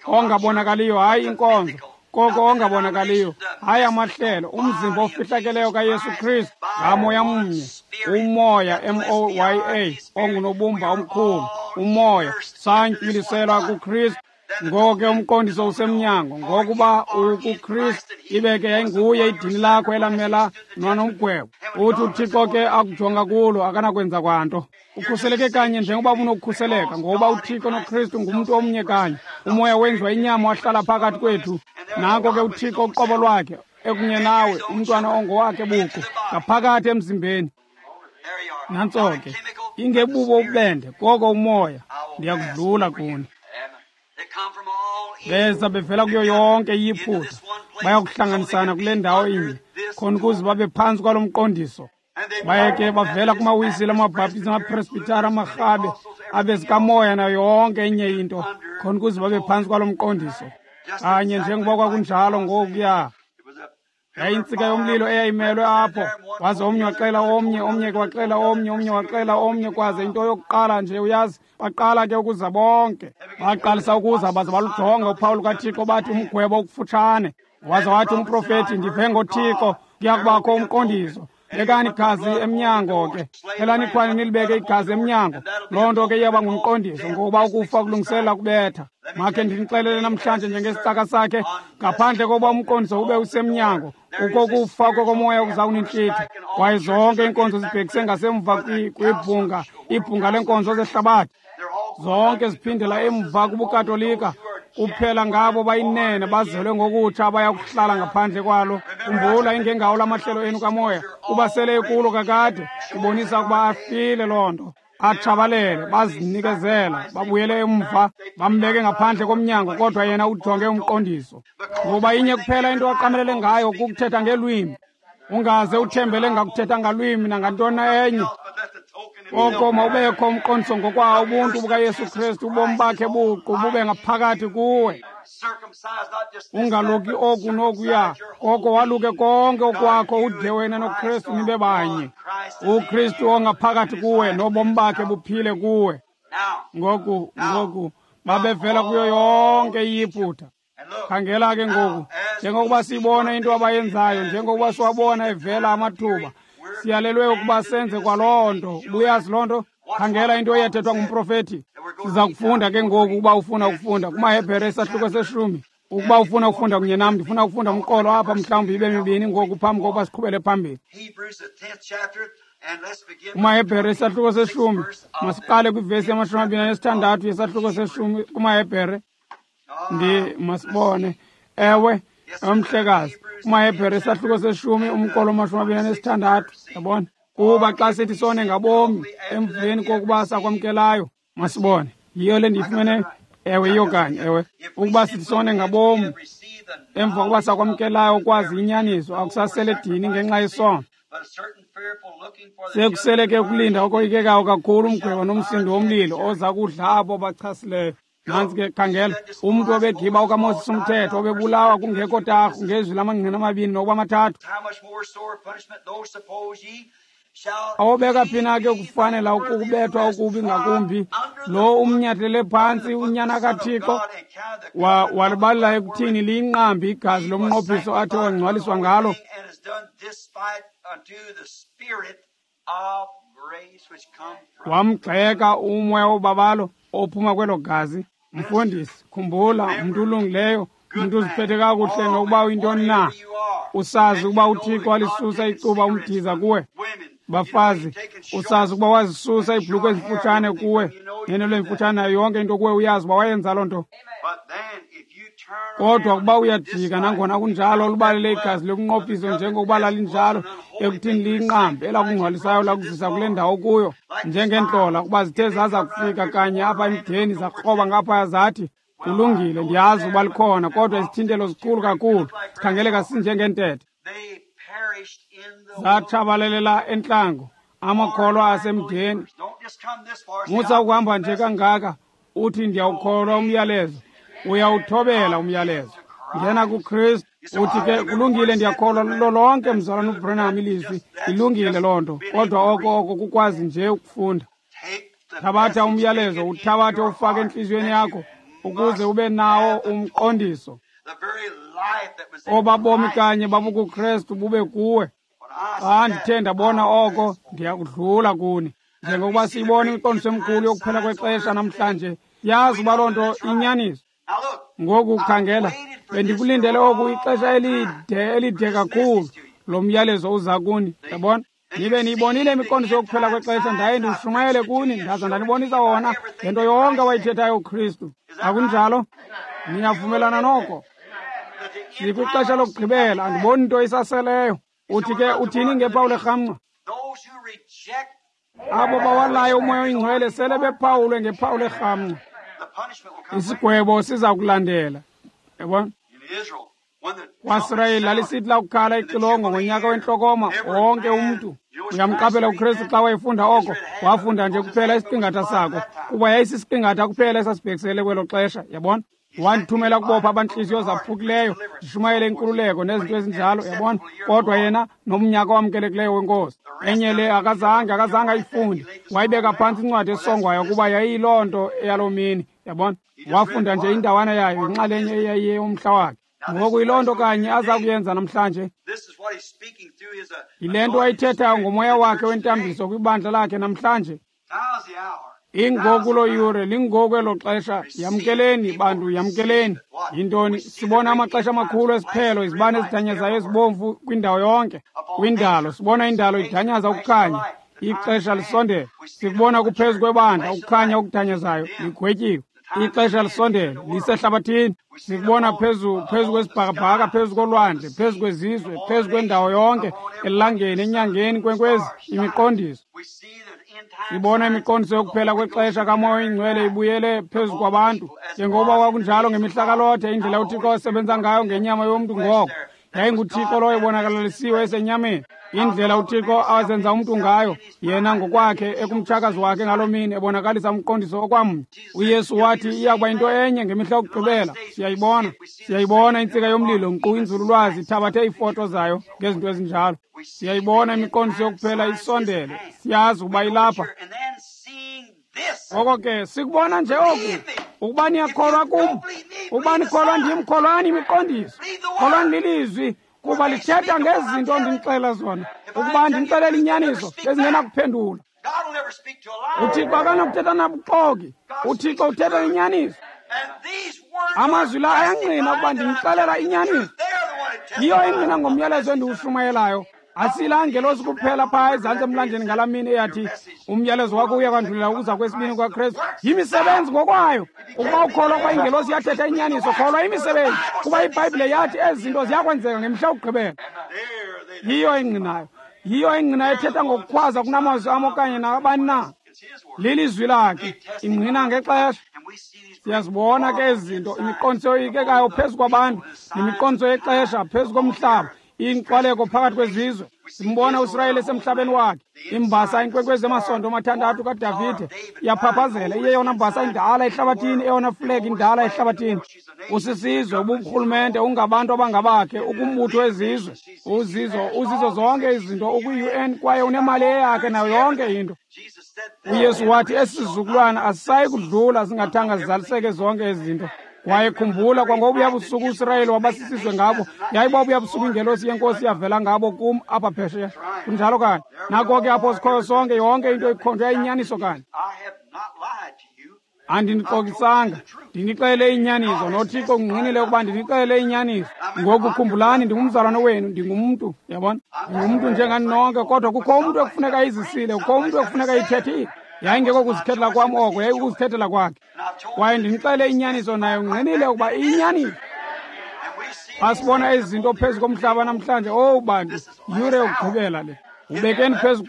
ongabonakaliyo, hayi inkonzo, koko ongabonakaliyo, hayi amahlelo, umzimba ofihlakeleyo kaYesu Kristu ngamoya mnye, umoya M-O-Y-A ongunobumba omkhulu, umoya santywiliselwa kuKristu. Ngoko ke umqondiso usemnyango, ngokuba ukuKristu, ibe ke yayinguye idini lakho elamela nwanomgwebo. Uthi uThixo ke akujonga kulo akanakwenza kwanto. Ukhuseleke kanye njengoba unokukhuseleka, ngoba uThixo noKristu ngumntu omnye kanye. Umoya wenziwa inyama wahlala phakathi kwethu. Nanko ke uThixo uqobo lwakhe ekunye nawe, umntwana ongowakhe buqu, ngaphakathi emzimbeni. Nantso ke, ingebubo ububende, koko umoya, ndiyakudlula kuni. Beza bevela kuyo yonke iYiputa, bayakuhlanganisana kule ndawo inye, khona ukuze babe phantsi kwalo mqondiso. Baye ke bavela kumaWisile, amaBhaptizi, amaPresbhithari, amaRhabe, abezikamoya nayo yonke enye into, khona ukuze babe phantsi kwalo mqondiso. Kanye njengoba kwakunjalo ngokuya. Yayintsika yomlilo eyayimelwe apho. Waze omnye waxela omnye, omnye waxela omnye, omnye waxela omnye, kwaze into yokuqala nje uyazi, baqala ke ukuza bonke. Baqalisa ukuza baze balujonga uphawu lukaThixo, bathi umgwebo ukufutshane. Waze wathi umprofethi, ndive ngoThixo, kuyakubakho umqondiso. Bekani igazi emnyango ke. Elani ikhwani nilibeke igazi emnyango. Loo nto ke iyaba ngumqondiso, ngokuba ukufa kulungiselela kubetha. Makhe ndinixelele namhlanje njengesicaka sakhe, ngaphandle kokuba umqondiso ube usemnyango, kukho ukufa kokomoya okuza kunintlitha. Kwaye zonke iinkonzo zibhekise ngasemva kwibhunga, ibhunga leenkonzo zehlabathi. Zonke ziphindela emva kubuKatolika. Kuphela ngabo bayinene bazelwe ngokutsha abaya kuhlala ngaphandle kwalo. Khumbula, ingengawo lamahlelo enu kamoya, kuba sele ekulo kakade, ibonisa ukuba afile loo nto. Atshabalele, bazinikezela, babuyele emva, bambeke ngaphandle komnyango, kodwa yena ujonge umqondiso. Ngoba inye kuphela into aqamelele ngayo kukuthetha ngelwimi. Ungaze uthembele ngakuthetha ngalwimi nangantoni enye. Koko mawubekho umqondiso ngokwawo ubuntu bukaYesu Kristu, ubomi bakhe buqu bube ngaphakathi kuwe. Ungaluki oku nokuya, koko waluke konke okwakho, ude wena noKristu nibe banye. UKristu ongaphakathi kuwe nobomi bakhe buphile kuwe. Ngoku babevela kuyo yonke iYiputa. Khangela ke ngoku, njengokuba siyibona into abayenzayo, njengokuba siwabona evela amathuba, siyalelwe ukuba senze kwaloo nto. Ubuyazi loo nto? Khangela into eyathethwa ngumprofethi. Siza kufunda ke ngoku ukuba ufuna ukufunda kumaHebhere isahluko 10. Ukuba ufuna ukufunda kunye nam, ndifuna ukufunda umqolo apha mhlawumbi ibe mibini ngoku phambi kokuba siqhubele phambili. KumaHebhere isahluko 10, masiqale kwivesi 26 yesahluko 10 kumaHebhere. Masibone. Ewe, omhlekazi, kumaHebhere isahluko 10 umqolo 26. Yabona? Kuba xa sithi sone ngabomi emveni kokuba sakwamkelayo, masibone. Yiyo le ndiyifumene. Ewe, yiyo kanye. Ewe, ukuba sithi sone ngabomi emva kokuba sakwamkelayo ukwazi inyaniso, akusasele dini ngenxa yesono. Sekusele ke ukulinda okoyikekayo kakhulu umgwebo nomsindo womlilo oza kudla abo bachasileyo. Nantsi ke, khangela, umntu obegiba okaMoses umthetho, obebulawa kungekho tarhu ngezwi lamangqina amabini nokuba amathathu. Awobeka phi na ke ukufanela ukubethwa okubi ngakumbi lo umnyathele phantsi unyana kaThixo, walibalela ekuthini liyinqambi igazi lomnqophiso athe wangcwaliswa ngalo. Wamgxeka umoya wobabalo ophuma kwelo gazi. Mfundisi, khumbula, umntu ulungileyo, umntu uziphethe kakuhle nokuba uyintoni na, usazi ukuba uThixo walisusa icuba umdiza kuwe. Bafazi, usazi ukuba wazisusa iibhulukhwe ezimfutshane kuwe, neenwele ezimfutshane nayo yonke into kuwe, uyazi uba wayenza loo nto. Kodwa ukuba uyajika, nangona kunjalo, lubalele igazi lokunqophiso njengokuba lalinjalo ekuthini liyinqambi elakungcwalisayo lakuzisa kule ndawo kuyo, njengeentlola, ukuba zithe zaza kufika kanye apha emdeni zakroba ngaphaya zathi, kulungile, ndiyazi ukuba likhona, kodwa izithintelo zikhulu kakhulu, sikhangeleka sinjengeentethe. Zatshabalelela entlango amakholwa asemdeni. Musa ukuhamba nje kangaka uthi ndiyawukholwa umyalezo. Uyawuthobela umyalezo. Ngena kuKristu uthi ke kulungile, ndiyakholwa lulo lonke mzalwana uBranham ilizwi, ilungile loo nto, kodwa oko kukwazi nje ukufunda. Thabatha umyalezo, uthabathe ufake entliziyweni yakho ukuze ube nawo umqondiso. Obabomi kanye babukuKristu bube kuwe. Xa ndithe ndabona oko, ndiyakudlula kuni. Njengokuba siyibona imiqondiso emikhulu yokuphela kwexesha namhlanje, yazi uba loo nto inyaniso. Ngoku khangela, bendikulindele oku ixesha elide kakhulu. Lo myalezo uza kuni, yabona? Nibe niyibonile imiqondiso yokuphela kwexesha, ndaye ndiwushumayele kuni, ndaza ndanibonisa wona ngento yonke wayithethayo uKristu. Akunjalo? Niyavumelana noko? Sikwixesha lokugqibela, andiboni nto isaseleyo. Uthi ke uthini ngephawu lerhamncwa? Abo bawalayo umoya oyingcwele sele bephawulwe ngephawu lerhamncwa. Isigwebo siza kulandela. Yabona? KwaSirayeli lalisithi lakukhala ixilongo ngonyaka wentlokoma, wonke umntu. Uyamqaphela uKristu xa wayefunda oko, wafunda nje kuphela isiqingatha sako, kuba yayisisiqingatha kuphela esasibhekisele kwelo xesha, yabona? Wandithumela kubopha abantliziyo zaphukileyo, ndishumayele inkululeko nezinto ezinjalo, yabona? Kodwa yena nomnyaka owamkelekileyo wenkosi. Enye le akazange ayifunde, wayibeka phantsi incwadi esongwayo kuba yayiyiloo nto eyaloo mini, yabona? Wafunda nje indawana yayo, inxalenye eyayiyeyomhla wakhe. Ngoku yiloo nto kanye aza kuyenza namhlanje. Yile nto ayithethayo ngomoya wakhe wentambiso kwibandla lakhe namhlanje. Ingoku loo yure, lingoku elo xesha. Yamkeleni bantu, yamkeleni. Yintoni? Sibona amaxesha amakhulu esiphelo, izibane ezidanyazayo ezibomvu kwindawo yonke, kwindalo. Sibona indalo idanyaza ukukhanya, ixesha lisondele. Sikubona kuphezu kwebandla ukukhanya okudanyazayo, ligwetyiwe. Ixesha lisondele, lisehlabathini. Sikubona phezu kwesibhakabhaka, phezu kolwandle, phezu kwezizwe, phezu kwendawo yonke, elangeni, enyangeni, kwenkwezi, imiqondiso. Sibona imiqondiso yokuphela kwexesha kamoya oyingcwele ibuyele phezu kwabantu, njengoba kwakunjalo ngemihla kaLothe, indlela uThixo asebenza ngayo ngenyama yomntu ngoko. YayinguThixo lowo ebonakalisiwe esenyameni. Indlela uThixo azenza umntu ngayo, yena ngokwakhe ekumtshakazi wakhe ngaloo mini, ebonakalisa umqondiso okwamnye. UYesu wathi iyakuba yinto enye ngemihla yokugqibela. Siyayibona, siyayibona intsika yomlilo, nkqu inzululwazi ithabathe iifoto zayo ngezinto ezinjalo. Siyayibona imiqondiso yokuphela isondele, siyazi ukuba ilapha. Ngoko ke sikubona nje oku, ukuba niyakholwa kum, ukuba nikholwa ndim, kholwani imiqondiso, kholwani lilizwi, kuba lithetha ngezinto ndinixelela zona. Ukuba ndinixelela inyaniso ezingenakuphendula. uThixo akanakuthetha nabuxoki, uThixo uthetha inyaniso. Amazwi la ayangqina ukuba ndinixelela inyaniso. Yiyo ingqina ngomyalezo endiwushumayelayo. Asilaa ngelosi kuphela phaa ezantsi emlanjeni ngalaa mini eyathi umyalezo wakho uya kwandulela ukuza kwesibini kwaKristu. Yimisebenzi ngokwayo. Ukuba ukholwa ukuba ingelosi yathetha inyaniso, kholwa imisebenzi, kuba iBhayibhile yathi ezi zinto ziyakwenzeka ngemihla yokugqibela. Yiyo ingqinayo. Yiyo ingqina ethetha ngokukhwaza kunamazwi am okanye nabani na. Lilizwi lakhe, ingqina ngexesha. Siyazibona ke ezi zinto, imiqondiso yoyikekayo phezu kwabantu, nemiqondiso yexesha phezu komhlaba, inkxwaleko phakathi kwezizwe. Simbona uSirayeli esemhlabeni wakhe. Imbasa inkwenkwezi emasondo amathandathu kaDavide iyaphaphazela, iyeyona mbasa indala ehlabathini, eyona flegi indala ehlabathini. Usisizwe, uburhulumente, ungabantu abangabakhe, ukumbutho wezizwe, uzizo zonke izinto, ukwi-UN kwaye unemali eyakhe nayo yonke into. uYesu wathi esi sizukulwana asisayi kudlula singathanga zizaliseke zonke ezi zinto. Kwaye khumbula, kwangobuya busuku uSirayeli wabasisizwe ngabo, yayibobuya busuku ingelosi yenkosi yavela ngabo kum apha phesheya. Kunjalo kanye. Nako ke apho sikhoyo sonke, yonke into ikhonjwe yayinyaniso kanye. Andinixokisanga, ndinixelele inyaniso, noThixo ungqinile ukuba ndinixelele inyaniso. Ngoku khumbulani, ndingumzalwane wenu, ndingumntu, yabona, ndingumntu njengani nonke, kodwa kukho umntu ekufuneka ayizisile, kukho umntu ekufuneka ayithethile. Yayingeko kuzikhethela kwam oko, yayikukuzikhethela kwakhe. Kwaye ndinixelele inyaniso, naye ungqinile ukuba iyinyaniso. Xa sibona ezi zinto phezu komhlaba namhlanje, owu bantu, yure yokugqibela le. Ubekeni phezu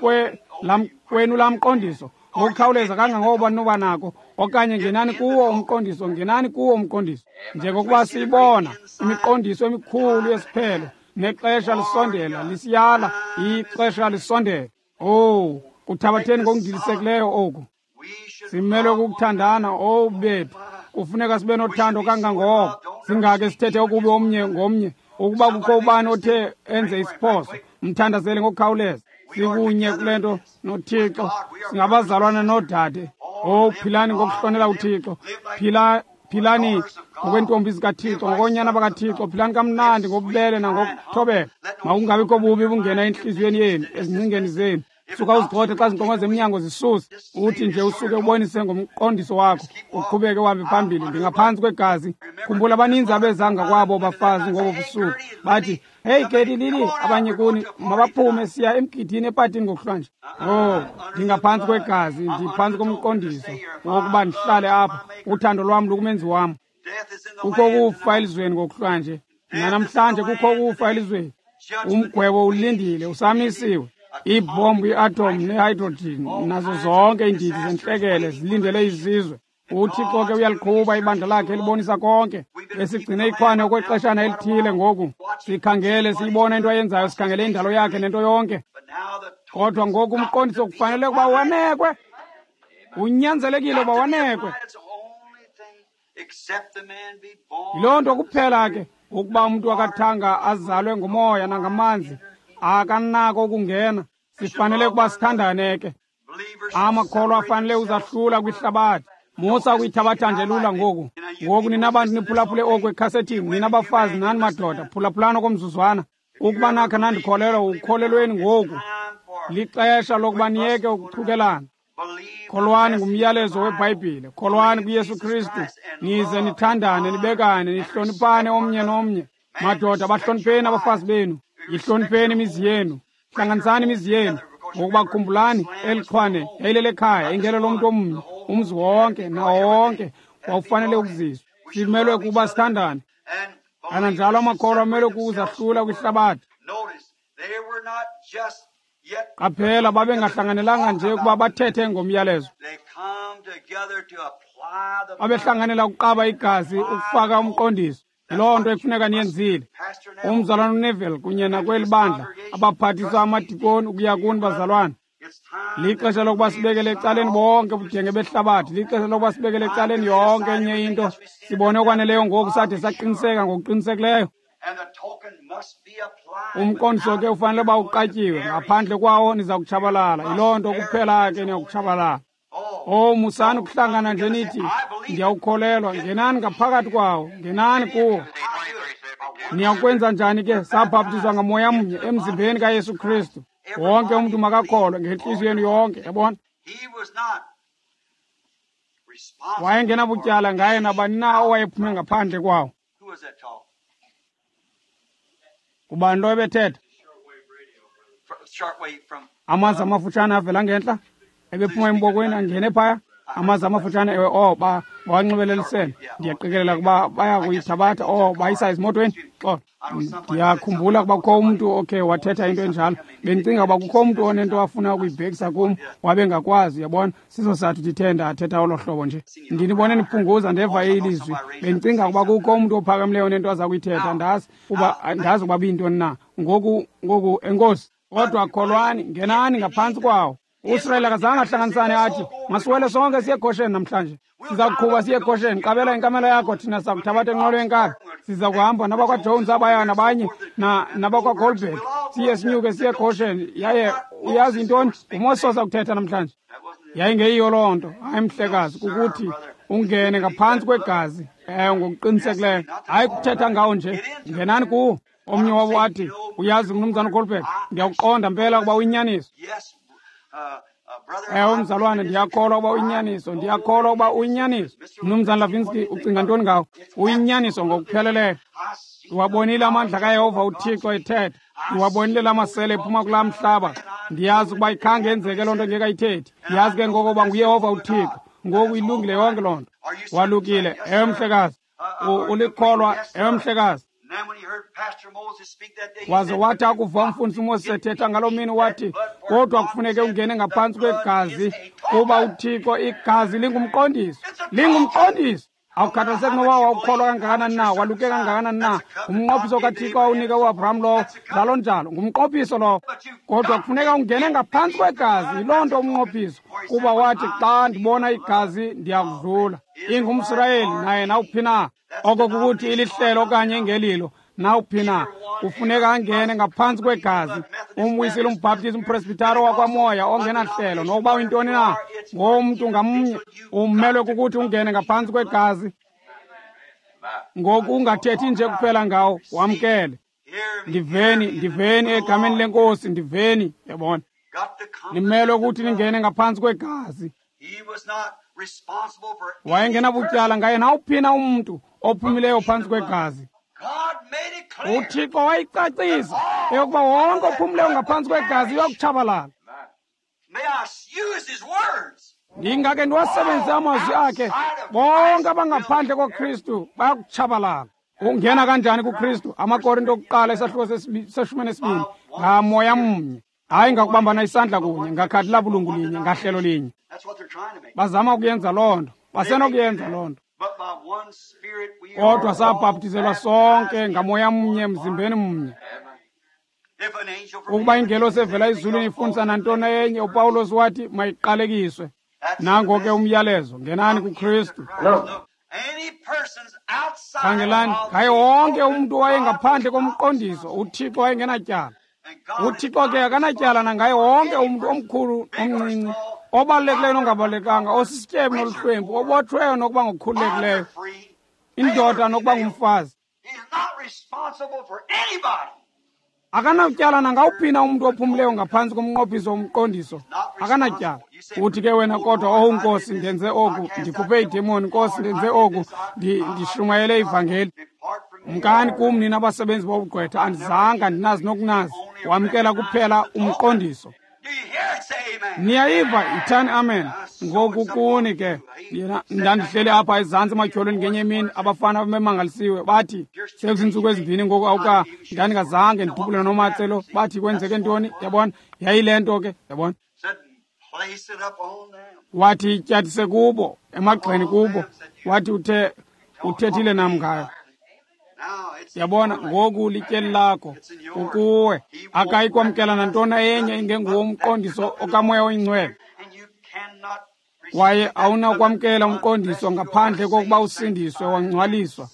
kwenu laa mqondiso ngokukhawuleza kangangoba noba nako, okanye ngenani kuwo umqondiso, ngenani kuwo umqondiso. Njengokuba siyibona imiqondiso emikhulu yesiphelo, nexesha lisondela, lisiyala, ixesha lisondela. Owu, kuthabatheni ngokundilisekileyo oku. Simelwe kukuthandana, owu bethu. Kufuneka sibe nothando kangangoko, singake sithethe okubi omnye ngomnye. Ukuba kukho ubani othe enze isiphoso, mthandazele ngokukhawuleza. Sikunye kule nto noThixo, singabazalwana noodade. Owu, philani ngokuhlonela uThixo, philani ngokweentombi zikaThixo, ngokoonyana bakaThixo. Philani kamnandi ngobubele nangokuthobeka. Makungabikho bubi bungena entliziyweni yenu, ezingcingeni zenu. Suka uzigxothe xa zinkonko zemnyango zisuse, uthi nje usuke ubonise ngomqondiso wakho, uqhubeke uhambe phambili. Ndingaphantsi kwegazi. Khumbula, abaninzi abezanga kwabo bafazi ngobo busuku bathi, heyi Keti, Lili, abanye kuni mabaphume, siya emgidini epatini ngokuhlwanje. Oh, ndingaphantsi kwegazi, ndiphantsi komqondiso wokuba ndihlale apha. Uthando lwam lukumenzi wam. Kukho ukufa elizweni ngokuhlwanje, nanamhlanje kukho ukufa elizweni. Umgwebo ulindile, usamisiwe. Iibhombu, i-atom nehydrogen nazo zonke iindidi zentlekele zilindele izizwe. UThixo ke uyaliqhuba ibandla lakhe elibonisa konke. Besigcine ikhwane okwexeshana elithile ngoku. Sikhangele, siyibona into ayenzayo, sikhangele indalo yakhe nento yonke. Kodwa ngoku umqondiso kufanele ukuba wanekwe. Unyanzelekile ukuba wanekwe. Yiloo nto kuphela ke, ukuba umntu akathanga azalwe ngumoya nangamanzi, akanako ukungena. Sifanele ukuba sithandane ke. Amakholwa afanele uzahlula kwihlabathi. Musa ukuyithabatha nje lula ngoku. Ngoku nina bantu niphulaphule oku ekhasethini, nina bafazi nani madoda, phulaphulani okomzuzwana. Ukuba nakha nandikholelwa, ukholelweni ngoku. Lixesha lokuba niyeke ukuchukelana. Kholwani ngumyalezo weBhayibhile, kholwani kuYesu Kristu, nize nithandane, nibekane, nihloniphane omnye nomnye. Madoda, bahlonipheni abafazi benu, yihlonipheni imizi yenu, hlanganisani imizi yenu. Ngokuba khumbulani, eli xhwane yayilelekhaya, ingelo lomntu omnye, umzi wonke nawo wonke wawufanele ukuziswa. Simelwe kuba sithandane. Kananjalo amakholwa amelwe kuzahlula kwihlabathi. Qaphela, babengahlanganelanga nje ukuba bathethe ngomyalezo. Babehlanganela ukuqaba igazi, ukufaka umqondiso. Yiloo nto ekufuneka niyenzile. Umzalwana uNeville kunye nakweli bandla, abaphathiswa amadikoni ukuya kuni bazalwana. Lixesha lokuba sibekele ecaleni bonke ubudenge behlabathi. Lixesha lokuba sibekele ecaleni yonke enye into. Sibone okwaneleyo ngoku sade saqiniseka ngokuqinisekileyo. Umqondiso ke ufanele uba uqatyiwe, ngaphandle kwawo niza kutshabalala. Yiloo nto kuphela ke niyakutshabalala. Oh, musani ukuhlangana nje nithi ndiyawukholelwa. Ngenani ngaphakathi kwawo, ngenani kuwo. Niyakwenza njani ke? Sabhaptizwa ngamoya mnye emzimbeni kaYesu Kristu. Wonke umntu makakholwe ngentliziyo yenu yonke, yabona. Wayengenabutyala ngaye nabani na owayephume ngaphandle kwawo. Ngubani lo ebethetha? Amanzi amafutshane avela ngentla, ebephuma embokweni angene phaya. Amanzi amafutshane, ewe, oh, bawanxibelelisele. Ndiyaqikelela ukuba baya kuyithabatha, oh, bayisa ezimotweni. Xolo, ndiyakhumbula ukuba kukho umntu okhe wathetha into enjalo. Bendicinga ukuba kukho umntu onento afuna ukuyibhekisa kum, wabe ngakwazi, uyabona. Siso sathi ndithe ndathetha olo hlobo nje. Ndinibone niphunguza, ndeva ilizwi. Bendicinga ukuba kukho umntu ophakamileyo onento aza kuyithetha, ndazi ukuba biyintoni na. Ngoku, enkosi. Kodwa kholwani, ngenani ngaphantsi kwawo. USirayeli akazange ahlanganisane athi, masiwele sonke siye eGosheni namhlanje. Siza kuqhuba siye eGosheni. Qabela inkamela yakho, thina sakuthabatha enqwelo yenkabi. Siza kuhamba nabakwaJones abaya nabanye nabakwaGoldberg. Siye sinyuke siye eGosheni. Yaye uyazi intoni? NguMoses oza kuthetha namhlanje. Yayingeyiyo loo nto. Hayi mhlekazi, kukuthi Ungene ngaphantsi kwegazi. Ngokuqinisekileyo. Hayi kuthetha ngawo nje. Ngenani kuwo. Omnye wabo wathi, uyazi mnumzana Goldberg, ndiyakuqonda mpela ukuba uyinyaniso. Ewe mzalwane, ndiyakholwa ukuba uyinyaniso, ndiyakholwa ukuba uyinyaniso. Mnumzana Lavinsky, ucinga ntoni ngawo? Uyinyaniso ngokupheleleyo. Ndiwabonile amandla kaYehova uThixo ethetha. Ndiwabonile la masele ephuma kulaa mhlaba. Ndiyazi ukuba ikhange yenzeke loo nto ngekayithethi. Ndiyazi ke ngoko uba nguYehova uThixo. Ngoku ilungile yonke loo nto. Walukile. Ewe mhlekazi. Ulikholwa. Ewe mhlekazi. Waze wathi akuva umfundisi uMoses ethetha ngaloo mini, wathi, kodwa kufuneke ungene ngaphantsi kwegazi, kuba uThixo igazi lingumqondiso. Lingumqondiso. Awukhathaliseki noba wawukholwa kangakanani na, waluke kangakanani na, ngumnqophiso kaThixo awunika uAbraham lowo, njalo njalo, ngumnqophiso lowo. Kodwa kufuneka ungene ngaphantsi kwegazi, yiloo nto umnqophiso, kuba wathi xa ndibona igazi ndiyakudlula. IngumSirayeli naye nawuphi na, oko kukuthi ilihlelo okanye ingelilo, nawuphi na, kufuneka angene ngaphantsi kwegazi. Umwisile, umbhaptizi, umpresbitari wakwamoya ongenahlelo, nokuba uyintoni na, ngomntu ngamnye umelwe kukuthi ungene ngaphantsi kwegazi. Ngoku ungathethi nje kuphela ngawo, wamkele. Ndiveni, ndiveni egameni leNkosi, ndiveni, yabona. Nimelwe ukuthi ningene ngaphantsi kwegazi. Wayengenabutyala ngaye nawuphi na umntu ophumileyo phantsi kwegazi. UThixo wayicacisa eyokuba wonke ophumileyo ngaphantsi kwegazi uyakutshabalala. Ndingake ndiwasebenzise amazwi akhe, bonke abangaphandle koKristu bayakutshabalala. Ungena kanjani kuKristu? AmaKorinto okuqala isahluko se-12, ngamoya mnye. Hayi ngakubambana isandla kunye, ngakhadi labulungu linye, ngahlelo linye. Bazama ukuyenza loo nto, basenokuyenza loo nto. Kodwa sabhaptizelwa sonke ngamoya mnye emzimbeni mnye. Ukuba ingelosi evela ezulwini ifundisa nantoni enye, uPawulos wathi mayiqalekiswe. Nango ke umyalezo, ngenani kuKristu. Khangelani, ngaye wonke umntu wayengaphandle komqondiso, uThixo wayengenatyala. uThixo ke akanatyala nangaye wonke umntu omkhulu omncinci, obalulekileyo nongabalulekanga, osisityebi noluhlwempu, obotshweyo nokuba ngokukhululekileyo, indoda nokuba ngumfazi. Akanatyala nangawuphi na umntu ophumileyo ngaphantsi komnqophiso womqondiso, akanatyala. Uthi ke wena, kodwa owu Nkosi, ndenze oku, ndikhuphe idemoni, Nkosi, ndenze oku, ndishumayele ivangeli. Mkani kum nina abasebenzi bobugqwetha, andizanga ndinazi nokunazi. Wamkela kuphela umqondiso. Niyayiva, ithani amen. Ngoku kuni ke, yena ndandihleli apha ezantsi ematyholweni ngenye imini, abafana bemangalisiwe bathi sekuziintsuku ezimbini ngoku awuka, ndandingazange ndidubule noMatselo. Bathi kwenzeke ntoni? Yabona, yayile nto ke, yabona. Wathi ityathise kubo, emagxeni kubo. Wathi uthethile nam ngayo. Yabona, ngoku lityeli lakho ukuwe. Akayi kwamkela nantoni enye ingenguwo umqondiso okaMoya oyiNgcwele. Kwaye awunakwamkela umqondiso ngaphandle kokuba usindiswe, wangcwaliswa,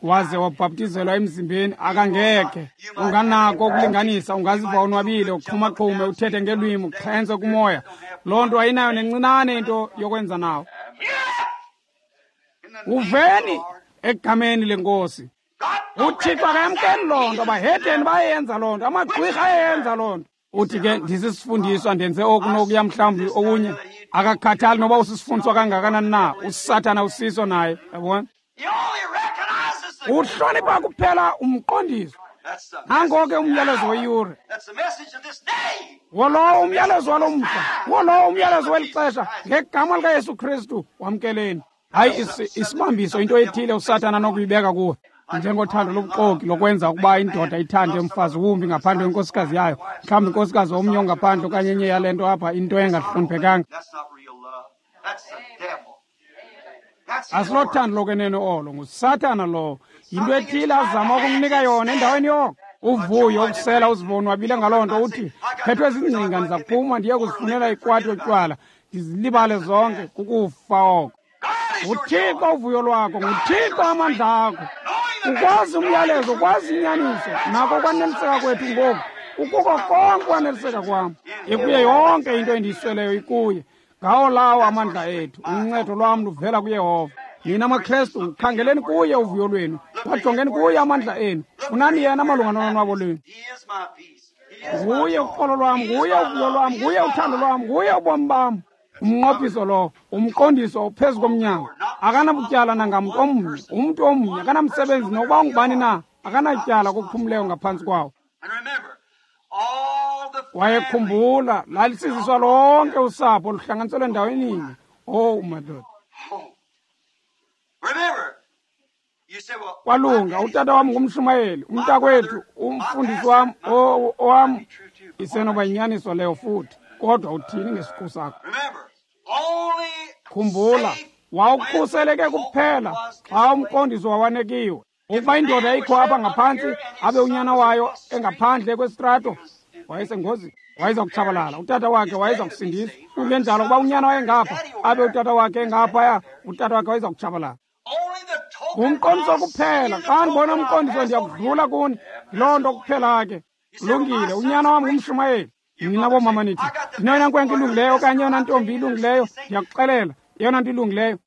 waze wabhaptizelwa emzimbeni. Akangekhe. Unganako ukulinganisa, ungaziva onwabile, uxhumaxhume, uthethe ngelwimi, uxhentse kumoya. Loo nto ayinayo nencinane into yokwenza nawo. Uveni egameni leNkosi. uThixo akayamkeli loo nto, abahedeni bayenza loo nto, amagqwirha ayenza loo nto. Uthi ke ndisisifundiswa, ndenze oku nokuya mhlawumbi okunye. Akakhathali noba usisifundiswa kangakanani na, uSathana usiso naye, yabona. Uhlonipha kuphela umqondiso. Nango ke umyalezo weyure. Wolowo umyalezo walo mhla, wolowo umyalezo weli xesha, ngegama likaYesu Kristu wamkeleni. Hayi isibambiso, into ethile uSathana anokuyibeka kuwe, njengothando lobuxoki lokwenza ukuba indoda ithande umfazi wumbi ngaphandle kwenkosikazi yayo, mhlawumbi inkosikazi omnye ongaphandle okanye enye yale nto apha, into engahloniphekanga. Asilothando lokwenene olo, nguSathana lowo. Yinto ethile azama ukumnika yona endaweni yoko. Uvuyo ukusela uzibonwabile ngaloo nto, uthi phethwe zingcinga, ndiza kuphuma ndiye kuzifunela ikwati yotywala, ndizilibale zonke. Kukufa oko. nguThixo uvuyo lwakho, nguThixo amandla akho. Ukwazi umyalezo, ukwazi inyaniso, nako kwaneliseka kwethu ngoku. Ukuko konke kwaneliseka kwam. Ikuye yonke into endiyisweleyo ikuye. Ngawo lawo amandla ethu. Uncedo lwam luvela kuYehova. Nina maKrestu, khangeleni kuye uvuyo lwenu, wajongeni kuye amandla enu. Funani yena malunga nolonwabo lwenu. Nguye uxolo lwam, nguye uvuyo lwam, nguye uthando lwam, nguye ubomi bam. Umnqophiso lo, umqondiso phezu komnyango. Akanabutyala nangamntu omnye, umntu omnye, akanamsebenzi nokuba ungubani na, akanatyala kokuphumleyo ngaphantsi kwawo. Wayekhumbula, lalisiziswa lonke usapho luhlanganiselwe endaweninye. Oh, madoda. Kwalunga, utata wam ngumshumayeli, umntakwethu, umfundisi wam, owam. Isenoba yinyaniso leyo futhi, kodwa uthini ngesiqu sakho? Khumbula, wawukhuseleke kuphela xa umqondiso wawanekiwe. Ukuba indoda ikho apha ngaphantsi, abe unyana wayo engaphandle kwesitrato, wayesengozini, wayeza kutshabalala. Utata wakhe wayeza kusindiswa. Kungenjalo, ukuba unyana wayengapha, abe utata wakhe engaphaya, utata wakhe wayeza kutshabalala. Ngumqondiso kuphela. Xa ndibona umqondiso ndiyakudlula kuni. Yiloo nto kuphela ke. Kulungile, unyana wam ngumshumayeli. Nina boomama nithi, ndineyona nkwenkwe ilungileyo okanye eyona ntombi ilungileyo, ndiyakuxelela, eyona nto ilungileyo.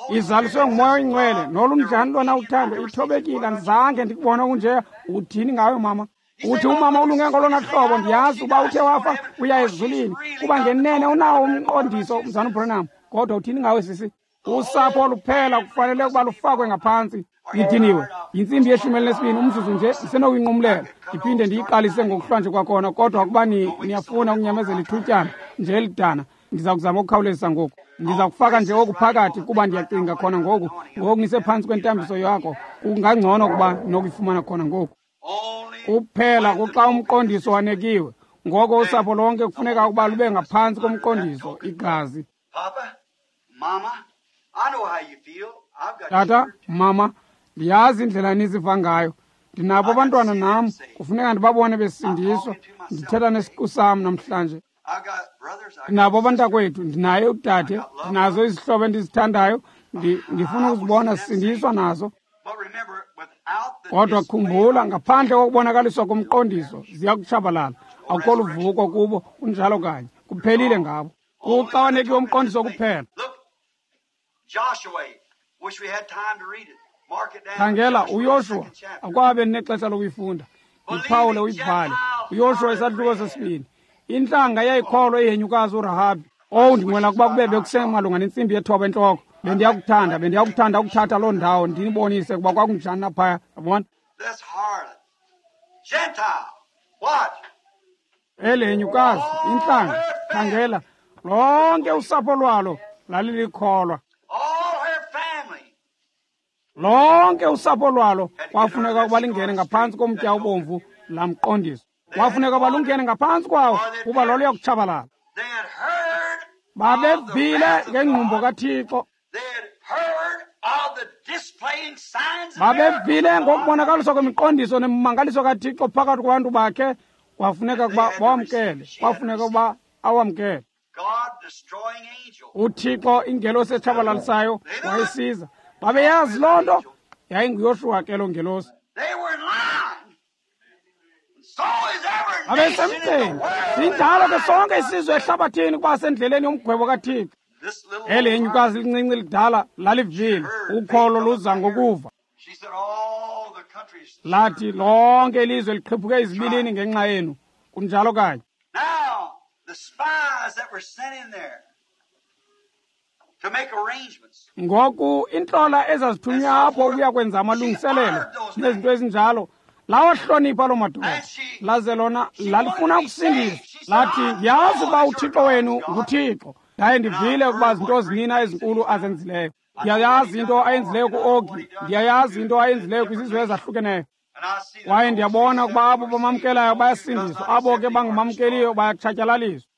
Izaliswe nguMoya oyiNgcwele, nolunjani lona uthando, ithobekile, andizange ndikubone okunjeya. Uthini ngayo mama? Uthi umama ulunge ngolona hlobo, ndiyazi uba uthe wafa uya ezulwini, kuba ngenene unawo umqondiso, mzana uBranham. Kodwa uthini ngawe sisi? Usapho luphela kufanele ukuba lufakwe ngaphantsi. Ndidiniwe yintsimbi ye-12, umzuzu nje ndisenokuyinqumlela ndiphinde ndiyiqalise ngokuhlwanje kwakhona, kodwa ukuba niyafuna ukunyamezela ithutyana nje elidana, ndiza kuzama ukukhawulezisa ngoku. Ndiza kufaka nje oku phakathi kuba ndiyacinga khona ngoku, ngoku nisephantsi kwentambiso yakho, kungangcono ukuba nokuyifumana khona ngoku. Kuphela kuxa umqondiso wanekiwe, ngoko usapho lonke kufuneka ukuba lube ngaphantsi komqondiso, igazi. Tata, mama, ndiyazi indlela niziva ngayo. Ndinabo abantwana nam, kufuneka ndibabone besindiswa. Ndithetha nesiqu sam namhlanje. Ndinabo abantakwethu, ndinaye udade, ndinazo izihlobo endizithandayo, ndifuna ukuzibona sisindiswa nazo. Kodwa khumbula, ngaphandle kokubonakaliswa komqondiso, ziya kutshabalala. Akukho luvuko kubo, kunjalo kanye. Kuphelile ngabo. Kuxa wanekiwe umqondiso kuphela. Khangela uYoshuwa, akwabe nexesha lokuyifunda. Iphawule uyibhale. uYoshuwa isahluko sesibini. Intlanga yayikholwa ihenyukazi uRahabi. Owu, ndinqwela ukuba kube bekusemalunga nentsimbi yethoba entloko. Bendiyakuthanda ukuthatha loo ndawo ndinibonise ukuba kwakunjani naphaya. Yabona? Eli henyukazi, intlanga, khangela, lonke usapho lwalo lalilikholwa. Lonke usapho lwalo kwafuneka ukuba lingene ngaphantsi komtya obomvu lamqondiso. Kwafuneka ukuba lungene ngaphantsi kwawo kuba loluya kutshabalala. Babevile ngengqumbo kaThixo. Babevile ngokubonakaliswa kwemiqondiso nemimangaliso kaThixo phakathi kwabantu bakhe. Kwafuneka ukuba bawamkele. Kwafuneka ukuba awamkele. UThixo ingelosi etshabalalisayo wayesiza. Babeyazi loo nto, yayinguYoshuwa ke loo ngelosi. Babesemgceni. Sinjalo ke sonke isizwe ehlabathini kuba sendleleni yomgwebo kaThixo. Eli henyukazi lincinci lidala lalivile, ukholo luza ngokuva. Lathi lonke ilizwe liqhiphuke izibilini ngenxa yenu. Kunjalo kanye. Ngoku intlola ezazithunywa apho ukuya kwenza amalungiselelo nezinto ezinjalo, lawahlonipha loo madoda, laze lona lalifuna ukusindiswa. Lathi, ndiyazi ukuba uThixo wenu nguThixo, ndaye ndivile ukuba zinto zinina ezinkulu azenzileyo. Ndiyayazi into ayenzileyo ku-Ogi, ndiyayazi into ayenzileyo kwizizwe ezahlukeneyo. Kwaye ndiyabona ukuba abo bamamkelayo bayasindiswa, abo ke bangamamkeliyo bayatshatyalaliswa.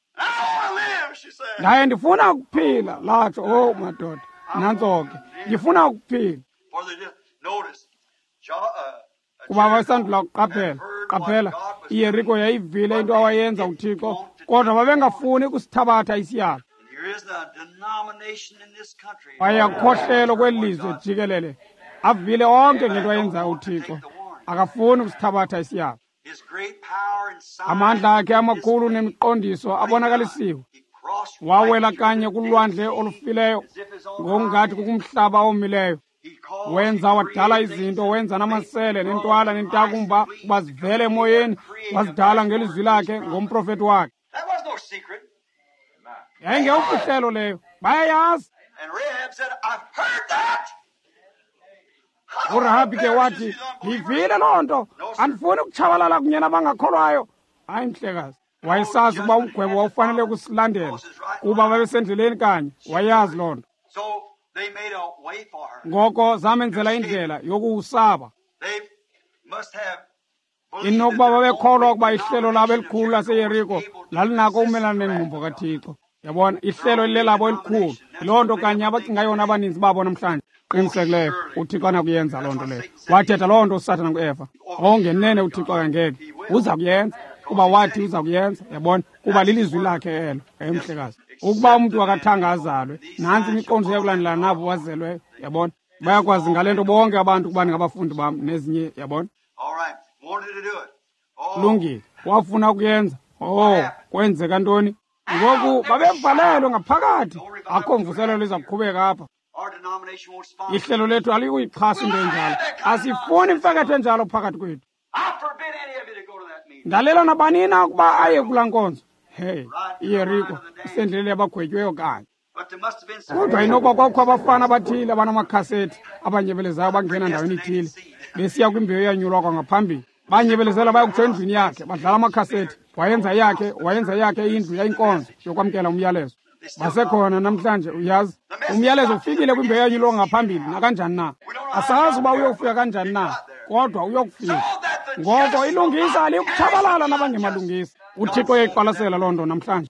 Ndaye ndifuna ukuphila, latsho. Oh madoda, nantso ke, ndifuna ukuphila. Kuba bayisandula kuqaphela, qaphela, iYeriko yayivile into awayenza uThixo, kodwa babengafuni ukusithabatha isiyalo. Kwaye akukho kweli lizwe jikelele, avile onke ngento ayenzayo uThixo, akafuni ukusithabatha isiyalo. Amandla akhe amakhulu nemiqondiso abonakalisiwe. Wawela kanye kulwandle olufileyo, ngokungathi kukumhlaba omileyo. Wenza wadala izinto, wenza namasele nentwala nentakumba ukuba zivele emoyeni, wazidala ngelizwi lakhe ngomprofeti wakhe. Yayingeyomfihlelo leyo, bayayazi. URahabi ke wathi, ndiyivile loo nto, andifuni ukutshabalala kunye nabangakholwayo. Hayi mhlekazi, wayesazi ukuba umgwebo wawufanele ukusilandela kuba babesendleleni kanye, wayazi loo nto. Ngoko zamenzela indlela yokuwusaba. Inokuba babekholwa ukuba ihlelo labo elikhulu laseYeriko lalinako ukumelana nengqumbo kaThixo. Yabona, ihlelo elilelabo elikhulu, yiloo nto kanye abacinga yona abaninzi babo namhlanje. Qinisekileyo uThixo anakuyenza loo nto leyo. Wathetha loo nto uSathana kuEva. Ongenene uThixo akangeke, uza kuyenza kuba wathi uza kuyenza. Yabona, kuba lilizwi lakhe elo. Emhlekazi, ukuba umntu akathanga azalwe, nantsi imiqondiso yakulandela nabo wazelweyo. Yabona, bayakwazi ngale nto bonke abantu ukuba ningabafundi bam nezinye. Yabona, lungile, wafuna ukuyenza. Oh, kwenzeka ntoni ngoku? Babevalelwe ngaphakathi, akho mvuselelo iza kuqhubeka apha. Ihlelo lethu aliyikuyixhasa into enjalo, asifuni imfeketho enjalo phakathi kwethu. Ndalela nabanina ukuba aye kulaa nkonzo. Hey, iYeriko isendleleni yabagwetyweyo kanye. Kodwa inokuba kwakukho abafana abathile abanamakhasethi abanyebelezayo bangena ndaweni ithile besiya kwimbewu eyanyulwa kwangaphambili. Banyebelezela bayokutsho endlwini yakhe, badlala amakhasethi. Wayenza yakhe indlu yayinkonzo yokwamkela umyalezo. Basekhona namhlanje, uyazi. Umyalezo ufikile kwimbewu eyanyulwa ngaphambili nakanjani na. Asazi uba uyofika kanjani na, kodwa uyokufika. Ngoko ilungisa aliyikutshabalala nabangemalungisa. UThixo uyayiqwalasela loo nto namhlanje.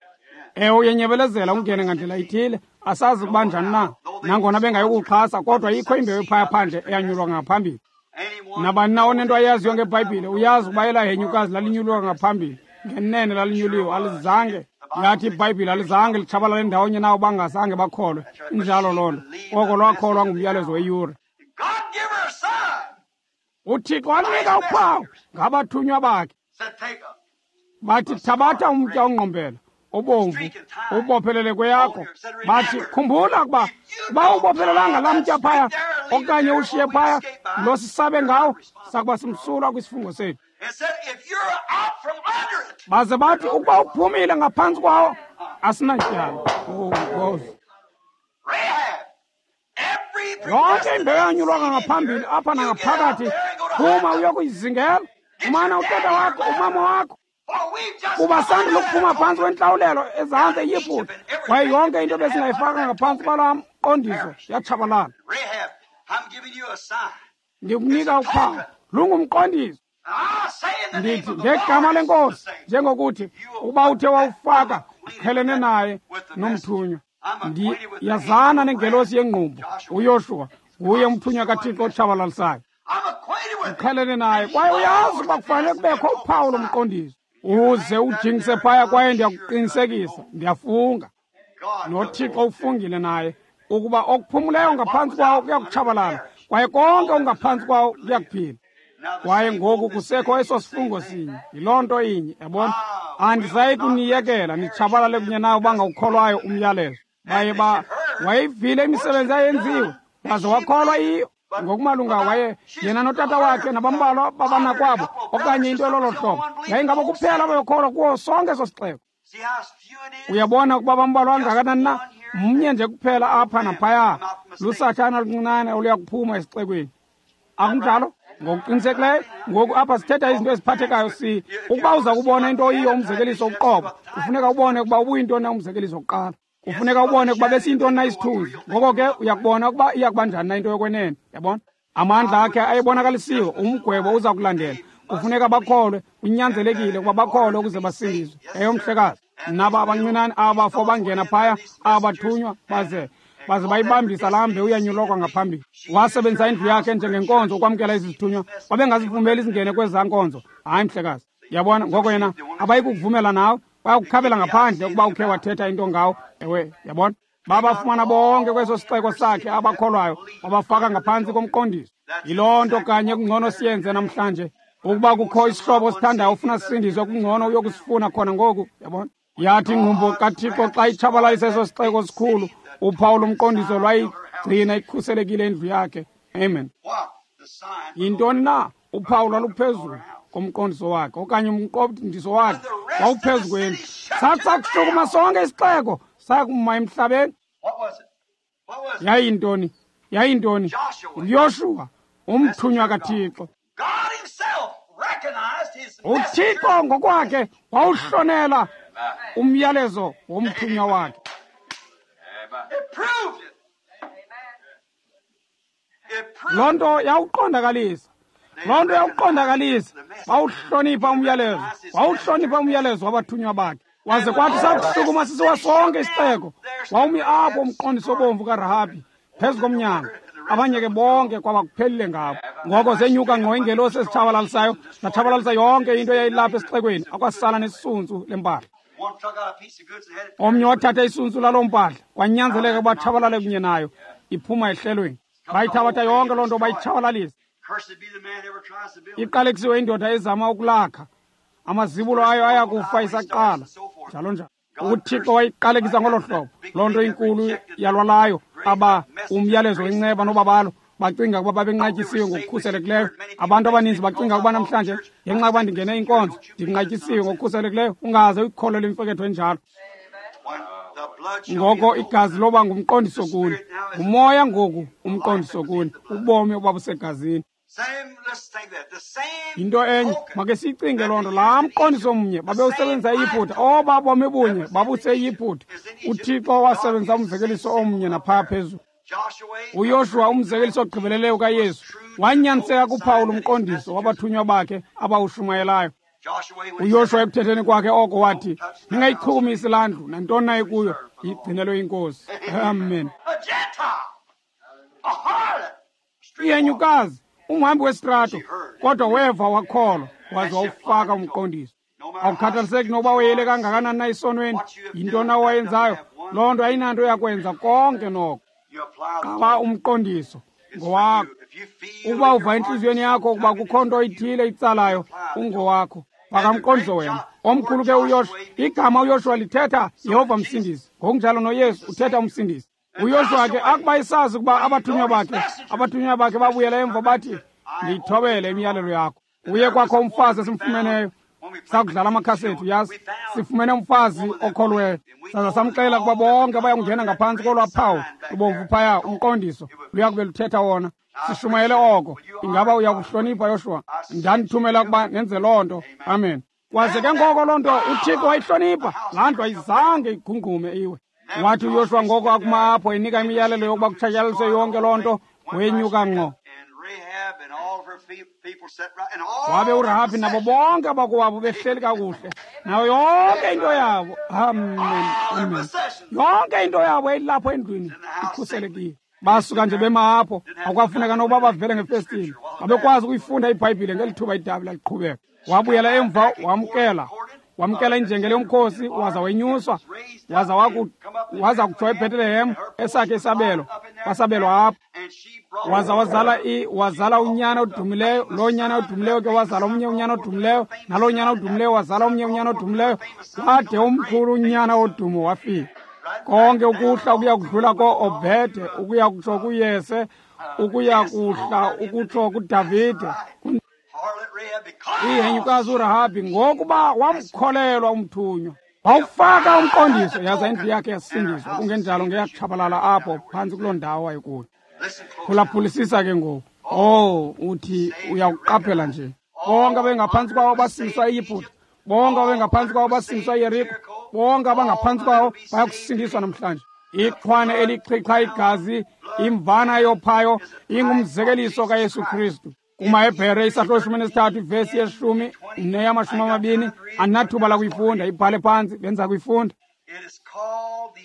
Ewe, uyenyebelezela ungene ngandlela ithile, asazi ukuba njani na. Nangona bengayokuxhasa, kodwa ikho imbewu ephaya phandle eyanyulwa ngaphambili. Nabani na onento ayaziyo ngeBhayibhile uyazi ukuba elaa henyukazi lalinyulwa ngaphambili. Ngenene lalinyuliwe, alizange. Yathi iBhayibhile alizange litshabalale ndawonye nawo bangazange bakholwe. Injalo loo nto. Oko lwakholwa ngumyalezo weyure. uThixo wanika uphawu ngabathunywa bakhe. Bathi, thabatha umtya ongqombela obomvu ubophelele kweyakho. Bathi, khumbula ukuba uba ubophelelanga laa mtya phaya okanye ushiye phaya lo sisabe ngawo, sakuba simsulwa kwisifungo sethu. Baze bathi, ukuba uphumile ngaphantsi kwawo asinatyala. Oh, Nkosi. Yonke imbewu eyanyulwanga ngaphambili apha nangaphakathi, phuma uyokuyizingela. Umana utata wakho, umama wakho, kuba sandula ukuphuma phantsi kwentlawulelo ezantsi eYiputa, kwaye yonke into besingayifaka ngaphantsi kwalaa mqondiso yatshabalala. Ndikunika uphawu, lungumqondiso. Ndithi ngegama leNkosi, njengokuthi ukuba uthe wawufaka, qhelene naye nomthunywa. Ndiyazana nengelosi yengqumbo, uYoshuwa, nguye umthunywa kaThixo otshabalalisayo. Uqhelene naye kwaye uyazi ukuba kufanele kubekho uphawu lomqondiso. Uze ujingise phaya kwaye ndiyakuqinisekisa, ndiyafunga. NoThixo ufungile naye ukuba okuphumuleyo ngaphantsi kwawo kuyakutshabalala, kwaye konke okungaphantsi kwawo kuyakuphila. Kwaye ngoku kusekho eso sifungo sinye, yiloo nto inye, yabona. Andisayi kuniyekela nitshabalale kunye nawo bangawukholwayo umyalezo. Baye wayivile imisebenzi ayenziwe, waze wakholwa yiyo. Ngokumalunga waye yena notata wakhe nabambalwa babanakwabo okanye into elolo hlobo, yayingabo kuphela abayokholwa kuwo sonke eso sixeko. Uyabona ukuba bambalwa kangakanani na? Mnye nje kuphela apha naphaya, lusatshana oluncinane oluya kuphuma esixekweni. Akunjalo? Ngokuqinisekileyo ngoku apha sithetha izinto eziphathekayo. Ukuba uza kubona into oyiyo umzekeliso uqobo, kufuneka ubone ukuba ubuyintoni na umzekeliso kuqala. Kufuneka ubone ukuba besiyintoni na isithunzi. Ngoko ke uyakubona ukuba iya kuba njani na into yokwenene. Yabona, amandla akhe ayebonakalisiwe, umgwebo uza kulandela. Kufuneka bakholwe, kunyanzelekile ukuba bakholwe ukuze basindiswe. Eyomhlekazi, naba abancinane abafo bangena phaya, abathunywa baze bayibambisa laa mbewu yanyulwa ngaphambili. Wasebenzisa indlu yakhe njengenkonzo ukwamkela ezi zithunywa. Babengazivumeli zingene kwezaa nkonzo. Hayi mhlekazi, yabona. Ngoko yena abayikukuvumela nawe, bayakukhabela ngaphandle ukuba ukhe wathetha into ngawo. Ewe, yabona. Babafumana bonke kweso sixeko sakhe abakholwayo, babafaka ngaphantsi komqondiso. Yiloo nto kanye kungcono siyenze namhlanje. Ukuba kukho isihlobo osithandayo ufuna sisindiswe, kungcono uyokusifuna khona ngoku. Yabona. Yathi ingqumbo kaThixo xa itshabalalisa eso sixeko sikhulu, uphawu lomqondiso lwayigcina ikhuselekile indlu yakhe. Amen. Yintoni na? Uphawu lwaluphezulu komqondiso wakhe, okanye umqondiso wakhe wawuphezu kwendlu. Sathi sakushukuma sonke isixeko saya kuma emhlabeni. Yayintoni? Yayintoni? UYoshuwa, umthunywa kaThixo. UThixo ngokwakhe wawuhlonela umyalezo womthunywa wakhe. Loo nto yawuqondakalisa. Loo nto yawuqondakalisa. Bawuhlonipha umyalezo. Wawuhlonipha umyalezo wabathunywa bakhe. Waze kwathi sakushukuma sisiwa sonke isixeko, wawumi apho umqondiso obomvu kaRahabi phezu komnyango. Abanye ke bonke kwaba kuphelile ngabo. Ngoko zenyuka ngqo iingelosi ezitshabalalisayo, zatshabalalisa yonke into eyayilapha esixekweni, akwasala nesisunsu lempahla. Omnye wathatha isuntsu laloo mpahla, kwanyanzeleka ukuba tshabalale kunye nayo, iphuma ehlelweni. Bayithabatha yonke loo nto bayitshabalalisa. Iqalekisiwe indoda ezama ukulakha, amazibulo ayo aya kufa isaqala, njalo njalo. UThixo wayiqalekisa ngolo hlobo. Loo nto inkulu yalwalayo aba umyalezo wenceba nobabalo, bacinga ukuba babenqatyisiwe ngokukhuselekileyo. Abantu abaninzi bacinga ukuba namhlanje ngenxa yokuba ndingene inkonzo ndinqatyisiwe ngokukhuselekileyo. Ungaze uyikholele imfeketho enjalo. Ngoko igazi loba ngumqondiso kuni, ngumoya ngoku umqondiso kuni, ubomi obabusegazini. Yinto enye, make siyicinge loo nto. Laa mqondiso mnye babewusebenzisa eYiputa, oba bomi bunye babuseYiputa. UThixo wasebenzisa umzekeliso omnye naphaa phezulu. UYoshuwa, umzekeliso ogqibeleleyo kaYesu, wanyaniseka kuphawu lomqondiso wabathunywa bakhe abawushumayelayo. UYoshuwa ekuthetheni kwakhe oko wathi, ningayichukumisi laa ndlu, nantoni na ikuyo, igcinelwe iNkosi. Amen. Ihenyukazi, umhambi wesitrato, kodwa weva wakholwa, waze wawufaka umqondiso. Awukhathaliseki nokuba weyele kangakanani na esonweni, yintoni na owayenzayo, loo nto ayinanto yakwenza konke noko. Qaba umqondiso ngowakho. Ukuba uva entliziyweni yakho ukuba kukho nto ithile itsalayo, ungowakho. Faka umqondiso wena. Omkhulu ke uYoshuwa. Igama uYoshuwa lithetha Yehova Msindisi. Ngokunjalo noYesu uthetha uMsindisi. UYoshuwa ke akuba esazi ukuba abathunywa bakhe babuyela emva bathi, ndiyithobele imiyalelo yakho. Uye kwakho umfazi esimfumeneyo, sakudlala amakhasethi, uyazi, sifumene umfazi okholweyo. Saza samxelela ukuba bonke bayakungena ngaphantsi kolwaa phawu lubomvu phaya, umqondiso luya kube luthetha wona. Sishumayele oko. Ingaba uyakuhlonipha, Yoshuwa? Ndandithumela ukuba nenze loo nto. Amen. Waze ke ngoko loo nto uThixo wayihlonipha. Laa ndlu ayizange igungqume iwe. Wathi uYoshuwa ngoko akuma apho enika imiyalelo yokuba kutshatyalaliswe yonke loo nto, wenyuka ngqo. Wabe uRahabi nabo bonke abakowabo behleli kakuhle, nayo yonke into yabo. Amen, amen. Yonke into yabo yayilapho endlwini ikhuselekile. Basuka nje bema apho, akwafuneka nokuba bavele ngefestile. Babekwazi ukuyifunda iBhayibhile ngeli thuba idabi laliqhubeka. Wabuyela emva, wamkela injengele yomkhosi, waza wenyuswa, waza kutsho eBhetelehem, esakhe isabelo, wasabelwa apho. Waza wazala unyana odumileyo, loo nyana odumileyo ke wazala omnye unyana odumileyo, naloo nyana odumileyo wazala omnye unyana odumileyo, wade omkhulu unyana odumo wafika. Konke ukuhla ukuya kudlula ko-Obede, ukuya kutsho kuYese, ukuya kuhla ukutsho kuDavide. Ihenyukazi uRahabi ngokuba wamkholelwa umthunywa, wawufaka umqondiso, yaza indlu yakhe yasindiswa. Kungenjalo ngeyatshabalala apho phantsi kuloo ndawo wayekuyo. Phulaphulisisa ke ngoku. Oh, uthi uyakuqaphela nje. Bonke abengaphantsi kwawo basindiswa eYiputa, bonke abengaphantsi kwawo basindiswa eYeriko, bonke abangaphantsi kwawo bayakusindiswa namhlanje. Ixhwane elichitha igazi, imvana yophayo, ingumzekeliso kaYesu Kristu. KumaHebhere isahluko 13 ivesi 10 neyama-20, andinathuba lakuyifunda, ibhale phantsi, benza kuyifunda.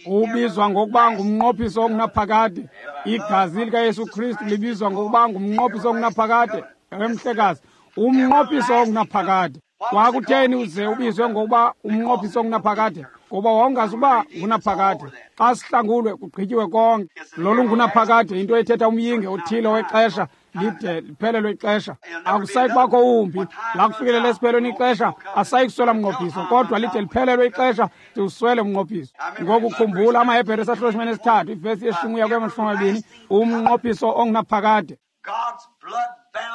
Ubizwa ngokuba ngumnqophiso ongunaphakade. Igazi likaYesu Kristu libizwa ngokuba ngumnqophiso ongunaphakade. Ewe mhlekazi, umnqophiso ongunaphakade. Kwakutheni uze ubizwe ngokuba umnqophiso ongunaphakade? Ngoba wawungazi uba ngunaphakade. Xa sihlangulwe kugqityiwe konke. Lolu ngunaphakade, into ethetha umyinge othile wexesha. lide liphelelwe ixesha. Akusayi kubakho wumbi. Lakufikelela esiphelweni ixesha, asayi kuswela mnqophiso, kodwa lide liphelelwe ixesha siwuswele umnqophiso. Ngoku khumbula amaHebhere isahluko 13 ivesi ye-10 kuya 20, umnqophiso ongunaphakade.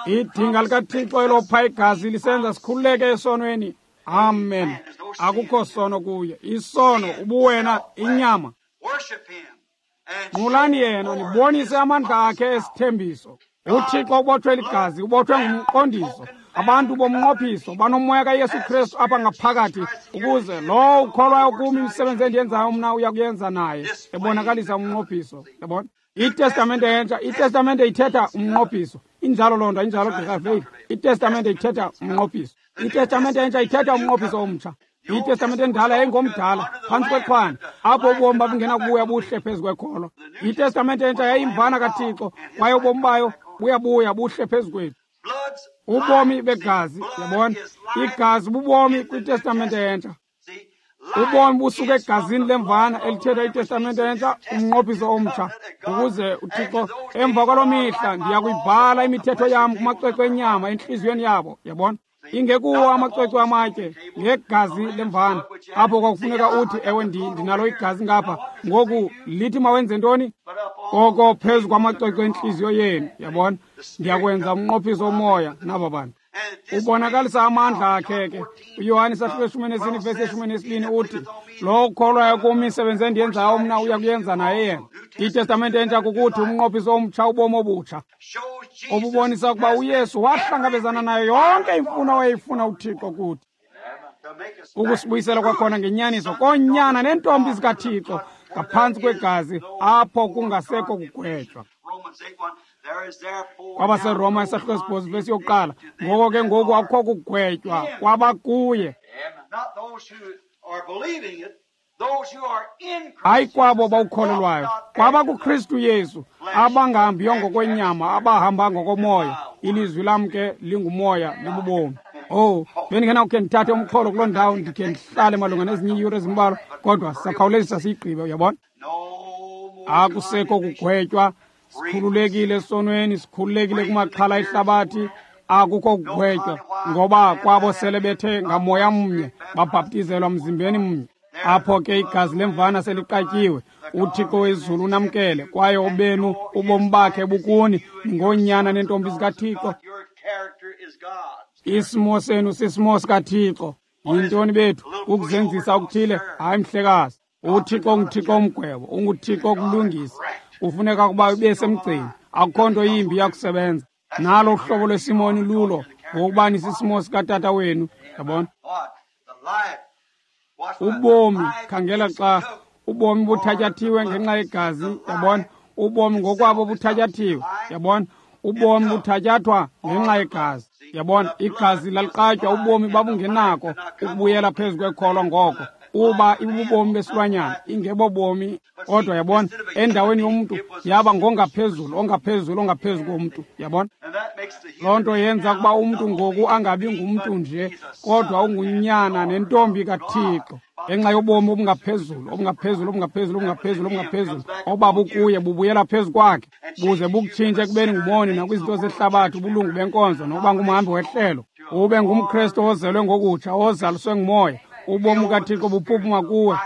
Idinga likaThixo elopha igazi lisenza sikhululeke esonweni. Amen. Akukho sono kuye. Isono ubuwena inyama. Nqulani yena, nibonise amandla akhe esithembiso. UThixo ubotshwe ligazi, ubotshwe ngumqondiso. Abantu bomnqophiso banomoya kaYesu Kristu apha ngaphakathi, ukuze lowo ukholwayo kum, imisebenzi endiyenzayo mna uya kuyenza naye, ebonakalisa umnqophiso. Yabona? ITestamente entsha, iTestamente ithetha umnqophiso. Injalo loo nto, injalo Gqirha Veil. ITestamente ithetha umnqophiso. ITestamente entsha ithetha umnqophiso omtsha. ITestamente endala yayingomdala phantsi kwexhwane, apho ubomi babungenakubuya buhle phezu kwekholo. ITestamente entsha yayimvana kaThixo, kwaye ubomi bayo buyabuya buhle phezu kwethu. Ubomi begazi, yabona, igazi bubomi kwiTestamente entsha. Ubomi busuka egazini lemvana elithetha iTestamente entsha, umnqophiso omtsha, ukuze uThixo emva kwaloo mihla ndiya kuyibhala imithetho yam kumacwecwe enyama entliziyweni yabo. Yabona, ingekuwo amacwecwe amatye, ngegazi lemvana. Apho kwakufuneka uthi, ewe, ndinalo igazi ngapha, ngoku lithi mawenze ntoni? Koko phezu kwamacwecwe entliziyo yenu, yabona, ndiyakwenza umnqophiso omoya naba bantu. Ubonakalisa amandla akhe ke. UYohane isahluko 14 vesi 12 uthi, lowo ukholwayo kum, imisebenzi endiyenzayo mna uya kuyenza naye yena. ITestamente entsha kukuthi umnqophiso omtsha, ubomi obutsha obubonisa ukuba uYesu wahlangabezana nayo yonke imfuno awayeyifuna uThixo kuthi, ukusibuyisela kwakhona ngenyaniso koonyana neentombi zikaThixo ngaphantsi kwegazi, apho kungasekho kugwetywa. KwabaseRoma isahluko 8 vesi 1, ngoko ke ngoku akukho kugwetywa kwabakuye, hayi kwabo bawukholelwayo, kwabakuKristu Yesu, abangahambiyo ngokwenyama, abahamba ngokomoya. Ilizwi lam ke lingumoya, libubomi. Oh, bendingenawukhe ndithathe umxholo kuloo ndawo, ndikhe ndihlale malunga nezinye iiyure ezimbalwa, kodwa sisakhawulezisa siyigqibe, uyabona. Akusekho kugwetywa, sikhululekile esonweni, sikhululekile kumaxhala ehlabathi. Akukho kugwetywa, ngoba kwabo sele bethe ngamoya mnye babhaptizelwa mzimbeni mnye. Apho ke igazi lemvana seliqatyiwe, uThixo wezulu unamkele, kwaye obenu ubomi bakhe bukuni, ningoonyana neentombi zikaThixo. Isimo senu sisimo sikaThixo. Yintoni bethu ukuzenzisa okuthile? Hayi mhlekazi. UThixo unguThixo omgwebo, unguThixo okulungisa. Kufuneka ukuba ube semgceni, akukho nto yimbi yakusebenza. Nalo uhlobo lwesimoni lulo, ngokuba nisisimo sikatata wenu. Yabona? Ubomi, khangela xa ubomi buthatyathiwe ngenxa yegazi, yabona? Ubomi ngokwabo buthatyathiwe, yabona? Ubomi buthatyathwa ngenxa yegazi, yabona? Igazi laliqatywa, ubomi babungenako ukubuyela phezu kwekholwa ngoko, uba ibubomi besilwanyana, ingebobomi. Kodwa yabona, endaweni yomntu yaba ngongaphezulu, ongaphezulu, ongaphezu komntu, yabona. Loo nto yenza ukuba umntu ngoku angabi ngumntu nje, kodwa ungunyana nentombi kaThixo, ngenxa yobomi obungaphezulu, obungaphezulu, obungaphezulu, obungaphezulu, obungaphezulu obabukuye bubuyela phezu kwakhe, buze bukutshintshe ekubeni ngumoni nakwizinto zehlabathi, ubulungu benkonzo, nokuba ngumhambi wehlelo, ube ngumKristu ozelwe ngokutsha, ozaliswe ngumoya. Ubomi kaThixo buphuphuma kuwe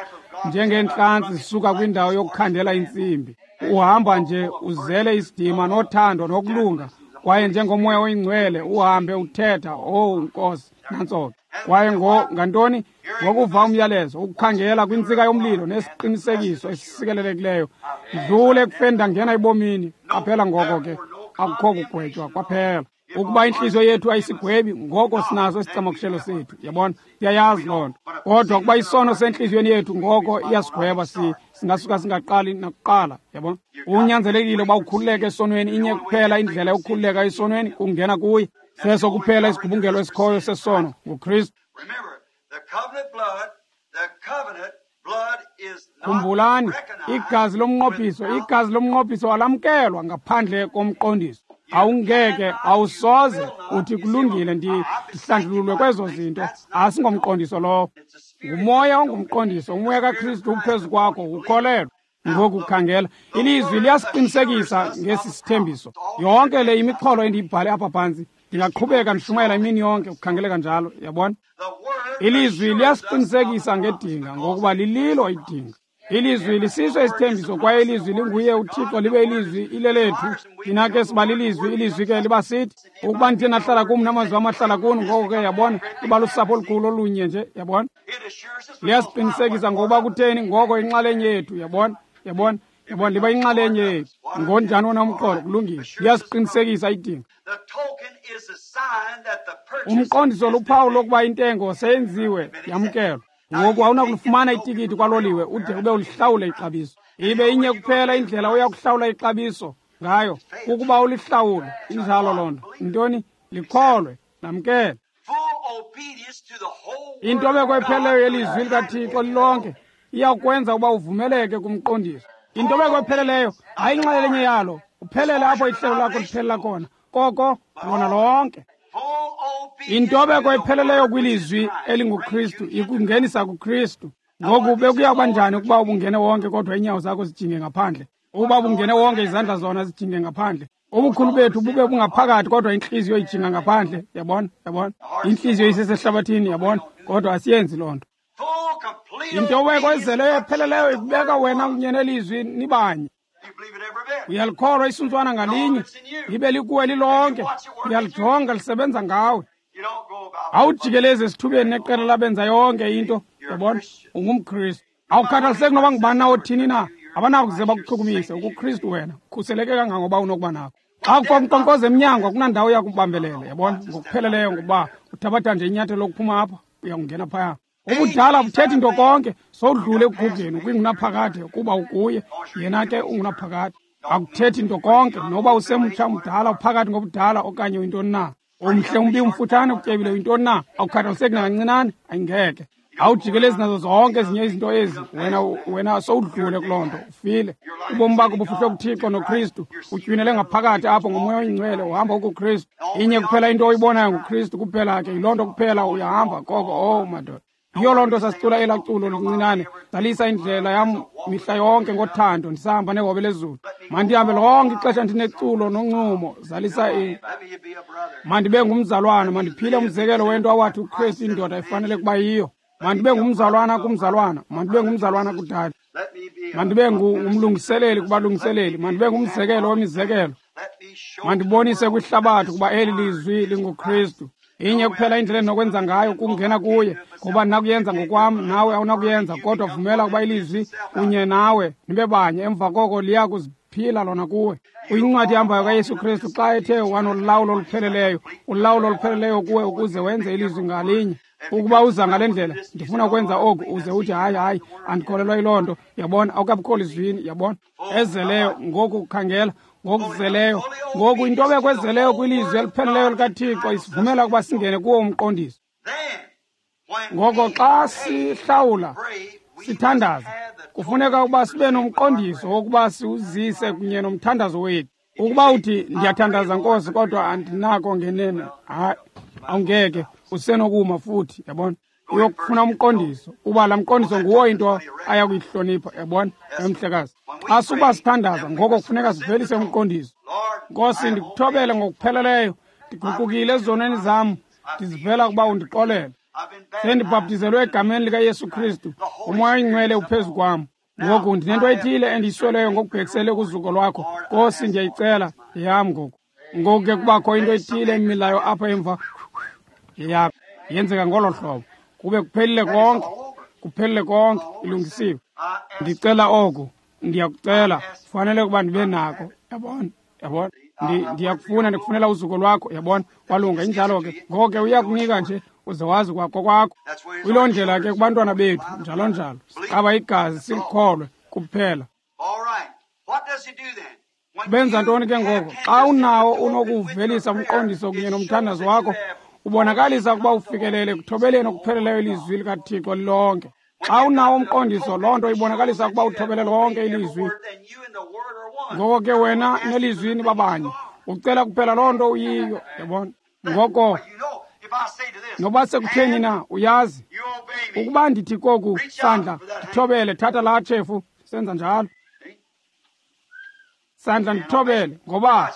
njengeentlantsi zisuka kwindawo yokukhandela intsimbi. Uhamba nje uzele isidima nothando nokulunga, kwaye njengomoya oyingcwele uhambe uthetha, "Oh Nkosi, nantso ke." Kwaye ngantoni? Ngokuva umyalezo, ukukhangela kwintsika yomlilo nesiqinisekiso esisikelelekileyo, ndlule ekufeni ndangena ebomini. Qaphela, ngoko ke akukho kugwetywa kwaphela. Ukuba intliziyo yethu ayisigwebi, ngoko sinaso isicamakushelo sethu, yabona, siyayazi loo nto. Kodwa ukuba isono sentliziyweni yethu, ngoko iyasigweba, singasuka singaqali nakuqala, yabona. Unyanzelekile uba ukhululeke esonweni. Inye kuphela indlela yokukhululeka esonweni, kungena kuye. Seso kuphela isigubungelo esikhoyo sesono, nguKristu. Khumbulani, igazi lomnqophiso, igazi lomnqophiso alamkelwa ngaphandle komqondiso. Awungeke, awusoze uthi, "Kulungile, ndihlanjululwe kwezo zinto." Asingomqondiso lowo, ngumoya ongumqondiso. Umoya kaKristu uphezu kwakho, ukholelwa. Ngoku khangela, ilizwi liyasiqinisekisa ngesi sithembiso. Yonke le imixholo endiyibhale apha phantsi, ndingaqhubeka ndishumayela imini yonke ukukhangeleka njalo, yabona? Ilizwi liyasiqinisekisa ngedinga, ngokuba lililo idinga. Ilizwi lisiso isithembiso, kwaye ilizwi linguye uThixo, libe ilizwi ilelethu. Thina ke siba lilizwi, ilizwi ke liba sithi. Ukuba ndithe nahlala kum namazwi am ahlala kuni, ngoko ke yabona, liba lusapho olukhulu olunye nje, yabona? Liyasiqinisekisa ngokuba kutheni, ngoko inxalenye yethu, yabona? Yabona? Yabona, liba inxalenye yethu. Ngonjani wona umqolo? Kulungile. Liyasiqinisekisa idinga. Umqondiso luphawu lokuba intengo seyenziwe, yamkelwa. Ngoku awunakulifumana itikiti kwaloliwe ude ube ulihlawule ixabiso. Ibe inye kuphela indlela oya kuhlawula ixabiso ngayo, kukuba ulihlawule. Injalo loo nto. Intoni? Likholwe, lamkele. Intobeko epheleleyo yelizwi likaThixo lilonke iyakwenza ukuba uvumeleke kumqondiso. Intobeko epheleleyo hayi inxalenye yalo, uphelele apho ihlelo lakho liphelela khona, koko lona lonke. Intobeko epheleleyo kwilizwi elinguKristu ikungenisa kuKristu. Ngoku bekuya kuba njani ukuba ubungene wonke kodwa iinyawo zakho zijinge ngaphandle? Ukuba ubungene wonke izandla zona zijinge ngaphandle? Ubukhulu bethu bube bungaphakathi kodwa intliziyo ijinga ngaphandle, yabona? Yabona? Intliziyo isesehlabathini, yabona? Kodwa asiyenzi loo nto. Intobeko ezeleyo epheleleyo ikubeka wena kunye nelizwi nibanye. Uyalikholwa isuntswana ngalinye, libe likuwe lilonke. Uyalijonga lisebenza ngawe. Awujikelezi esithubeni neqela labenza yonke into, yabona? UngumKristu. Awukhathaliseki noba ngubani na othini na, abanakuze bakuchukumise. UkuKristu wena, ukhuseleke kangangoba unokuba nako. Xa kukho unkqonkqoza emnyango, akunandawo yakubambelela, yabona? Ngokupheleleyo, ngokuba uthabatha nje inyathelo lokuphuma apha, uyakungena phaya. Ubudala buthethi into konke, sowudlule ekugugeni ukwingunaphakade, kuba ukuye, yena ke ungunaphakade. Akuthethi into konke, noba usemtsha, umdala, uphakathi ngobudala okanye uyintoni na. Umhle, umbi, umfutshane, utyebile, uyintoni na, awukhathaliseki nakancinane, ayingeke. Awujikelezi nazo zonke ezinye izinto ezi, wena sowudlule kuloo nto, ufile. Ubomi bakho bufihlwe kuThixo noKristu, utywinele ngaphakathi apho ngoMoya oyiNgcwele, uhamba ukuKristu. Inye kuphela into oyibonayo nguKristu kuphela ke, yiloo nto kuphela uyahamba koko. Oh madoda, yiyo loo nto sasicula elaa culo lincinane, zalisa indlela yam mihla yonke ngothando, ndisahamba nehobe lezulu. Mandihambe lonke ixesha ndineculo noncumo, zalisa mandibe ngumzalwana, mandiphile umzekelo wento awathi uKristu indoda ifanele kuba yiyo. Mandibe ngumzalwana kumzalwana, mandibe ngumzalwana kudade, mandibe ngumlungiseleli kubalungiseleli, mandibe ngumzekelo wemizekelo, mandibonise kwihlabathi ukuba eli lizwi linguKristu. Inye kuphela indlela endinokwenza ngayo kungena kuye, ngoba ndinakuyenza ngokwam, nawe awunakuyenza, kodwa vumela ukuba ilizwi kunye nawe nibe banye, emva koko liya kuziphila lona kuwe. Uyincwadi ehambayo kaYesu Kristu xa ethe wanolawulo olupheleleyo, ulawulo olupheleleyo kuwe ukuze wenze ilizwi ngalinye. Ukuba uza ngale ndlela, ndifuna ukwenza oku, uze uthi hayi, hayi, andikholelwa yiloo nto, yabona, awukabikho lizwini, yabona? Ezeleyo, ngoku khangela, ngokuzeleyo. Ngoku intobeko ezeleyo kwilizwi elipheleleyo likaThixo isivumela ukuba singene kuwo umqondiso. Ngoko xa sihlawula, sithandaza, kufuneka ukuba sibe nomqondiso wokuba siwuzise kunye nomthandazo wethu. Ukuba uthi ndiyathandaza Nkosi kodwa andinako ngenene, hayi, awungeke, usenokuma futhi, yabona? Uyokufuna umqondiso, uba laa mqondiso nguwo into aya kuyihlonipha, yabona? Emhlekazi, xa suba sithandaza, ngoko kufuneka sivelise umqondiso. Nkosi, ndikuthobele ngokupheleleyo, ndiguqukile ezonweni zam, ndizivela ukuba undixolele. Sendibhaptizelwe egameni likaYesu Kristu, uMoya oyiNgcwele uphezu kwam. Ngoku ndinento ethile endiyisweleyo ngokubhekisele kuzuko lwakho. Nkosi, ndiyayicela, yeyam ngoku. Ngoku ke kubakho into ethile emilayo apha emva, yeyakho. Yenzeka ngolo hlobo. Kube kuphelile konke, kuphelile konke, ilungisiwe. Ndicela oku, ndiyakucela, kufanele ukuba ndibe nako, yabona, yabona. Ndiyakufuna, ndikufunela uzuko lwakho, yabona. Walunga, injalo ke. Ngoko ke uyakunika nje uze wazi kwakho kwakho. Kuyiloo ndlela ke kubantwana bethu, njalo njalo. Siqaba igazi silikholwe kuphela. Benza ntoni ke ngoko? Xa unawo unokuwuvelisa umqondiso kunye nomthandazo wakho, ubonakalisa ukuba ufikelele ekuthobeleni okupheleleyo ilizwi likaThixo lilonke. Xa unawo umqondiso, loo nto ibonakalisa ukuba uthobele lonke ilizwi. Ngoko ke wena nelizwi nibabanye, ucela kuphela loo nto uyiyo, yabona? Ngoko noba sekutheni na, uyazi ukuba ndithi koku sandla ndithobele, thatha laa tshefu, senza njalo. Sandla ndithobele ngoba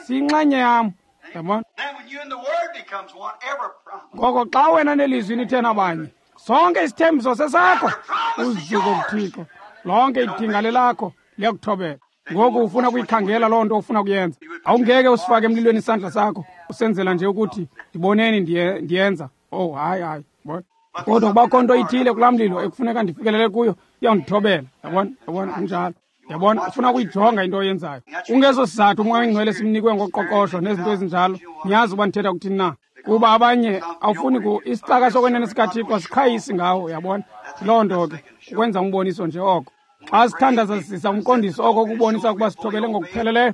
siyinxenye yam. Yabona? Ngoko xa wena nelizwi nithe nabanye, sonke isithembiso sesakho. Uzuko kuThixo. Lonke idinga lelakho liyakuthobela. Ngoku ufuna kuyikhangela loo nto ufuna kuyenza. Awungeke usifake emlilweni isandla sakho usenzela nje ukuthi ndiboneni ndiyenza. Oh, hayi hayi, yabona. Kodwa kubakho nto ithile kulaa mlilo ekufuneka ndifikelele kuyo, iyawundithobela. Yabona? Yabona, kunjalo. Yabona, ufuna ukuyijonga into oyenzayo. Kungeso sizathu uMoya oyiNgcwele simnikwe ngoqoqosho nezinto ezinjalo. Niyazi uba ndithetha kuthini na. Kuba abanye awufuni isicaka sokwenene sikaThixo asiqhayisi ngawo, yabona. Loo nto ke ukwenza umboniso nje oko. Xa sithandaza sisa umqondiso oko kubonisa ukuba sithobele ngokupheleleyo.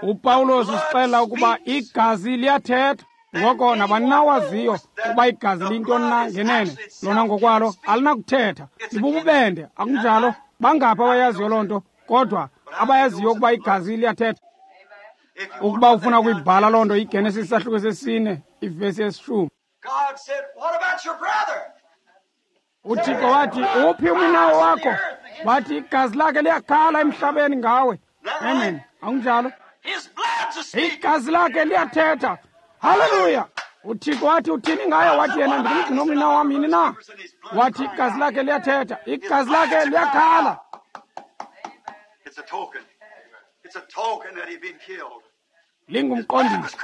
UPawulos usixelela ukuba igazi liyathetha. Ngoko nabani na waziyo ukuba igazi liyintoni na ngenene, lona ngokwalo alinakuthetha. Libububende, akunjalo? Bangaphi abayaziyo loo nto, kodwa abayaziyo ukuba igazi liyathetha. Ukuba ufuna ukuyibhala loo nto, iGenesis isahluko sesine, ivesi yesishumi. UThixo wathi, uphi uminawo wakho? Wathi igazi lakhe liyakhala emhlabeni ngawe. Amen. Akunjalo? Igazi lakhe liyathetha. Haleluya! UThixo wathi uthini ngaye? Wathi yena ndingumgcina umninawa wam yini na? Wathi igazi lakhe liyathetha. Igazi lakhe liyakhala. Lingumqondiso.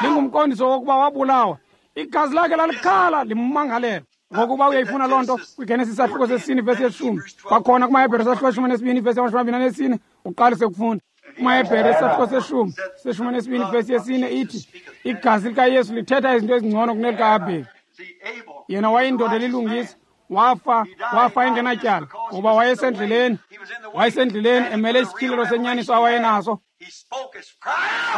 Lingumqondiso wokuba wabulawa. Igazi lakhe lalikhala limmangalela. Ngokuba uyayifuna loo nto kwiGenesis isahluko sesine ivesi yeshumi. Kwakhona kumaHebhere isahluko seshumi nesibini ivesi yamashumi amabini anesine uqalise ukufunda. KumaHebhere isahluko seshumi seshumi nesibini ivesi yesine ithi igazi likaYesu lithetha izinto ezingcono kunelikaAbheli. Yena wayeyindoda elilungisa, wafa engenatyala ngoba wayesendleleni. Wayesendleleni emele isityhilelo senyaniso awayenaso.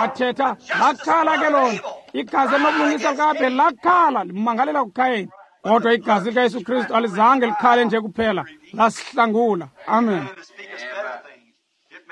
Wathetha, lakhala ke lona. Igazi elinobulungisa likaAbheli lakhala limangalela kuKhayini. Kodwa igazi likaYesu Kristu alizange likhale nje kuphela, lasihlangula. Amen.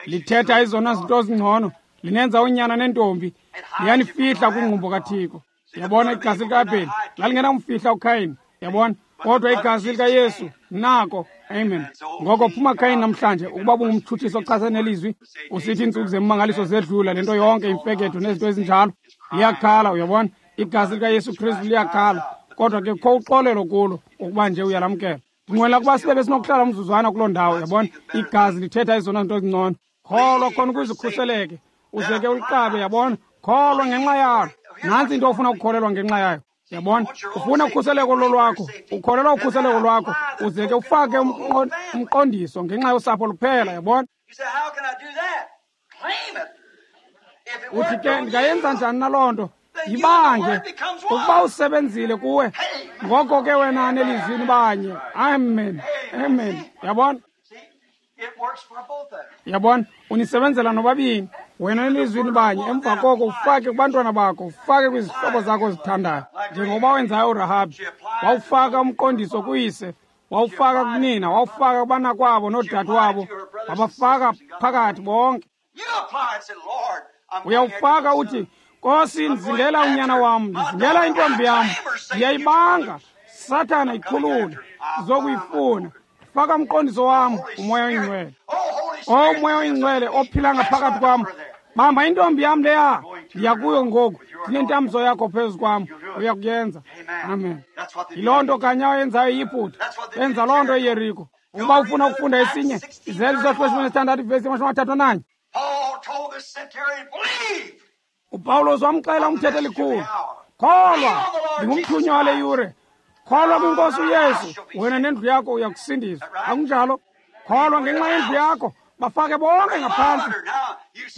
Lithetha izona zinto zingcono, linenza unyana nentombi, liyanifihla kwingqumbo kaThixo. Yabona, igazi likaAbheli lalingenamfihla uKhayini. Yabona, kodwa igazi likaYesu nako. Amen. Ngoko phuma Khayini namhlanje, ukuba bungumtshutshiso ochasene nelizwi, usithi iintsuku zemmangaliso zedlula, le nto yonke imfeketho nezinto ezinjalo, liyakhala. Uyabona, igazi likaYesu Kristu liyakhala. Kodwa ke kho uxolelo kulo ukuba nje uyalamkela. Ndinqwela ukuba sibe besinokuhlala umzuzwana kuloo ndawo. Yabona, igazi lithetha ezona zinto ezingcono. Kholwa khona ukuze ukhuseleke, uze ke uliqabe. Yabona, kholwa ngenxa yalo. Nantsi into ofuna ukukholelwa ngenxa yayo. Yabona, ufuna ukhuseleko lolwakho, ukholelwa ukhuseleko lwakho, uze ke ufake umqondiso ngenxa yosapho luphela. Yabona, uthi ke ndingayenza njani na loo nto? Yibange ukuba usebenzile kuwe, ngoko ke wena nelizwini banye. Amen. Amen. Yabona? Yabona, unisebenzela nobabini, wena nelizwini banye. Emva koko ufake kubantwana bakho, ufake kwizihlobo zakho ozithandayo, njengoba wenzayo uRahabi. Wawufaka umqondiso kuyise, wawufaka kunina, wawufaka kubanakwabo noodadewabo, wabafaka phakathi bonke. Uyawufaka uthi, Nkosi, ndizingela unyana wam, ndizingela intombi yam, ndiyayibanga, Sathana ikhulule, ndizokuyifuna. Faka umqondiso wam, uMoya oyiNgcwele. O Moya oyiNgcwele ophila ngaphakathi kwam, bamba intombi yam leya, ndiya kuyo ngoku, ndinentambiso yakho phezu kwam, uyakuyenza. Amen. Yiloo nto kanye ayenzayo iYiputa, yenza loo nto iYeriko. Ukuba ufuna ukufunda esinye, Izenzo isahluko seshumi nesithandathu ivesi yamashumi amathathu ananye. UPawulos wamxela umthetho elikhulu, kholwa, ndingumthunywa wale yure. Kholwa kwinkosi uYesu, wena nendlu yakho uyakusindiswa. Akunjalo? Kholwa ngenxa yendlu yakho, bafake bonke ngaphantsi.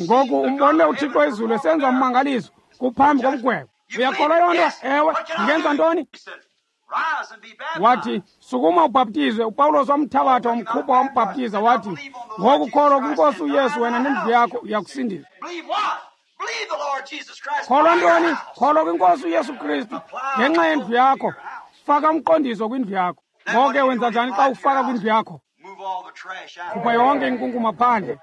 Ngoku umbonile uThixo ezulu esenza ummangaliso kuphambi komgwebo. Uyakholwa loo nto? Ewe. Ndingenza ntoni? Wathi, sukuma ubhaptizwe. uPawulos wamthabatha wamkhupha wambhaptiza, wathi, ngoku kholwa kwinkosi uYesu, wena nendlu yakho uyakusindiswa. Kholwa ntoni? Kholwa kwinkosi uYesu Kristu ngenxa yendlu yakho. Faka umqondiso kwindlu yakho. Ngoke wenza njani xa ufaka kwindlu yakho? Khupha yonke inkunkuma phandle.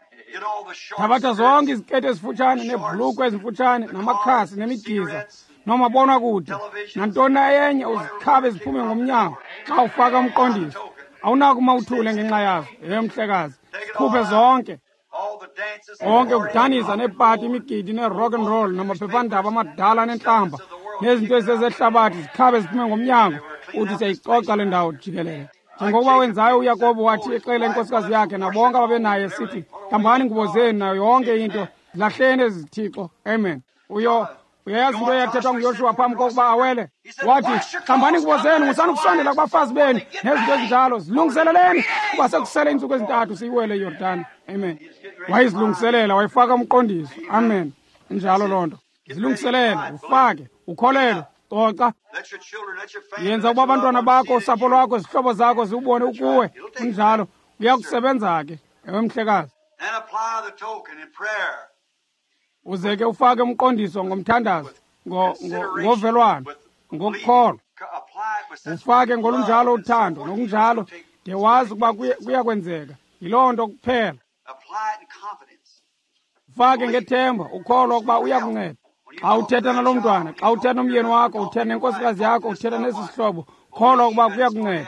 Thabatha zonke iziketi ezifutshane neebhulukhwe ezimfutshane namakhasi nemidiza nomabonakude nantoni na enye, uzikhabe ziphume ngomnyango xa ufaka umqondiso. Awunakuma uthule ngenxa yazo. Ye mhlekazi, zikhuphe zonke. Konke ukudanisa neepati, imigidi ne-rock and roll namaphephandaba amadala nentlamba nezinto ezisezehlabathi zikhabe ziphume ngomnyango, uthi siyayicoca le ndawo jikelele. Njengokuba wenzayo uYakobo wathi exela inkosikazi yakhe nabonke ababenaye sithi, hlambani ngubo zenu nayo yonke into, zilahleni ezi zithixo. Amen. Uyayazi into eyathethwa nguYoshuwa phambi kokuba awele? Wathi, hlambani ngubo zenu, musani ukusondela kubafazi benu nezinto ezinjalo, zilungiseleleni kuba sekusele iintsuku ezintathu siyiwele iYordani. Amen. Wayezilungiselela, wayefaka umqondiso. Amen. Injalo loo nto. Zilungiselele, ufake, ukholelwe, coca. Yenza ukuba abantwana bakho, usapho lwakho, izihlobo zakho ziwubone ukuwe. Kunjalo, uyakusebenza ke. Ewe, mhlekazi. Uze ke ufake umqondiso ngomthandazo, ngovelwano, ngokukholwa. Ufake ngolunjalo uthando nokunjalo, de wazi ukuba kuyakwenzeka. Yiloo nto kuphela. Ufake ngethemba, ukholwa ukuba uyakunceda. Xa uthetha naloo mntwana, xa uthetha nomyeni wakho, uthetha nenkosikazi yakho, uthetha nesi sihlobo, kholwa ukuba kuyakunceda.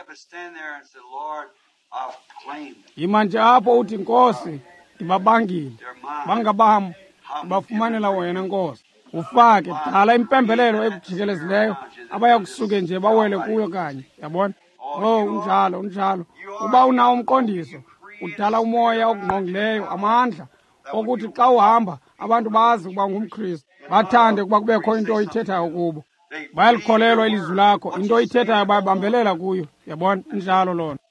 Yima nje apho uthi, Nkosi, ndibabangile, bangabam, bafumanela wena, Nkosi. Ufake, dala impembelelo ekujikelezileyo, abayakusuke nje bawele kuyo kanye. Yabona? Oh, unjalo, unjalo. Uba unawo umqondiso, udala umoya okungqongileyo, amandla okuthi xa uhamba abantu bazi ukuba ungumKristu, bathande ukuba kubekho into oyithethayo kubo. Bayalikholelwa ilizwi lakho, into oyithethayo bayabambelela kuyo. Yabona? Injalo loo nto.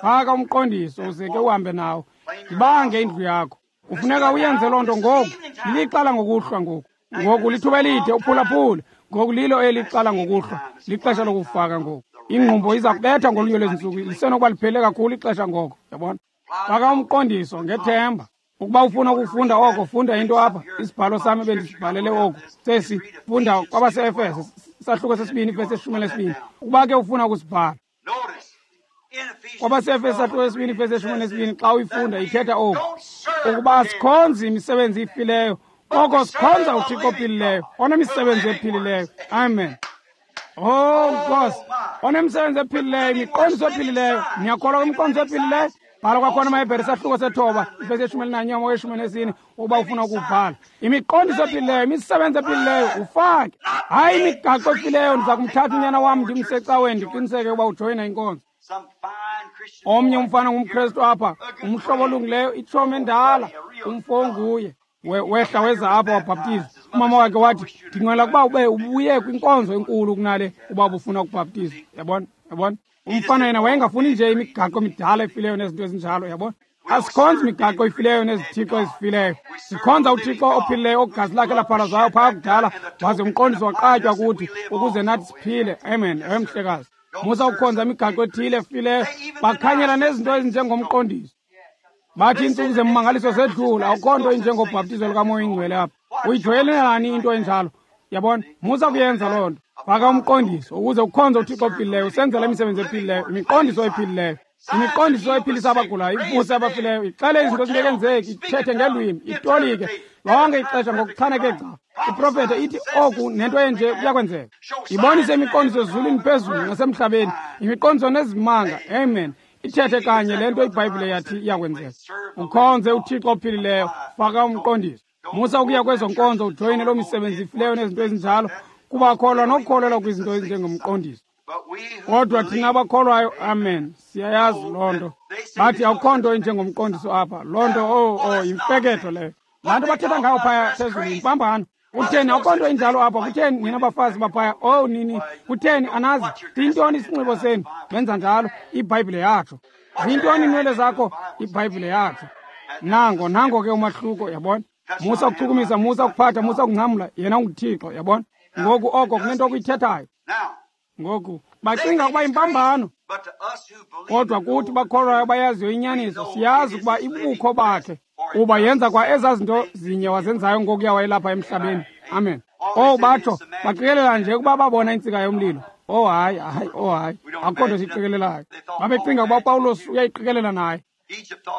Faka umqondiso uze ke uhambe nawo. Ibange indlu yakho. Kufuneka uyenze loo nto ngoku. Lilixa langokuhlwa ngoku. Ngoku lithuba elide uphulaphule. Ngoku lilo eli xala ngokuhlwa. Lixesha lokufaka ngoku. Ingqumbo iza kubetha ngolunye lwezi ntsuku. Lisenokuba liphele kakhulu ixesha ngoko. Yabona? Faka umqondiso ngethemba. Ukuba ufuna ukufunda oko, funda into apha. Isibhalo sami ebendisibhalele oku. Sesi, funda kwabaseEfese, sahluko sesibini, ivesi 12. Ukuba ke ufuna ukusibhala. KwabaseEfese sahluko sesibini, ivesi 12, xa uyifunda ithetha oku. Ukuba asikhonzi imisebenzi ifileyo, koko sikhonza uThixo ophilileyo, onemisebenzi ephilileyo. Amen. Oh, Nkosi, onemisebenzi ephilileyo, imiqondiso ephilileyo. Niyakholwa kwimiqondiso ephilileyo? Bhala kwakhona amaHebhere sahluko 9, ivesi 11 14, ukuba ufuna ukubhala. Imiqondiso ephilileyo, imisebenzi ephilileyo, ufake. Hayi imigaqo efileyo, ndiza kumthatha unyana wam ndimse ecaweni ndiqiniseke ukuba ujoyina inkonzo. Omnye umfana ngumKristu apha, umhlobo olungileyo, itshomi endala, umfo onguye. Wehla weza apha wabhaptizwa. Umama wakhe wathi, ndinqwela ukuba ube ubuye kwinkonzo enkulu kunale uba ubufuna ukubhaptizwa. Yabona? Yabona? Umfana yena wayengafuni nje imigaqo emidala efileyo nezinto ezinjalo, yabona? Asikhonzi imigaqo efileyo nezithixo ezifileyo. Sikhonza uThixo ophilileyo ogazi lakhe laphalazwayo phaa kudala, waze umqondiso waqatywa kuthi ukuze nathi siphile. Amen. Ewe, mhlekazi. Musa ukukhonza imigaqo ethile efileyo, bakhanyela nezinto ezinjengomqondiso. Bathi iintsuku zemmangaliso zedlula, akukho nto injengobhaptizo lukaMoya oyiNgcwele apha. Uyijoyelelani into enjalo? Yabona? Musa kuyenza loo nto. Faka umqondiso ukuze ukhonze uThixo ophilileyo, usenzela imisebenzi ephilileyo, imiqondiso ephilileyo. Imiqondiso ephilisa abagulayo, ivuse abafileyo, ixele izinto ezingekenzeki, ithethe ngelwimi, itolike lonke ixesha ngokuchaneke gca. Iprofethe ithi oku nento enje kuyakwenzeka. Ibonise imiqondiso ezulwini phezulu nasemhlabeni, imiqondiso nezimanga. Amen. Ithethe kanye le nto iBhayibhile yathi iyakwenzeka. Ukhonze uThixo ophilileyo, faka umqondiso. Musa ukuya kwezo nkonzo ujoyine loo misebenzi ifileyo nezinto ezinjalo, kuba kholwa nokukholelwa kwizinto ezinjengomqondiso. Kodwa thina abakholwayo, amen, siyayazi loo nto. Bathi akukho nto injengomqondiso apha. Loo nto, oh, yimfeketho leyo. Laa nto bathetha ngayo phaya phezulu yimpambano. Kutheni akukho nto injalo apha? Kutheni nina bafazi baphaya? Oh, nini, kutheni anazi? Siyintoni isinxibo senu? Benza njalo, iBhayibhile yatsho. Ziyintoni iinwele zakho? IBhayibhile yatsho. Nango, nango ke umahluko, yabona? Musa ukuchukumisa, musa ukuphatha, musa ukungcamla, yena unguThixo, yabona? Ngoku oko kunento okuyithethayo. Ngoku bacinga ukuba impambano, kodwa kuthi bakholwayo bayaziyo inyaniso, siyazi ukuba ibukho bakhe, kuba yenza kwa ezaa zinto zinye wazenzayo ngokuya wayelapha emhlabeni. Amen. Oh, batsho baqikelela nje ukuba babona intsika yomlilo. Oh hayi, hayi, oh hayi, akukho nto siyiqikelelayo. Babecinga ukuba uPawulos uyayiqikelela naye.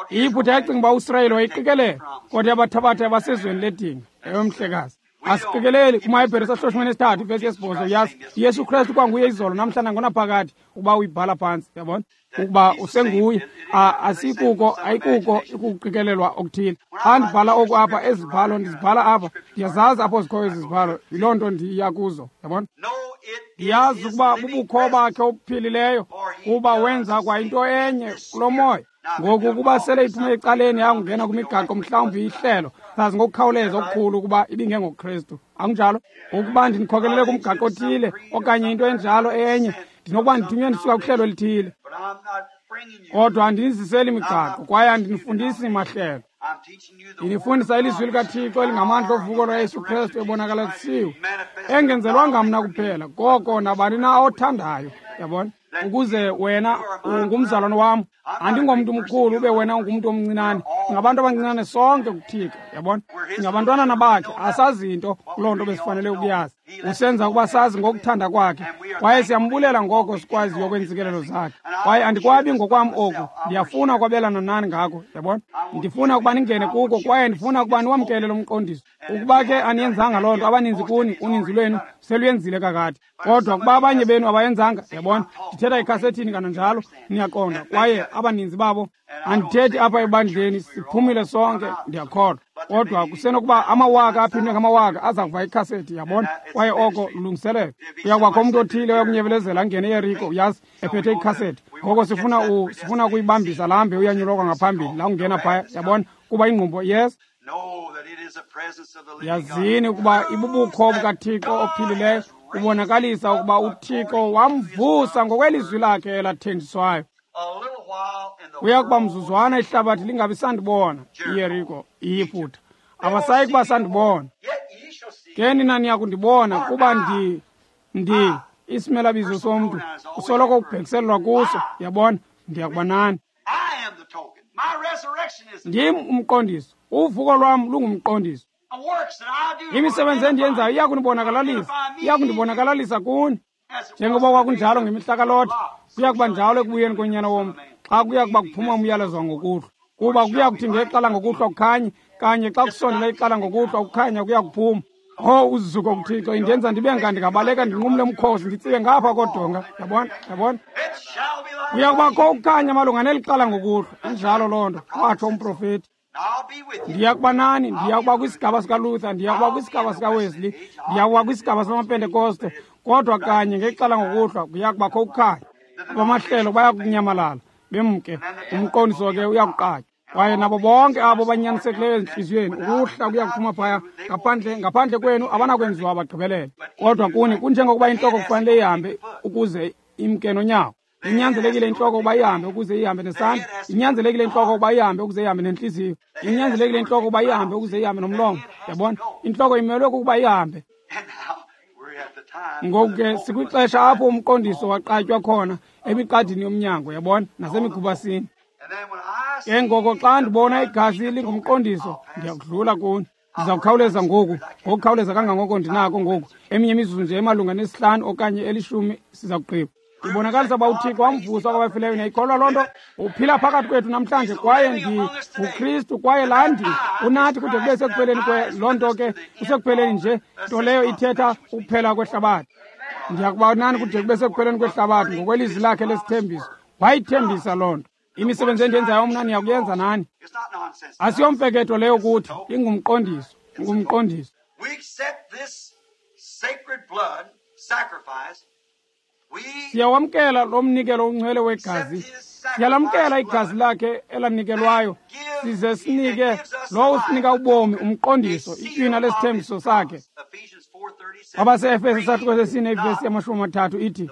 IYiputa yacinga uba uSirayeli wayiqikelela, kodwa yabathabatha yabasezweni ledinga. Ewe, mhlekazi. Asiqikeleli kumaHebhere sahloshimene esithathu ivesi yesibhozo yazi Yesu Kristu kwanguye izolo namhla nangonaphakade ukuba uyibhala phantsi, yabona, ukuba usenguye. Asikuko ayikuko ukuqikelelwa okuthile. Xa ndibhala oku apha, ezi zibhalo ndizibhala apha, ndiyazazi apho zikhoyo ezi zibhalo, yiloo nto ndiya kuzo, yabona. Ndiyazi ukuba bubukho bakhe obuphilileyo, kuba wenza kwayinto enye kulo moya. Ngoku ukuba sele iphume ecaleni yangena kwimigaqo mhlawumbi ihlelo, sazi ngokukhawuleza okukhulu ukuba ibingengoKristu. Akunjalo? Ukuba ndindikhokelele kumgaqo othile okanye into enjalo enye, ndinokuba ndithunywe ndisuka kuhlelo elithile. Kodwa andiniziseli migaqo kwaye andinifundisi mahlelo. Ndinifundisa ilizwi likaThixo elingamandla ovuko lwaYesu Kristu ebonakalisiwe, engenzelwanga mna kuphela, koko nabani na othandayo, yabona, ukuze wena ungumzalwane wam. Andingomntu mkhulu ube wena ungumntu omncinane. Singabantu abancinane sonke kuThixo, yabona. Singabantwanana bakhe, asazi into kuloo nto besifanele ukuyazi. Usenza ukuba sazi ngokuthanda kwakhe, kwaye siyambulela ngoko sikwaziyo kweentsikelelo zakhe. Kwaye andikwabi ngokwam oku, ndiyafuna ukwabelana nani ngako, yabona. Ndifuna ukuba ningene kuko, kwaye ndifuna ukuba niwamkele lo mqondiso. Ukuba ke aniyenzanga loo nto, abaninzi kuni, uninzi lwenu seluyenzile kakade. Kodwa kuba abanye benu abayenzanga, yabona, ndithetha ekhasethini kananjalo, niyaqonda. Kwaye abaninzi babo, andithethi apha ebandleni, siphumile sonke, ndiyakholwa. Kodwa kusenokuba amawaka aphindwe ngamawaka aza kuva ikhasethi, yabona, kwaye oko lulungiselelo. Uyakubakho umntu othile oyakunyebelezela angene eYeriko, uyazi, ephethe ikhasethi. Ngoko sifuna ukuyibambisa laa mbe uyanyulokwa ngaphambili, la ungena phaya, yabona, kuba ingqumbo, yes. Yazini ukuba ibubukho bukaThixo ophilileyo ubonakalisa ukuba uThixo wamvusa ngokwelizwi lakhe elathenjiswayo. Kuya kuba mzuzwana ihlabathi lingabi sandibona, iYeriko, iYiputa. Abasayi kuba sandibona. Ke nina niya kundibona kuba ndi isimelabizo somntu usoloko kubhekiselelwa kuso, yabona, ndiya kuba nani. Ndim umqondiso. Uvuko lwam lungumqondiso. Imisebenzi endiyenzayo iya kunibonakalalisa, iya kundibonakalalisa kuni. Njengoba kwakunjalo ngemihla kaLothi, kuya kuba njalo ekubuyeni konyana womntu, xa kuya kuba kuphuma umyalezo wangokuhlwa. Kuba kuya kuthi ngexala ngokuhlwa kukhanye, kanye xa kusondela ixala ngokuhlwa ukukhanya kuya kuphuma. Oh, uzuko kuThixo, indenza ndibe nga ndingabaleka ndinqumle umkhosi, nditsibe ngapha kodonga, yabona, yabona. Kuya kubakho ukukhanya malunga neli xala ngokuhlwa, injalo loo nto, watsho umprofeti. Ndiya kuba nani, ndiya kuba kwisigaba sikaLuther, ndiya kuba kwisigaba sikaWesley, ndiya kuba kwisigaba samaPentekoste, kodwa kanye ngexala ngokuhlwa kuya kubakho ukukhanya. Abamahlelo baya kunyamalala bemke, umqondiso ke uyakuqatywa. Kwaye nabo bonke abo banyanisekileyo ezintliziyweni, ukuhla kuya kuphuma phaya ngaphandle kwenu abanakwenziwa bagqibelele. Kodwa kuni kunjengokuba intloko kufanele ihambe ukuze imke nonyawo. Inyanzelekile intloko ukuba ihambe ukuze ihambe nesandla. Inyanzelekile intloko ukuba ihambe ukuze ihambe nentliziyo. Inyanzelekile intloko ukuba ihambe ukuze ihambe nomlomo. Yabona, intloko imelwe kukuba ihambe. Ngoku ke sikwixesha apho umqondiso waqatywa khona emiqadini yomnyango, yabona, nasemigubasini. Ke ngoko xa ndibona igazi lingumqondiso, ndiyakudlula kuni. Ndiza kukhawuleza ngoku, ngokukhawuleza kangangoko ndinako ngoku. Eminye imizuzu nje emalunga nesihlanu okanye 10 siza kugqiba. Ibonakalisa uba uThixo wamvusa kwabafileyo, niyayikholwa loo nto? Uphila phakathi kwethu namhlanje, kwaye ndinguKristu, kwaye laa ndi unathi kude kube sekupheleni kwe loo nto ke, kusekupheleni nje, nto leyo ithetha ukuphela kwehlabathi. Ndiyakuba nani kude kube sekupheleni kwehlabathi ngokwelizwi lakhe lesithembiso. Wayithembisa loo nto. Imisebenzi endiyenzayo mna niyakuyenza nani. Asiyomfeketho leyo kuthi, ingumqondiso, ingumqondiso. Siyawamkela lo mnikelo ungcwele wegazi. Siyalamkela igazi lakhe elanikelwayo, size sinike lowo usinika ubomi, umqondiso, itywina lesithembiso sakhe. Abase-Efese isahluko sesine ivesi yama-30 ithi,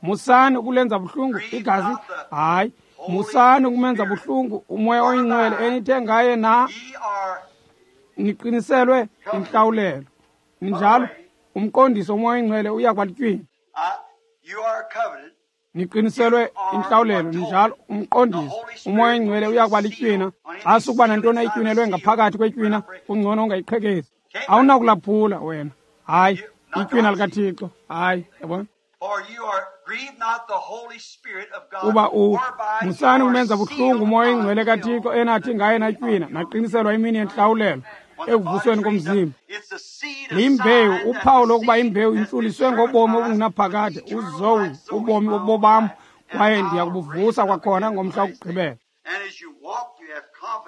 musani ukulenza buhlungu igazi, hayi, musani ukumenza buhlungu umoya oyingcwele enithe ngaye na niqiniselwe intlawulelo. Ninjalo, umqondiso umoya oyingcwele uya kuba litywina. Niqiniselwe intlawulelo, ninjalo, umqondiso umoya oyingcwele uya kuba litywina. Xa sukuba nantoni ayitywinelwe ngaphakathi kwetywina, kungcono ungayiqhekezi. Awunakulaphula wena. Hayi, itywina likaThixo. Hayi, yabona. Kuba musani ukumenza buhlungu uMoya oyiNgcwele kaThixo enathi ngaye natywina naqiniselwa imini yentlawulelo ekuvusweni komzimba. Limbewu, uphawu lokuba imbewu intluliswe ngobomi obungunaphakade, uzoe, ubomi bobam, kwaye ndiyakubuvusa kwakhona ngomhla wokugqibela.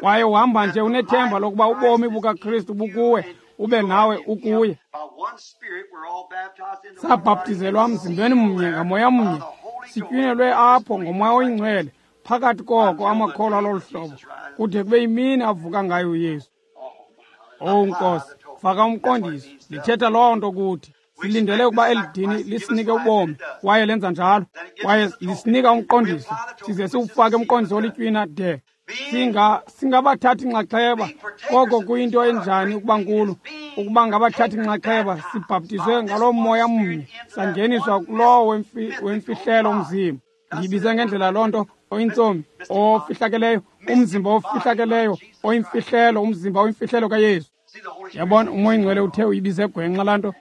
Kwaye uhamba nje unethemba lokuba ubomi bukaKristu bukuwe, ube nawe ukuye. Sabhaptizelwa mzimbeni mnye ngamoya mnye, sitywinelwe apho ngoMoya oyiNgcwele, phakathi koko amakholwa lolu hlobo, kude kube yimini avuka ngayo uYesu. Owu Nkosi, faka umqondiso, lithetha loo nto kuthi. Silindele ukuba eli dini lisinike ubomi, kwaye lenza njalo, kwaye lisinika umqondiso, size siwufake umqondiso olitywina de singabathathi nxaxheba. Koko kuyinto enjani ukuba nkulu, ukuba ngabathathi nxaxheba, sibhaptizwe ngaloo moya mnye, sangeniswa kulowo wemfihlelo umzimba. Ndiyibize ngendlela loo nto, oyintsomi, ofihlakeleyo, umzimba ofihlakeleyo, oyimfihlelo, umzimba oyimfihlelo kaYesu. Yabona, uMoya oyiNgcwele uthe uyibize gwenxa laa nto.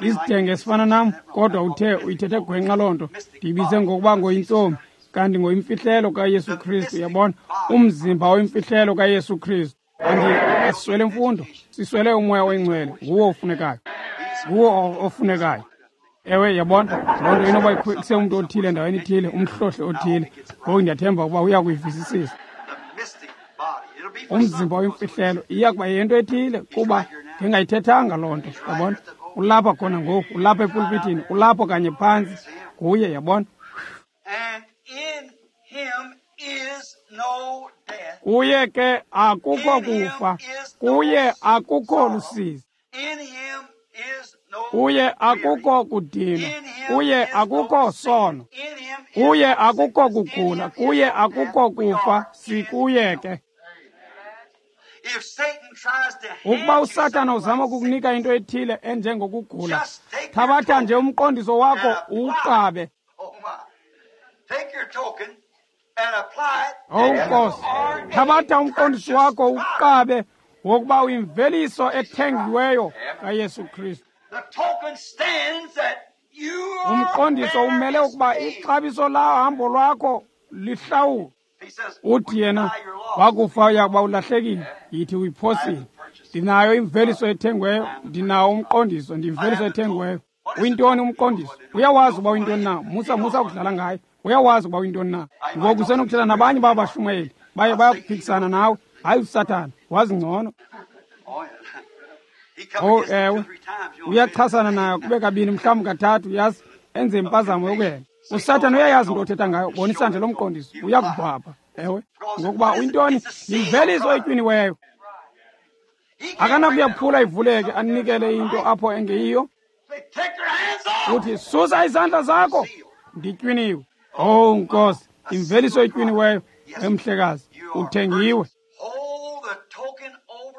Isidenge esifana nam, kodwa uthe uyithethe gwenxa loo nto. Ndiyibize ngokuba ngoyintsomi, kanti ngoyimfihlelo kaYesu Kristu. Yabona, umzimba oyimfihlelo kaYesu Kristu. Asiswele mfundo, siswele uMoya oyiNgcwele. Nguwo ofunekayo, nguwo ofunekayo. Ewe, yabona, loo nto inoba ikhwekise umntu othile endaweni ethile, umhlohli othile. Ngoku ndiyathemba ukuba uya kuyivisisisa. Umzimba oyimfihlelo iya kuba yento ethile, kuba ndingayithethanga loo nto. Yabona, ulapha khona ngoku, ulapha epulpitini, ulapho kanye phantsi nguye. Yabona, kuye ke akukho kufa, kuye akukho lusizi, kuye akukho kudinwa, kuye akukho sono, kuye akukho kugula, kuye akukho kufa. Sikuye ke. Ukuba uSathana uzama ukukunika into ethile enjengokugula, thabatha nje umqondiso wakho uwuqabe. Owu Nkosi, thabatha umqondiso wakho uwuqabe wokuba uyimveliso ethengiweyo kaYesu Kristu. Umqondiso umele ukuba ixabiso lahambo lwakho lihlawulwe. Uthi yena, wakufa uyakuba ulahlekile, yithi uyiphosile. Ndinayo imveliso ethengiweyo, ndinawo umqondiso, ndiyimveliso ethengiweyo. Uyintoni umqondiso? Uyawazi uba uyintoni na? Musa ukudlala ngaye. Uyawazi uba uyintoni na? Ngoku usenokuthetha nabanye babo bashumayeli, baye bayakuphikisana nawe. Hayi, uSathana wazi ngcono. Oh ewe, uyachasana nayo kube kabini, mhlawumbi kathathu, yazi enze impazamo yokuhela. uSathana uyayazi into othetha ngayo, bonisa nje lo mqondiso, uyakubhabha. Ewe, ngokuba uyintoni? Yimveliso etywiniweyo. Akanakuyaphula ivuleke anikele into apho engeyiyo. Uthi, susa izandla zakho, nditywiniwe. Oh Nkosi, imveliso etywiniweyo, emhlekazi, uthengiwe.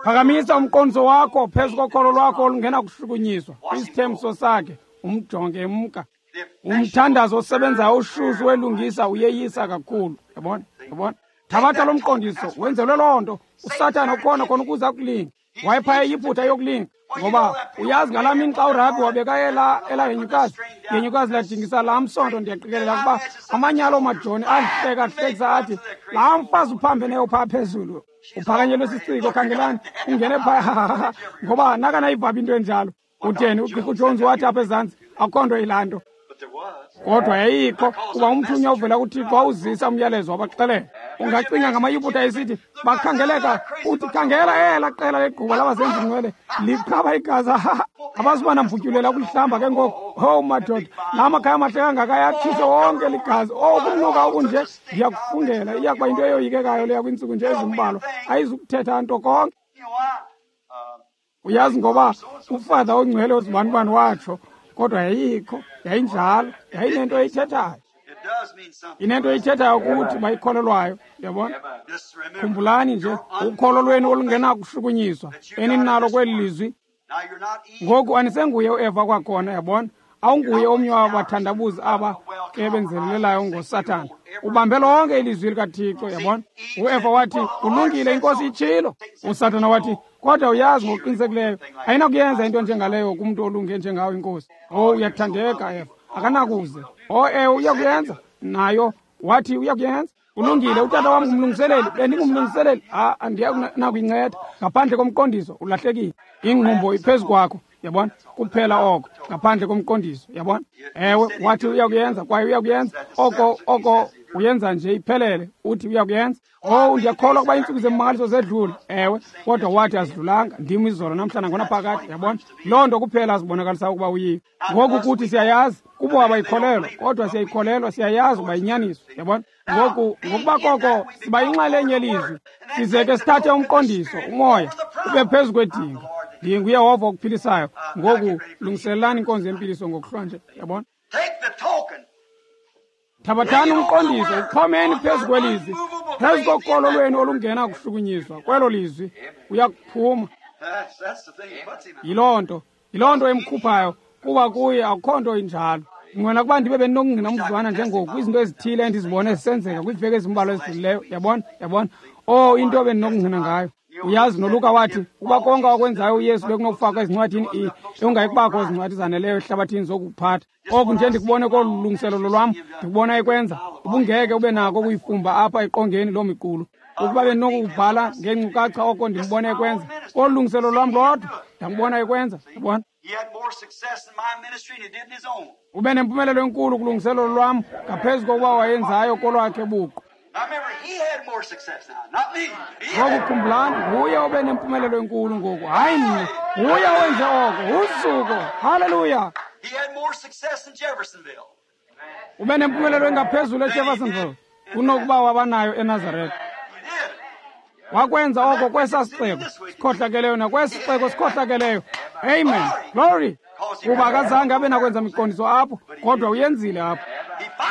Phakamisa umqondiso wakho phezu kokholo lwakho olungena kushukunyiswa kwisithembiso sakhe, umjonge emka. Umthandazo osebenzayo ushushu welungisa uyeyisa kakhulu. Yabona, yabona. Thabatha lo mqondiso, wenzelwe loo nto. uSathana ukhona khona ukuze akulinge. Wayephaya iyiphutha yokulinga, ngoba uyazi ngalaa mini xa uRabhi wabeka elaa henyukazi, ihenyukazi lajingisa laa msonto. Ndiyaqikelela ukuba amanye aloo majoni ahleka ahlekisa athi, laa mfazi uphambeneyo phaa phezulu, uphakanyelwe sisiciko, khangelani, ungene phaya, ngoba nakanayibhabha into enjalo. Utheni uGqirha uJones wathi apha ezantsi, akukho nto yilaa nto. Kodwa yayikho, kuba umthunywa uvela kuThixo wawuzisa umyalezo wabaxelela. Ungacinga ngamaYiputa esithi bakhangeleka, uthi khangela elaa qela legquba labazenzi ngcwele liqhaba igazi, abazuba namvutyulela ukulihlamba ke ngoku. Owu madoda, la makhaya amahle kangaka ayatshiswe wonke ligazi. Owu kumnuka okunje, ndiyakufungela iya kuba yinto eyoyikekayo leya kwiintsuku nje ezimbalwa, ayizukuthetha nto konke. Uyazi ngoba uFather ongcwele ozibanibani watsho, kodwa yayikho, yayinjalo, yayinento eyithethayo. Inento eyithethayo kuthi bayikholelwayo, yabona. Khumbulani nje ukholo lwenu olungenakushukunyiswa eninalo kweli lizwi. Ngoku anisenguye uEva kwakhona, yabona. Awunguye omnye wabathandabuzi aba ke benzelelelayo ngoSathana. Ubambe lonke ilizwi likaThixo, yabona. UEva wathi, kulungile, iNkosi itshilo. uSathana wathi, kodwa uyazi ngokuqinisekileyo ayinakuyenza into njengaleyo kumntu olunge njengawe, iNkosi. Oh, uyathandeka, Eva. Akanakuze. O, ewe, uyakuyenza. Nayo wathi uyakuyenza. Kulungile, utata wam ngumlungiseleli, bendingumlungiseleli. Andiyanakuyinceda. Ngaphandle komqondiso ulahlekile. Ingqumbo iphezu kwakho, yabona? Kuphela oko, ngaphandle komqondiso, yabona? Ewe, wathi uyakuyenza, kwaye uyakuyenza. Oko uyenza nje iphelele, uthi uyakuyenza. Oh, ndiyakholwa ukuba iintsuku zemmangaliso zedlule. Ewe, kodwa wathi azidlulanga. Ndim izolo namhlanje ngonaphakade, yabona? Loo nto kuphela azibonakalisa ukuba uyiyo. Ngoku kuthi siyayazi, kubo abayikholelwa, kodwa siyayikholelwa, siyayazi ukuba yinyaniso, yabona? Ngoku ngokuba koko siba yinxalenye yelizwi, size ke sithathe umqondiso, umoya, ube phezu kwedinga. NdinguYehova okuphilisayo. Ngoku lungiselelani inkonzo yempiliso ngokuhlwanje, yabona? Thabathani umqondiso, uxhomeni phezu kwelizwi, phezu kokholo lwenu olungena kuhlukunyiswa kwelo lizwi, uyakuphuma. Yiloo nto emkhuphayo, kuba kuye akukho nto injalo. Ngwena kuba ndibe bendinokungqina umzuzwana njengoku izinto ezithile endizibone zisenzeka kwiiveki ezimbalwa ezidlulileyo, yabona, yabona. Oh, into bendinokungqina ngayo. Uyazi noLuka wathi ukuba konke okwenzayo uYesu bekunokufakwa ezincwadini, bekungayikubakho zincwadi zaneleyo ehlabathini zokuphatha. Oku nje ndikubone kolu lungiselelo lwam, ndikubona ekwenza, ubungeke ube nako ukuyifumba apha eqongeni loo miqulu. Ukuba bendinokubhala ngeenkcukacha oko ndimbone ekwenza, kolu lungiselelo lwam lodwa ndambona ekwenza, yabona? Ube nempumelelo enkulu kulungiselelo lwam ngaphezu kokuba wayenzayo kolwakhe buqu. Ngoku khumbulani, nguye obe nempumelelo enkulu ngoku, hayi mna. Nguye owenze oko, uzuko. Haleluya. Ube nempumelelo engaphezulu eJeffersonville kunokuba wabanayo eNazaretha. Wakwenza oko kwesa sixeko sikhohlakeleyo nakwesi sixeko sikhohlakeleyo. Amen. Glory. Kuba akazange abe nakwenza miqondiso apho, kodwa uyenzile apho.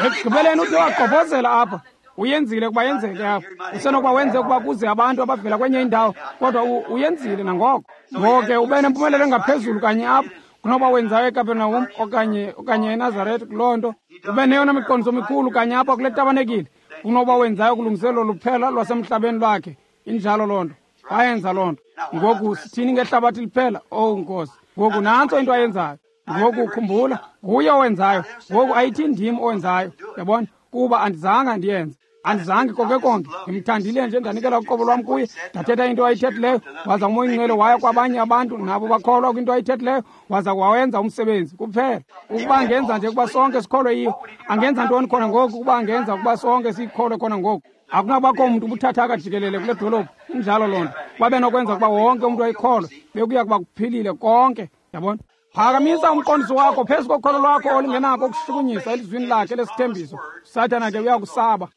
Ekugqibeleni ude wagqobhozela apha. Uyenzile ukuba yenzeke apho. Usenokuba wenze ukuba kuze abantu abavela kwenye indawo, kodwa uyenzile nangoko. Ngoko ke ube nempumelelo engaphezulu kanye apho kunoba wenzayo eKapernaum okanye eNazaretha. Kuloo nto ube neyona miqondiso mikhulu kanye apha kule tabanekile kunoba wenzayo kulungiselelo luphela lwasemhlabeni lwakhe. Injalo loo nto, wayenza loo nto. Ngoku sithini ngehlabathi liphela? Owu Nkosi, ngoku nantso into ayenzayo. Ngoku khumbula, nguye owenzayo. Ngoku ayithi ndim owenzayo, yabona? Kuba andizange ndiyenze, andizange konke konke. Ndimthandile nje, ndanikela uqobo lwam kuye, ndathetha into ayithethileyo, waza uMoya oyiNgcwele waya kwabanye abantu, nabo bakholwa kwinto ayithethileyo, waza wawenza umsebenzi kuphela. Ukuba angenza nje ukuba sonke sikholwe yiyo, angenza ntoni khona ngoku? Ukuba angenza ukuba sonke sikholwe khona ngoku, akunabakho mntu ubuthathaka jikelele kule dolophu. Injalo loo nto. Babe nokwenza ukuba wonke umntu ayikholwe, bekuya kuba kuphilile konke, yabona? Phakamisa umqondiso wakho phezu kokholo lwakho olungenako ukushukunyiswa elizwini lakhe lesithembiso. Sathana ke uyakusaba.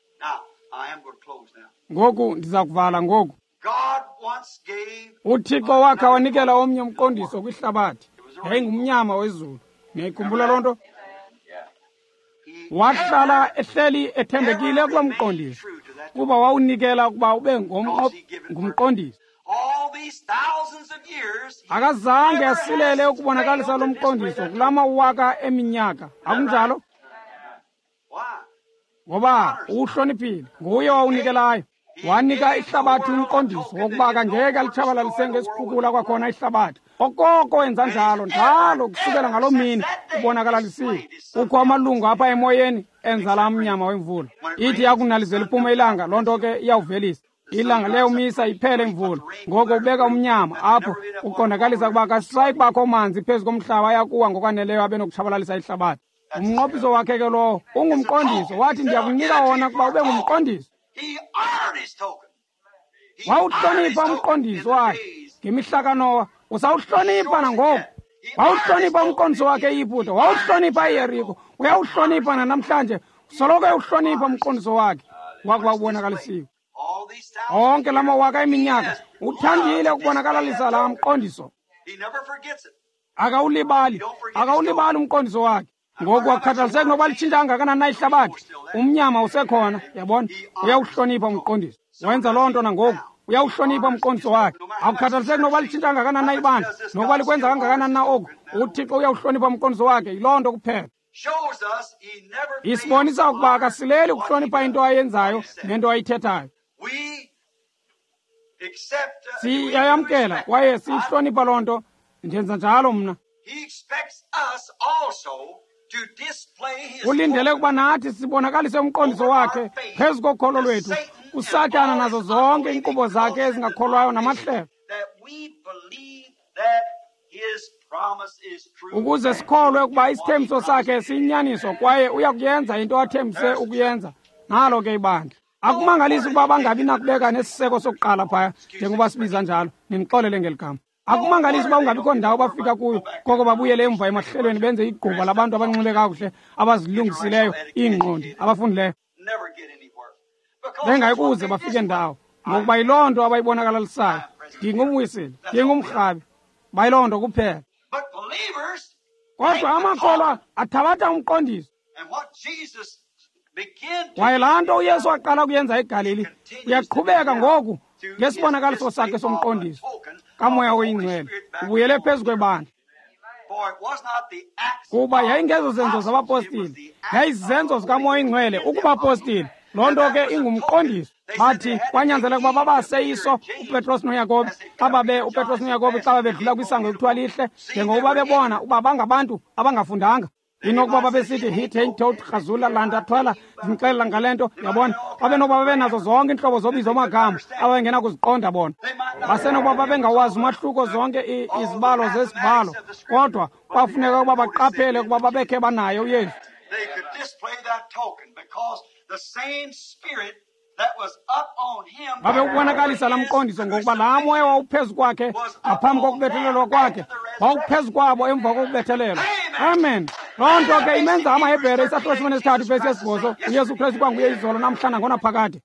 Ngoku ndiza kuvala ngoku. UThixo wakhe wanikela omnye umqondiso kwihlabathi. Yayingumnyama wezulu. Niyayikhumbula loo nto? Wahlala ehleli ethembekile kuloo mqondiso, kuba wawunikela ukuba ube ngumqondiso. Akazange asilele ukubonakalisa lo mqondiso kulaa mawaka eminyaka. Akunjalo? Ngoba uwuhloniphile, nguye owawunikelayo. Wanika ihlabathi umqondiso wokuba akangeke alitshabalalise ngesikhukula kwakhona ihlabathi. Okoko wenza njalo njalo kusukela ngaloo mini ubonakalalisiwe. Kukho amalungu apha emoyeni enza laa mnyama wemvula. Ithi yakunalizela iphume ilanga, loo nto ke iyawuvelisa. Ilanga liyawumisa iphele imvula. Ngoko ubeka umnyama apho uqondakalisa ukuba akasayi kubakho manzi phezu komhlaba ayakuwa ngokwaneleyo abe nokutshabalalisa ihlabathi. Umnqophiso wakhe ke lowo ungumqondiso. Wathi ndiyakunika wona ukuba ube ngumqondiso. Wawuhlonipha umqondiso wakhe ngemihla kaNowa, usawuhlonipha nangoku. Wawuhlonipha umqondiso wakhe eYiputa, wawuhlonipha iYeriko, uyawuhlonipha nanamhlanje. Soloko ewuhlonipha umqondiso wakhe wakuba ubonakalisiwe. Onke la mawaka eminyaka uthandile ukubonakalalisa laa mqondiso. Akawulibali, akawulibali umqondiso wakhe. Ngoku akukhathaliseki nokuba litshintsha kangakanani na ihlabathi, umnyama usekhona, yabona? Uyawuhlonipha umqondiso. Wenza loo nto nangoku, uyawuhlonipha umqondiso wakhe. Akukhathaliseki nokuba litshintsha kangakanani na ibandla, nokuba likwenza kangakanani na oku, uThixo uyawuhlonipha umqondiso wakhe. Yiloo nto kuphela. Isibonisa ukuba akasileli ukuhlonipha into ayenzayo nento ayithethayo. Siyayamkela kwaye siyihlonipha loo nto. Ndenza njalo mna. Ulindele ukuba nathi sibonakalise umqondiso wakhe phezu kokholo lwethu uSathana nazo zonke iinkqubo zakhe ezingakholwayo namahlelo, ukuze sikholwe ukuba isithembiso sakhe siyinyaniso kwaye uya kuyenza into athembise ukuyenza. Nalo ke ibandla. Akumangalisi ukuba bangabi nakubeka nesiseko sokuqala phaya, njengoba sibiza njalo, nindixolele ngeli gama. Akumangalisi uba ungabikho ndawo bafika kuyo, koko babuyele emva emahlelweni benze igquba labantu abanxibe kakuhle, abazilungisileyo iingqondi, abafundileyo. Bengayikuze bafike ndawo, ngokuba yiloo nto abayibonakalalisayo. Ndingumwisile, ndingumrhabi, bayiloo nto kuphela. Kodwa amakholwa athabatha umqondiso. Kwaye laa nto uYesu waqala ukuyenza eGalili uyaqhubeka ngoku ngesibonakaliso sakhe somqondiso kaMoya oyiNgcwele, ubuyele phezu kwebandla. Kuba yayingezo zenzo zabapostile, yayizenzo zikaMoya oyiNgcwele ukubapostile. Loo nto ke ingumqondiso. Bathi kwanyanzeleka ukuba babaseyiso uPetros noYakobi xa babe uPetros noYakobi xa babedlula kwisango ekuthiwa lihle, njengokuba bebona uba bangabantu abangafundanga. Inokuba babesithi hit, hein, tot, rhazula, landa, thwala, ndinixelela ngale nto, yabona. Babenokuba babenazo zonke iintlobo zobizo amagama ababengena kuziqonda bona. Basenokuba babengawazi umahluko zonke izibalo zesibhalo, kodwa kwafuneka ukuba baqaphele ukuba babekhe banaye uYesu. Babewubonakalisa laa mqondiso ngokuba laa moya wawuphezu kwakhe ngaphambi kokubethelelwa kwakhe wawuphezu kwabo emva kokubethelelwa. Amen. Loo nto ke imenza amaHebhere isahluko 13 vesi 8, uYesu Kristu kwanguye izolo namhla nangonaphakade.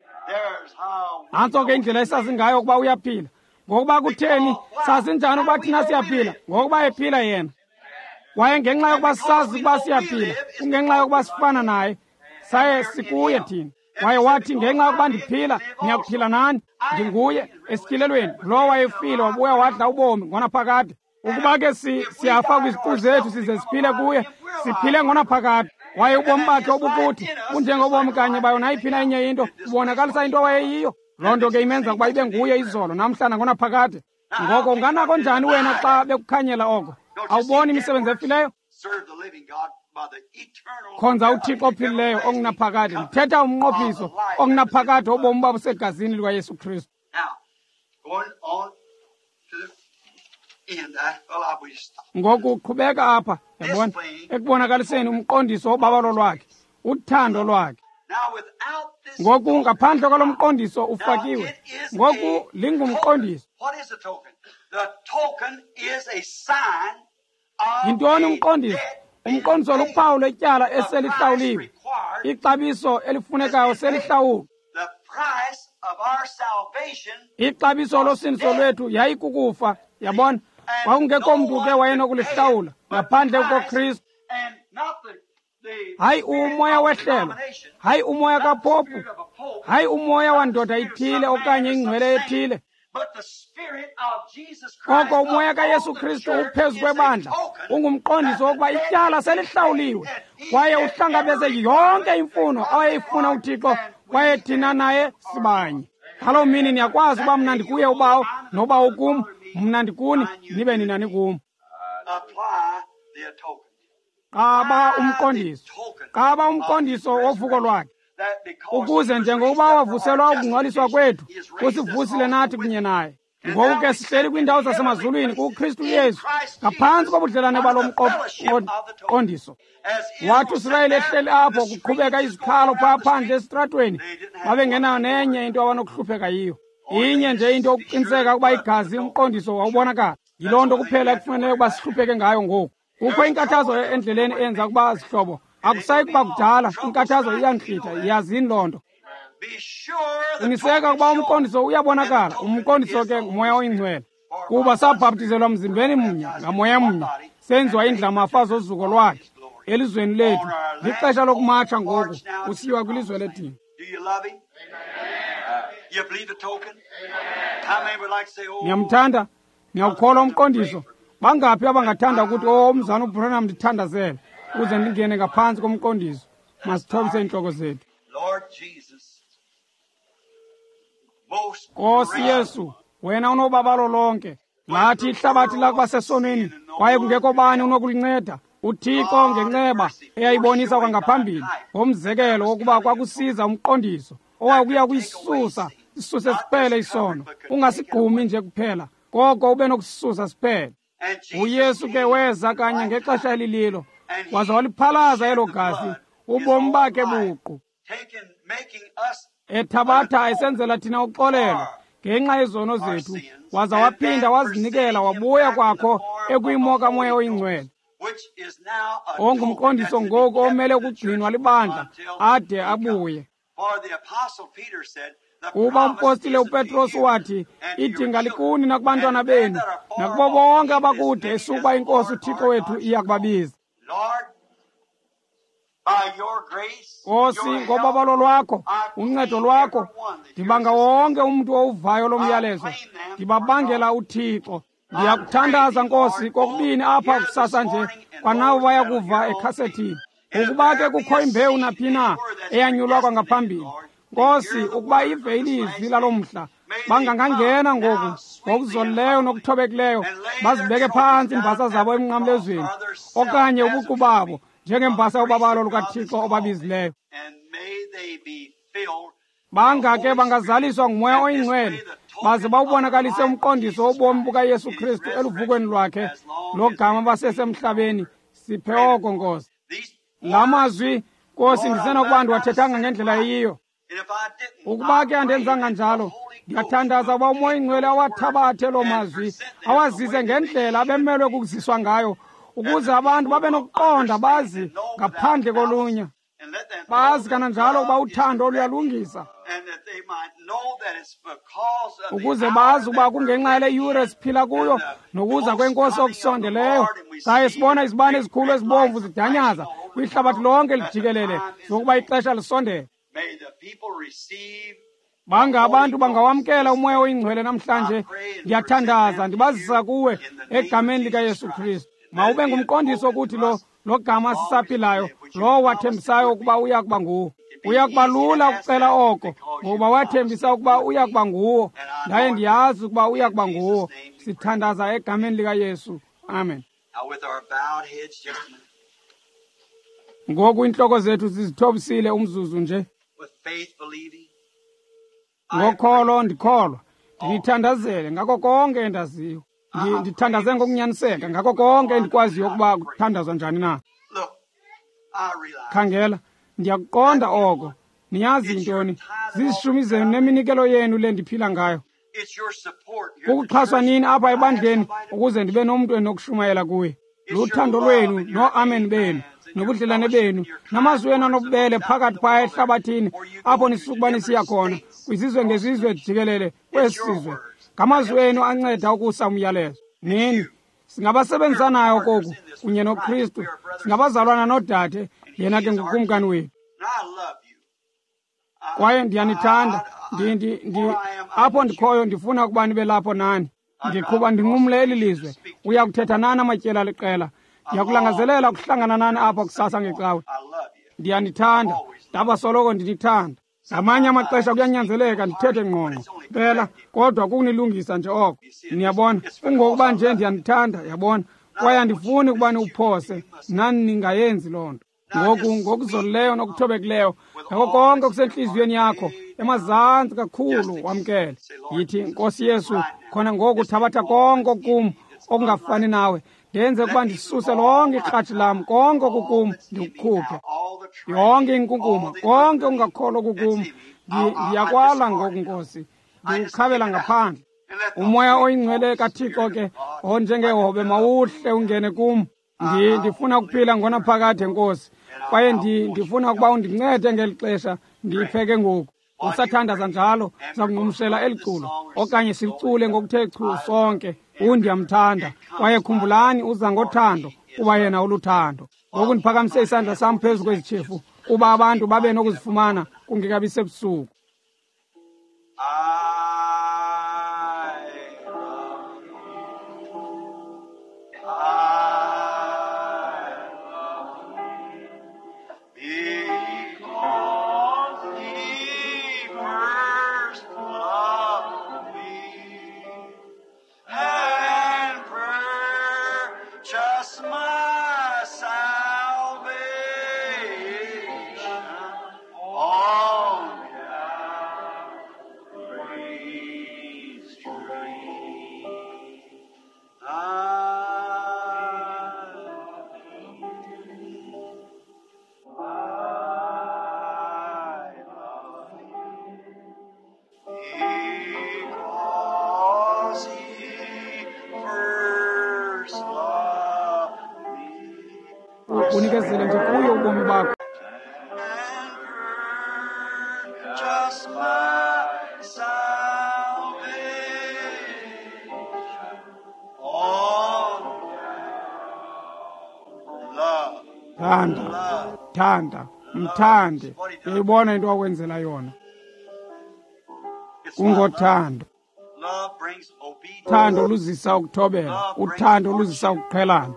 Nantso ke indlela esazi ngayo ukuba uyaphila. Ngokuba kutheni sazi njani ukuba thina siyaphila? Ngokuba ephila yena. Kwaye ngenxa yokuba sazi ukuba siyaphila, kungenxa yokuba sifana naye, saye sikuye thina. Kwaye wathi, ngenxa yokuba ndiphila, niyakuphila nani. Ndinguye esityhilelweni, lowo wayefile wabuya wadla ubomi ngonaphakade. Ukuba ke siyafa kwiziqu zethu size siphile kuye, siphile ngonaphakade. Kwaye ubomi bakhe obukuthi bunjengobomi kanye bayo nayiphi na enye into, ubonakalisa into awayeyiyo. Loo nto ke imenza ukuba ibe nguye izolo namhla nangonaphakade. Ngoko unganako njani wena xa bekukhanyela oko? Awuboni imisebenzi efileyo? Khonza uThixo ophilileyo ongunaphakade. Ndithetha umnqophiso ongunaphakade wobomi babusegazini likaYesu Kristu. Ngoku qhubeka apha, yabona, ekubonakaliseni umqondiso wobabalo lwakhe, uthando lwakhe. Ngoku ngaphandle kwalo mqondiso ufakiwe, ngoku lingumqondiso. Yintoni umqondiso? Umqondiso luphawu lwetyala eselihlawuliwe, ixabiso elifunekayo selihlawulwe. Ixabiso losindiso lwethu yayikukufa, yabona. Kwakungekho mntu ke wayenokulihlawula ngaphandle koKristu. Hayi umoya wehlelo, hayi umoya kapopu, hayi umoya wandoda ithile okanye ingcwele ethile. Koko umoya kaYesu Kristu uphezu kwebandla ungumqondiso wokuba ityala selihlawuliwe, kwaye uhlangabeze yonke imfuno awayeyifuna uThixo, kwaye thina naye sibanye. Ngaloo mini niyakwazi uba mna ndikuye uBawo, noBawo kum, mna ndikuni, nibe nina nikum. Qaba umqondiso, qaba umqondiso wovuko lwakhe, ukuze njengokuba wavuselwa ukungcwaliswa kwethu, usivusile nathi kunye naye. Ngoku ke sihleli kwiindawo zasemazulwini kuKristu Yesu, ngaphantsi kobudlelane balo mqondiso. Wathi uSirayeli ehleli apho kuqhubeka izikhalo phaa phandle esitratweni, babengenayo nenye into abanokuhlupheka yiyo. Inye nje into ukuqiniseka ukuba igazi umqondiso wawubonakala. Yiloo nto kuphela ekufanele ukuba sihlupheke ngayo ngoku. Kukho inkathazo endleleni eyenza ukuba zihlobo. Akusayi kuba kudala, inkathazo iyantlitha, yazini loo nto. Qiniseka ukuba umqondiso uyabonakala. Umqondiso ke nguMoya oyiNgcwele. Kuba sabhaptizelwa mzimbeni mnye, ngamoya mnye, senziwa indlamafa zozuko lwakhe elizweni lethu. Lixesha lokumatsha ngoku, kusiyiwa kwilizwe ledini. Niyamthanda? Niyawukholwa umqondiso? Bangaphi abangathanda ukuthi, oh, umzana uBranham ndithandazele ukuze ndingene ngaphantsi komqondiso? Masithobise iintloko zethu. Nkosi Yesu, wena unobabalo lonke. Lathi ihlabathi lakuba sesonweni, kwaye kungekho bani unokulinceda. UThixo ngenceba eyayibonisa kwangaphambili ngomzekelo wokuba kwakusiza umqondiso owakuya kuyisusa isuse siphele isono, ungasigqumi nje kuphela, koko ube nokusisusa siphele. UYesu ke weza kanye ngexesha elililo, waza waliphalaza elo gazi, ubomi bakhe buqu, ethabatha esenzela thina uxolelo ngenxa yezono zethu, waza waphinda wazinikela wabuya kwakho ekwimo kaMoya oyiNgcwele, ongumqondiso ngoku omele ukugcinwa libandla ade abuye. Kuba umpostile uPetros wathi, idinga likuni nakubantwana benu, nakubo bonke abakude, esukuba iNkosi uThixo wethu iya kubabiza. Nkosi, ngobabalo lwakho, uncedo lwakho, ndibanga wonke umntu owuvayo lo myalezo, ndibabangela uThixo. Ndiyakuthandaza, Nkosi, kokubini apha kusasa nje, kwanabo bayakuva ekhasethini. Ukuba ke kukho imbewu naphi na eyanyulwa kwangaphambili, Nkosi, ukuba ive ilizwi lalo mhla, bangangangena ngoku ngokuzolileyo nokuthobekileyo, bazibeke phantsi iimbasa zabo emnqamlezweni, okanye ubuqu babo njengembasa yobabalo lukaThixo obabizileyo. Banga ke bangazaliswa nguMoya oyiNgcwele, baze bawubonakalise umqondiso wobomi bukaYesu Kristu eluvukweni lwakhe logama basesemhlabeni. Siphe oko, Nkosi. La mazwi, Nkosi, ndisenokuba ndiwathethanga ngendlela eyiyo. Ukuba ke andenzanga njalo, ndiyathandaza uba uMoya oyiNgcwele awathabathe loo mazwi, awazise ngendlela abemelwe kukuziswa ngayo, ukuze abantu babe nokuqonda bazi ngaphandle kolunya. Bazi kananjalo ukuba uthando luyalungisa, ukuze bazi ukuba kungenxa yale yure siphila kuyo nokuza kweNkosi okusondeleyo. Saye sibona izibane ezikhulu ezibomvu zidanyaza kwihlabathi lonke lijikelele, zokuba ixesha lisondele. Banga abantu bangawamkela uMoya oyiNgcwele namhlanje. Ndiyathandaza ndibazisa kuwe egameni likaYesu Kristu. Mawube ngumqondiso ukuthi lo gama sisaphilayo, lowo wathembisayo ukuba uya kuba nguwo. Uya kuba lula ukucela oko, ngokuba wathembisa ukuba uya kuba nguwo, ndaye ndiyazi ukuba uya kuba nguwo. Sithandaza egameni likaYesu. Amen. Ngoku iintloko zethu sizithobisile umzuzu nje. Ngokholo ndikholwa, ndinithandazele ngako konke endaziyo. Ndithandaze ngokunyaniseka ngako konke endikwaziyo ukuba kuthandazwa njani na. Khangela, ndiyakuqonda oko. Niyazi yintoni? Zizishumi zenu neminikelo yenu le ndiphila ngayo. Kukuxhaswa nini apha ebandleni ukuze ndibe nomntu endinokushumayela kuye. Luthando lwenu noamen benu nobudlelane benu namazwi wenu anobubele phakathi phaya ehlabathini apho nisukuba nisiya khona kwizizwe ngezizwe jikelele kwesi sizwe. Ngamazwi enu anceda ukusa umyalezo. Nini singabasebenzisanayo koku kunye noKristu, singabazalwana noodade, yena ke ngukumkani wethu. Kwaye ndiyanithanda. Apho ndikhoyo ndifuna ukuba nibe lapho nani. Ndiqhuba ndinqumle eli lizwe, uya kuthetha nani amatyeli aliqela. Ndiyakulangazelela ukuhlangana nani apha kusasa ngecawe. Ndiyanithanda, ndabasoloko ndinithanda. Ngamanye amaxesha kuyanyanzeleka ndithethe ngqongqo mpela, kodwa kukunilungisa nje oko. Niyabona, kungokuba nje ndiyanithanda, yabona, kwaye andifuni ukuba niwuphose, nani ningayenzi loo nto. Ngoku ngokuzolileyo nokuthobekileyo, ngako konke okusentliziyweni yakho, emazantsi kakhulu wamkele. Yithi, Nkosi Yesu, khona ngoku thabatha konke okum okungafani nawe, ndenze ukuba ndisuse lonke ikratshi lam, konke okukum ndikukhuphe, yonke inkunkuma, konke okungakholwa okukum, ndiyakwala ngoku, Nkosi, ndikukhabela ngaphandle. Umoya oyingcwele kaThixo ke onjengehobe mawuhle ungene kum. Ndifuna ukuphila ngonaphakade, Nkosi, kwaye ndifuna ukuba undincede ngeli xesha ndiyipheke ngoku. Usathandaza njalo, siza eli culo okanye silicule ngokuthe chu sonke. Undiyamthanda, kwaye khumbulani, uza ngothando, kuba yena uluthando. Ngoku ndiphakamise isandla sam phezu kwezi tshefu kuba abantu babe nokuzifumana kungekabi sebusuku. My Unikezele nje kuyo ubomi bakho. Just my salvation on love. Thanda, thanda, mthande. Uyayibona into akwenzela yona. Kungothando. Uthando luzisa ukuthobela, uthando luzisa ukuqhelana,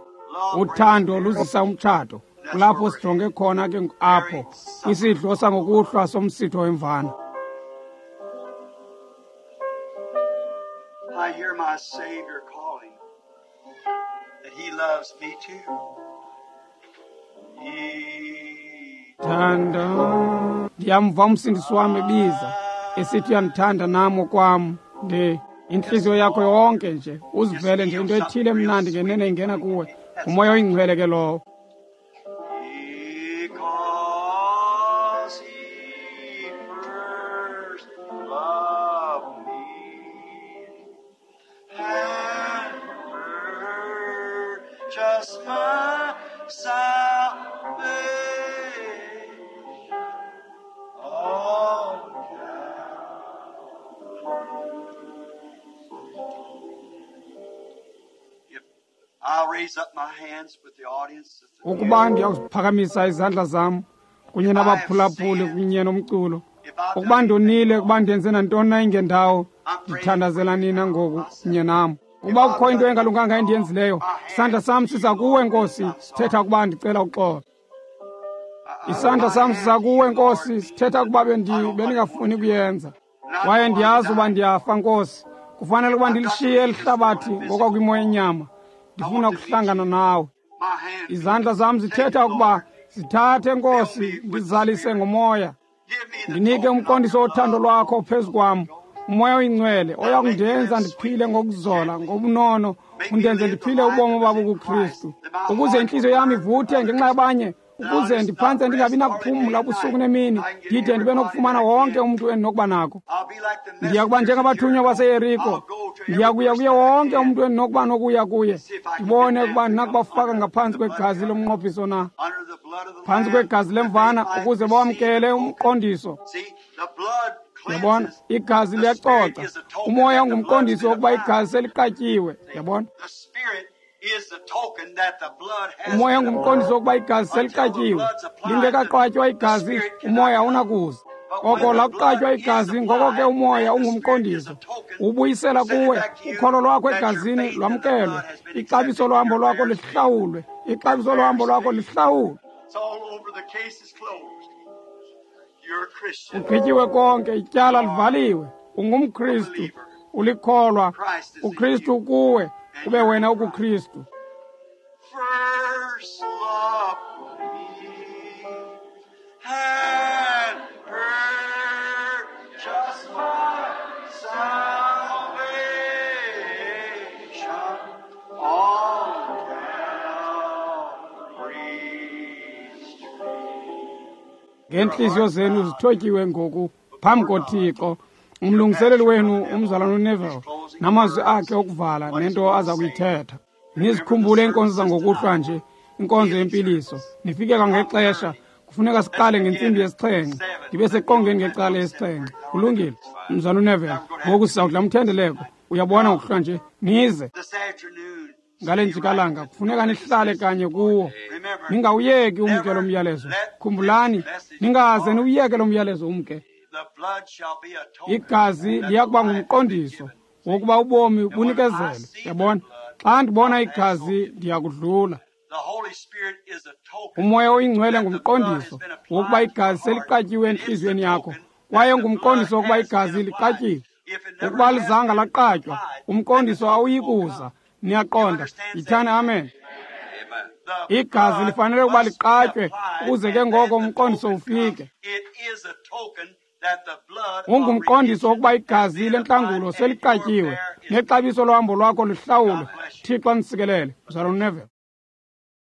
uthando luzisa umtshato. Kulapho sijonge khona ke apho kwisidlo sangokuhlwa somsitho wemvana. I hear my Savior calling that he loves me too. He Thanda, ndiyamva umsindisi wam ebiza esithi uyandithanda nam okwam. Nde intliziyo yakho yonke nje uzivele nje into ethile emnandi ngenene ingena kuwe. Ngumoya oyingcwele ke lowo. Because he first loved me and purchased my salvation on Calvary. If I'll raise up my hands with the audience. Ukuba ndiyawuziphakamisa izandla zam kunye nabaphulaphuli kunye nomculo, ukuba ndonile, ukuba ndenze nantoni na ingendawo, ndithandazela nina ngoku kunye nam. Ukuba kukho into engalunganga endiyenzileyo, isandla sam siza kuwe, Nkosi, sithetha ukuba ndicela uxolo. Isandla sam siza kuwe, Nkosi, sithetha ukuba bendingafuni kuyenza. Kwaye ndiyazi uba ndiyafa, Nkosi. Kufanele ukuba ndilishiye eli hlabathi ngokwakwimo yenyama. Ndifuna ukuhlangana nawe. Izandla zam zithetha ukuba zithathe, Nkosi, ndizalise ngomoya. Ndinike umqondiso wothando lwakho phezu kwam, umoya oyingcwele oya kundenza ndiphile ngokuzola, ngobunono, undenze ndiphile ubomi obabukuKristu, ukuze intliziyo yam ivuthe ngenxa yabanye, ukuze ndiphantse ndingabi nakuphumla ubusuku nemini, ndide ndibe nokufumana wonke umntu endinokuba nako. Ndiya kuba njengabathunywa baseYeriko, ndiya kuya kuye wonke umntu endinokuba nokuya kuye, ndibone ukuba ndinakubafaka ngaphantsi kwegazi lomnqophiso na, phantsi kwegazi lemvana, ukuze bawamkele umqondiso. Yabona, igazi liyacoca. Umoya ungumqondiso wokuba igazi seliqatyiwe. Yabona, umoya ungumqondiso wokuba igazi seliqatyiwe. Lingekaqatywa igazi, umoya awunakuza. Oko lakuqatywa igazi, ngoko ke umoya ungumqondiso. Ubuyisela kuwe ukholo lwakho egazini lwamkelwe, ixabiso lohambo lwakho lihlawulwe, ixabiso lohambo lwakho lihlawulwe. Ugqityiwe konke, ityala livaliwe. UngumKristu, ulikholwa. UKristu ukuwe, ube wena ukuKristu. First loved me and purchased my salvation on Calvary's tree. Ngeentliziyo zenu zithotyiwe ngoku phambi koThixo, umlungiseleli wenu umzalwana uNeville namazwi akhe okuvala nento aza kuyithetha. Nizikhumbule iinkonzo zangokuhlwa nje, inkonzo yempiliso. Nifike kwangexesha, kufuneka siqale ngentsimbi yesixhenxe, ndibe seqongeni ngecala yesixhenxe. Kulungile, mzalwana uNeville, ngoku sizawudla umthendeleko. Uyabona ngokuhlwa nje, nize This afternoon, ngale njikalanga kufuneka nihlale kanye kuwo, ningawuyeki umke lo myalezo. Khumbulani, ningaze niwuyeke lo myalezo umke. the blood shall be a token Igazi liya kuba ngumqondiso wokuba ubomi bunikezelwe. Yabona, xa ndibona igazi ndiyakudlula. The Holy Spirit is a token. Umoya oyingcwele ngumqondiso wokuba igazi seliqatyiwe entliziyweni yakho, kwaye ngumqondiso wokuba igazi liqatyiwe. Ukuba lizanga laqatywa, umqondiso awuyi kuza. Niyaqonda? Yithani amen. The Igazi blood lifanele ukuba must be liqatywe applied, ukuze ke and ngoko then the umqondiso token ufike. comes. It is a token that the blood of Ungumqondiso wokuba redemption has igazi been lentlangulo applied and seliqatyiwe your prayer is nexabiso lohambo lwakho lihlawulwe. Thixo anisikelele. Mzalwana uNeville.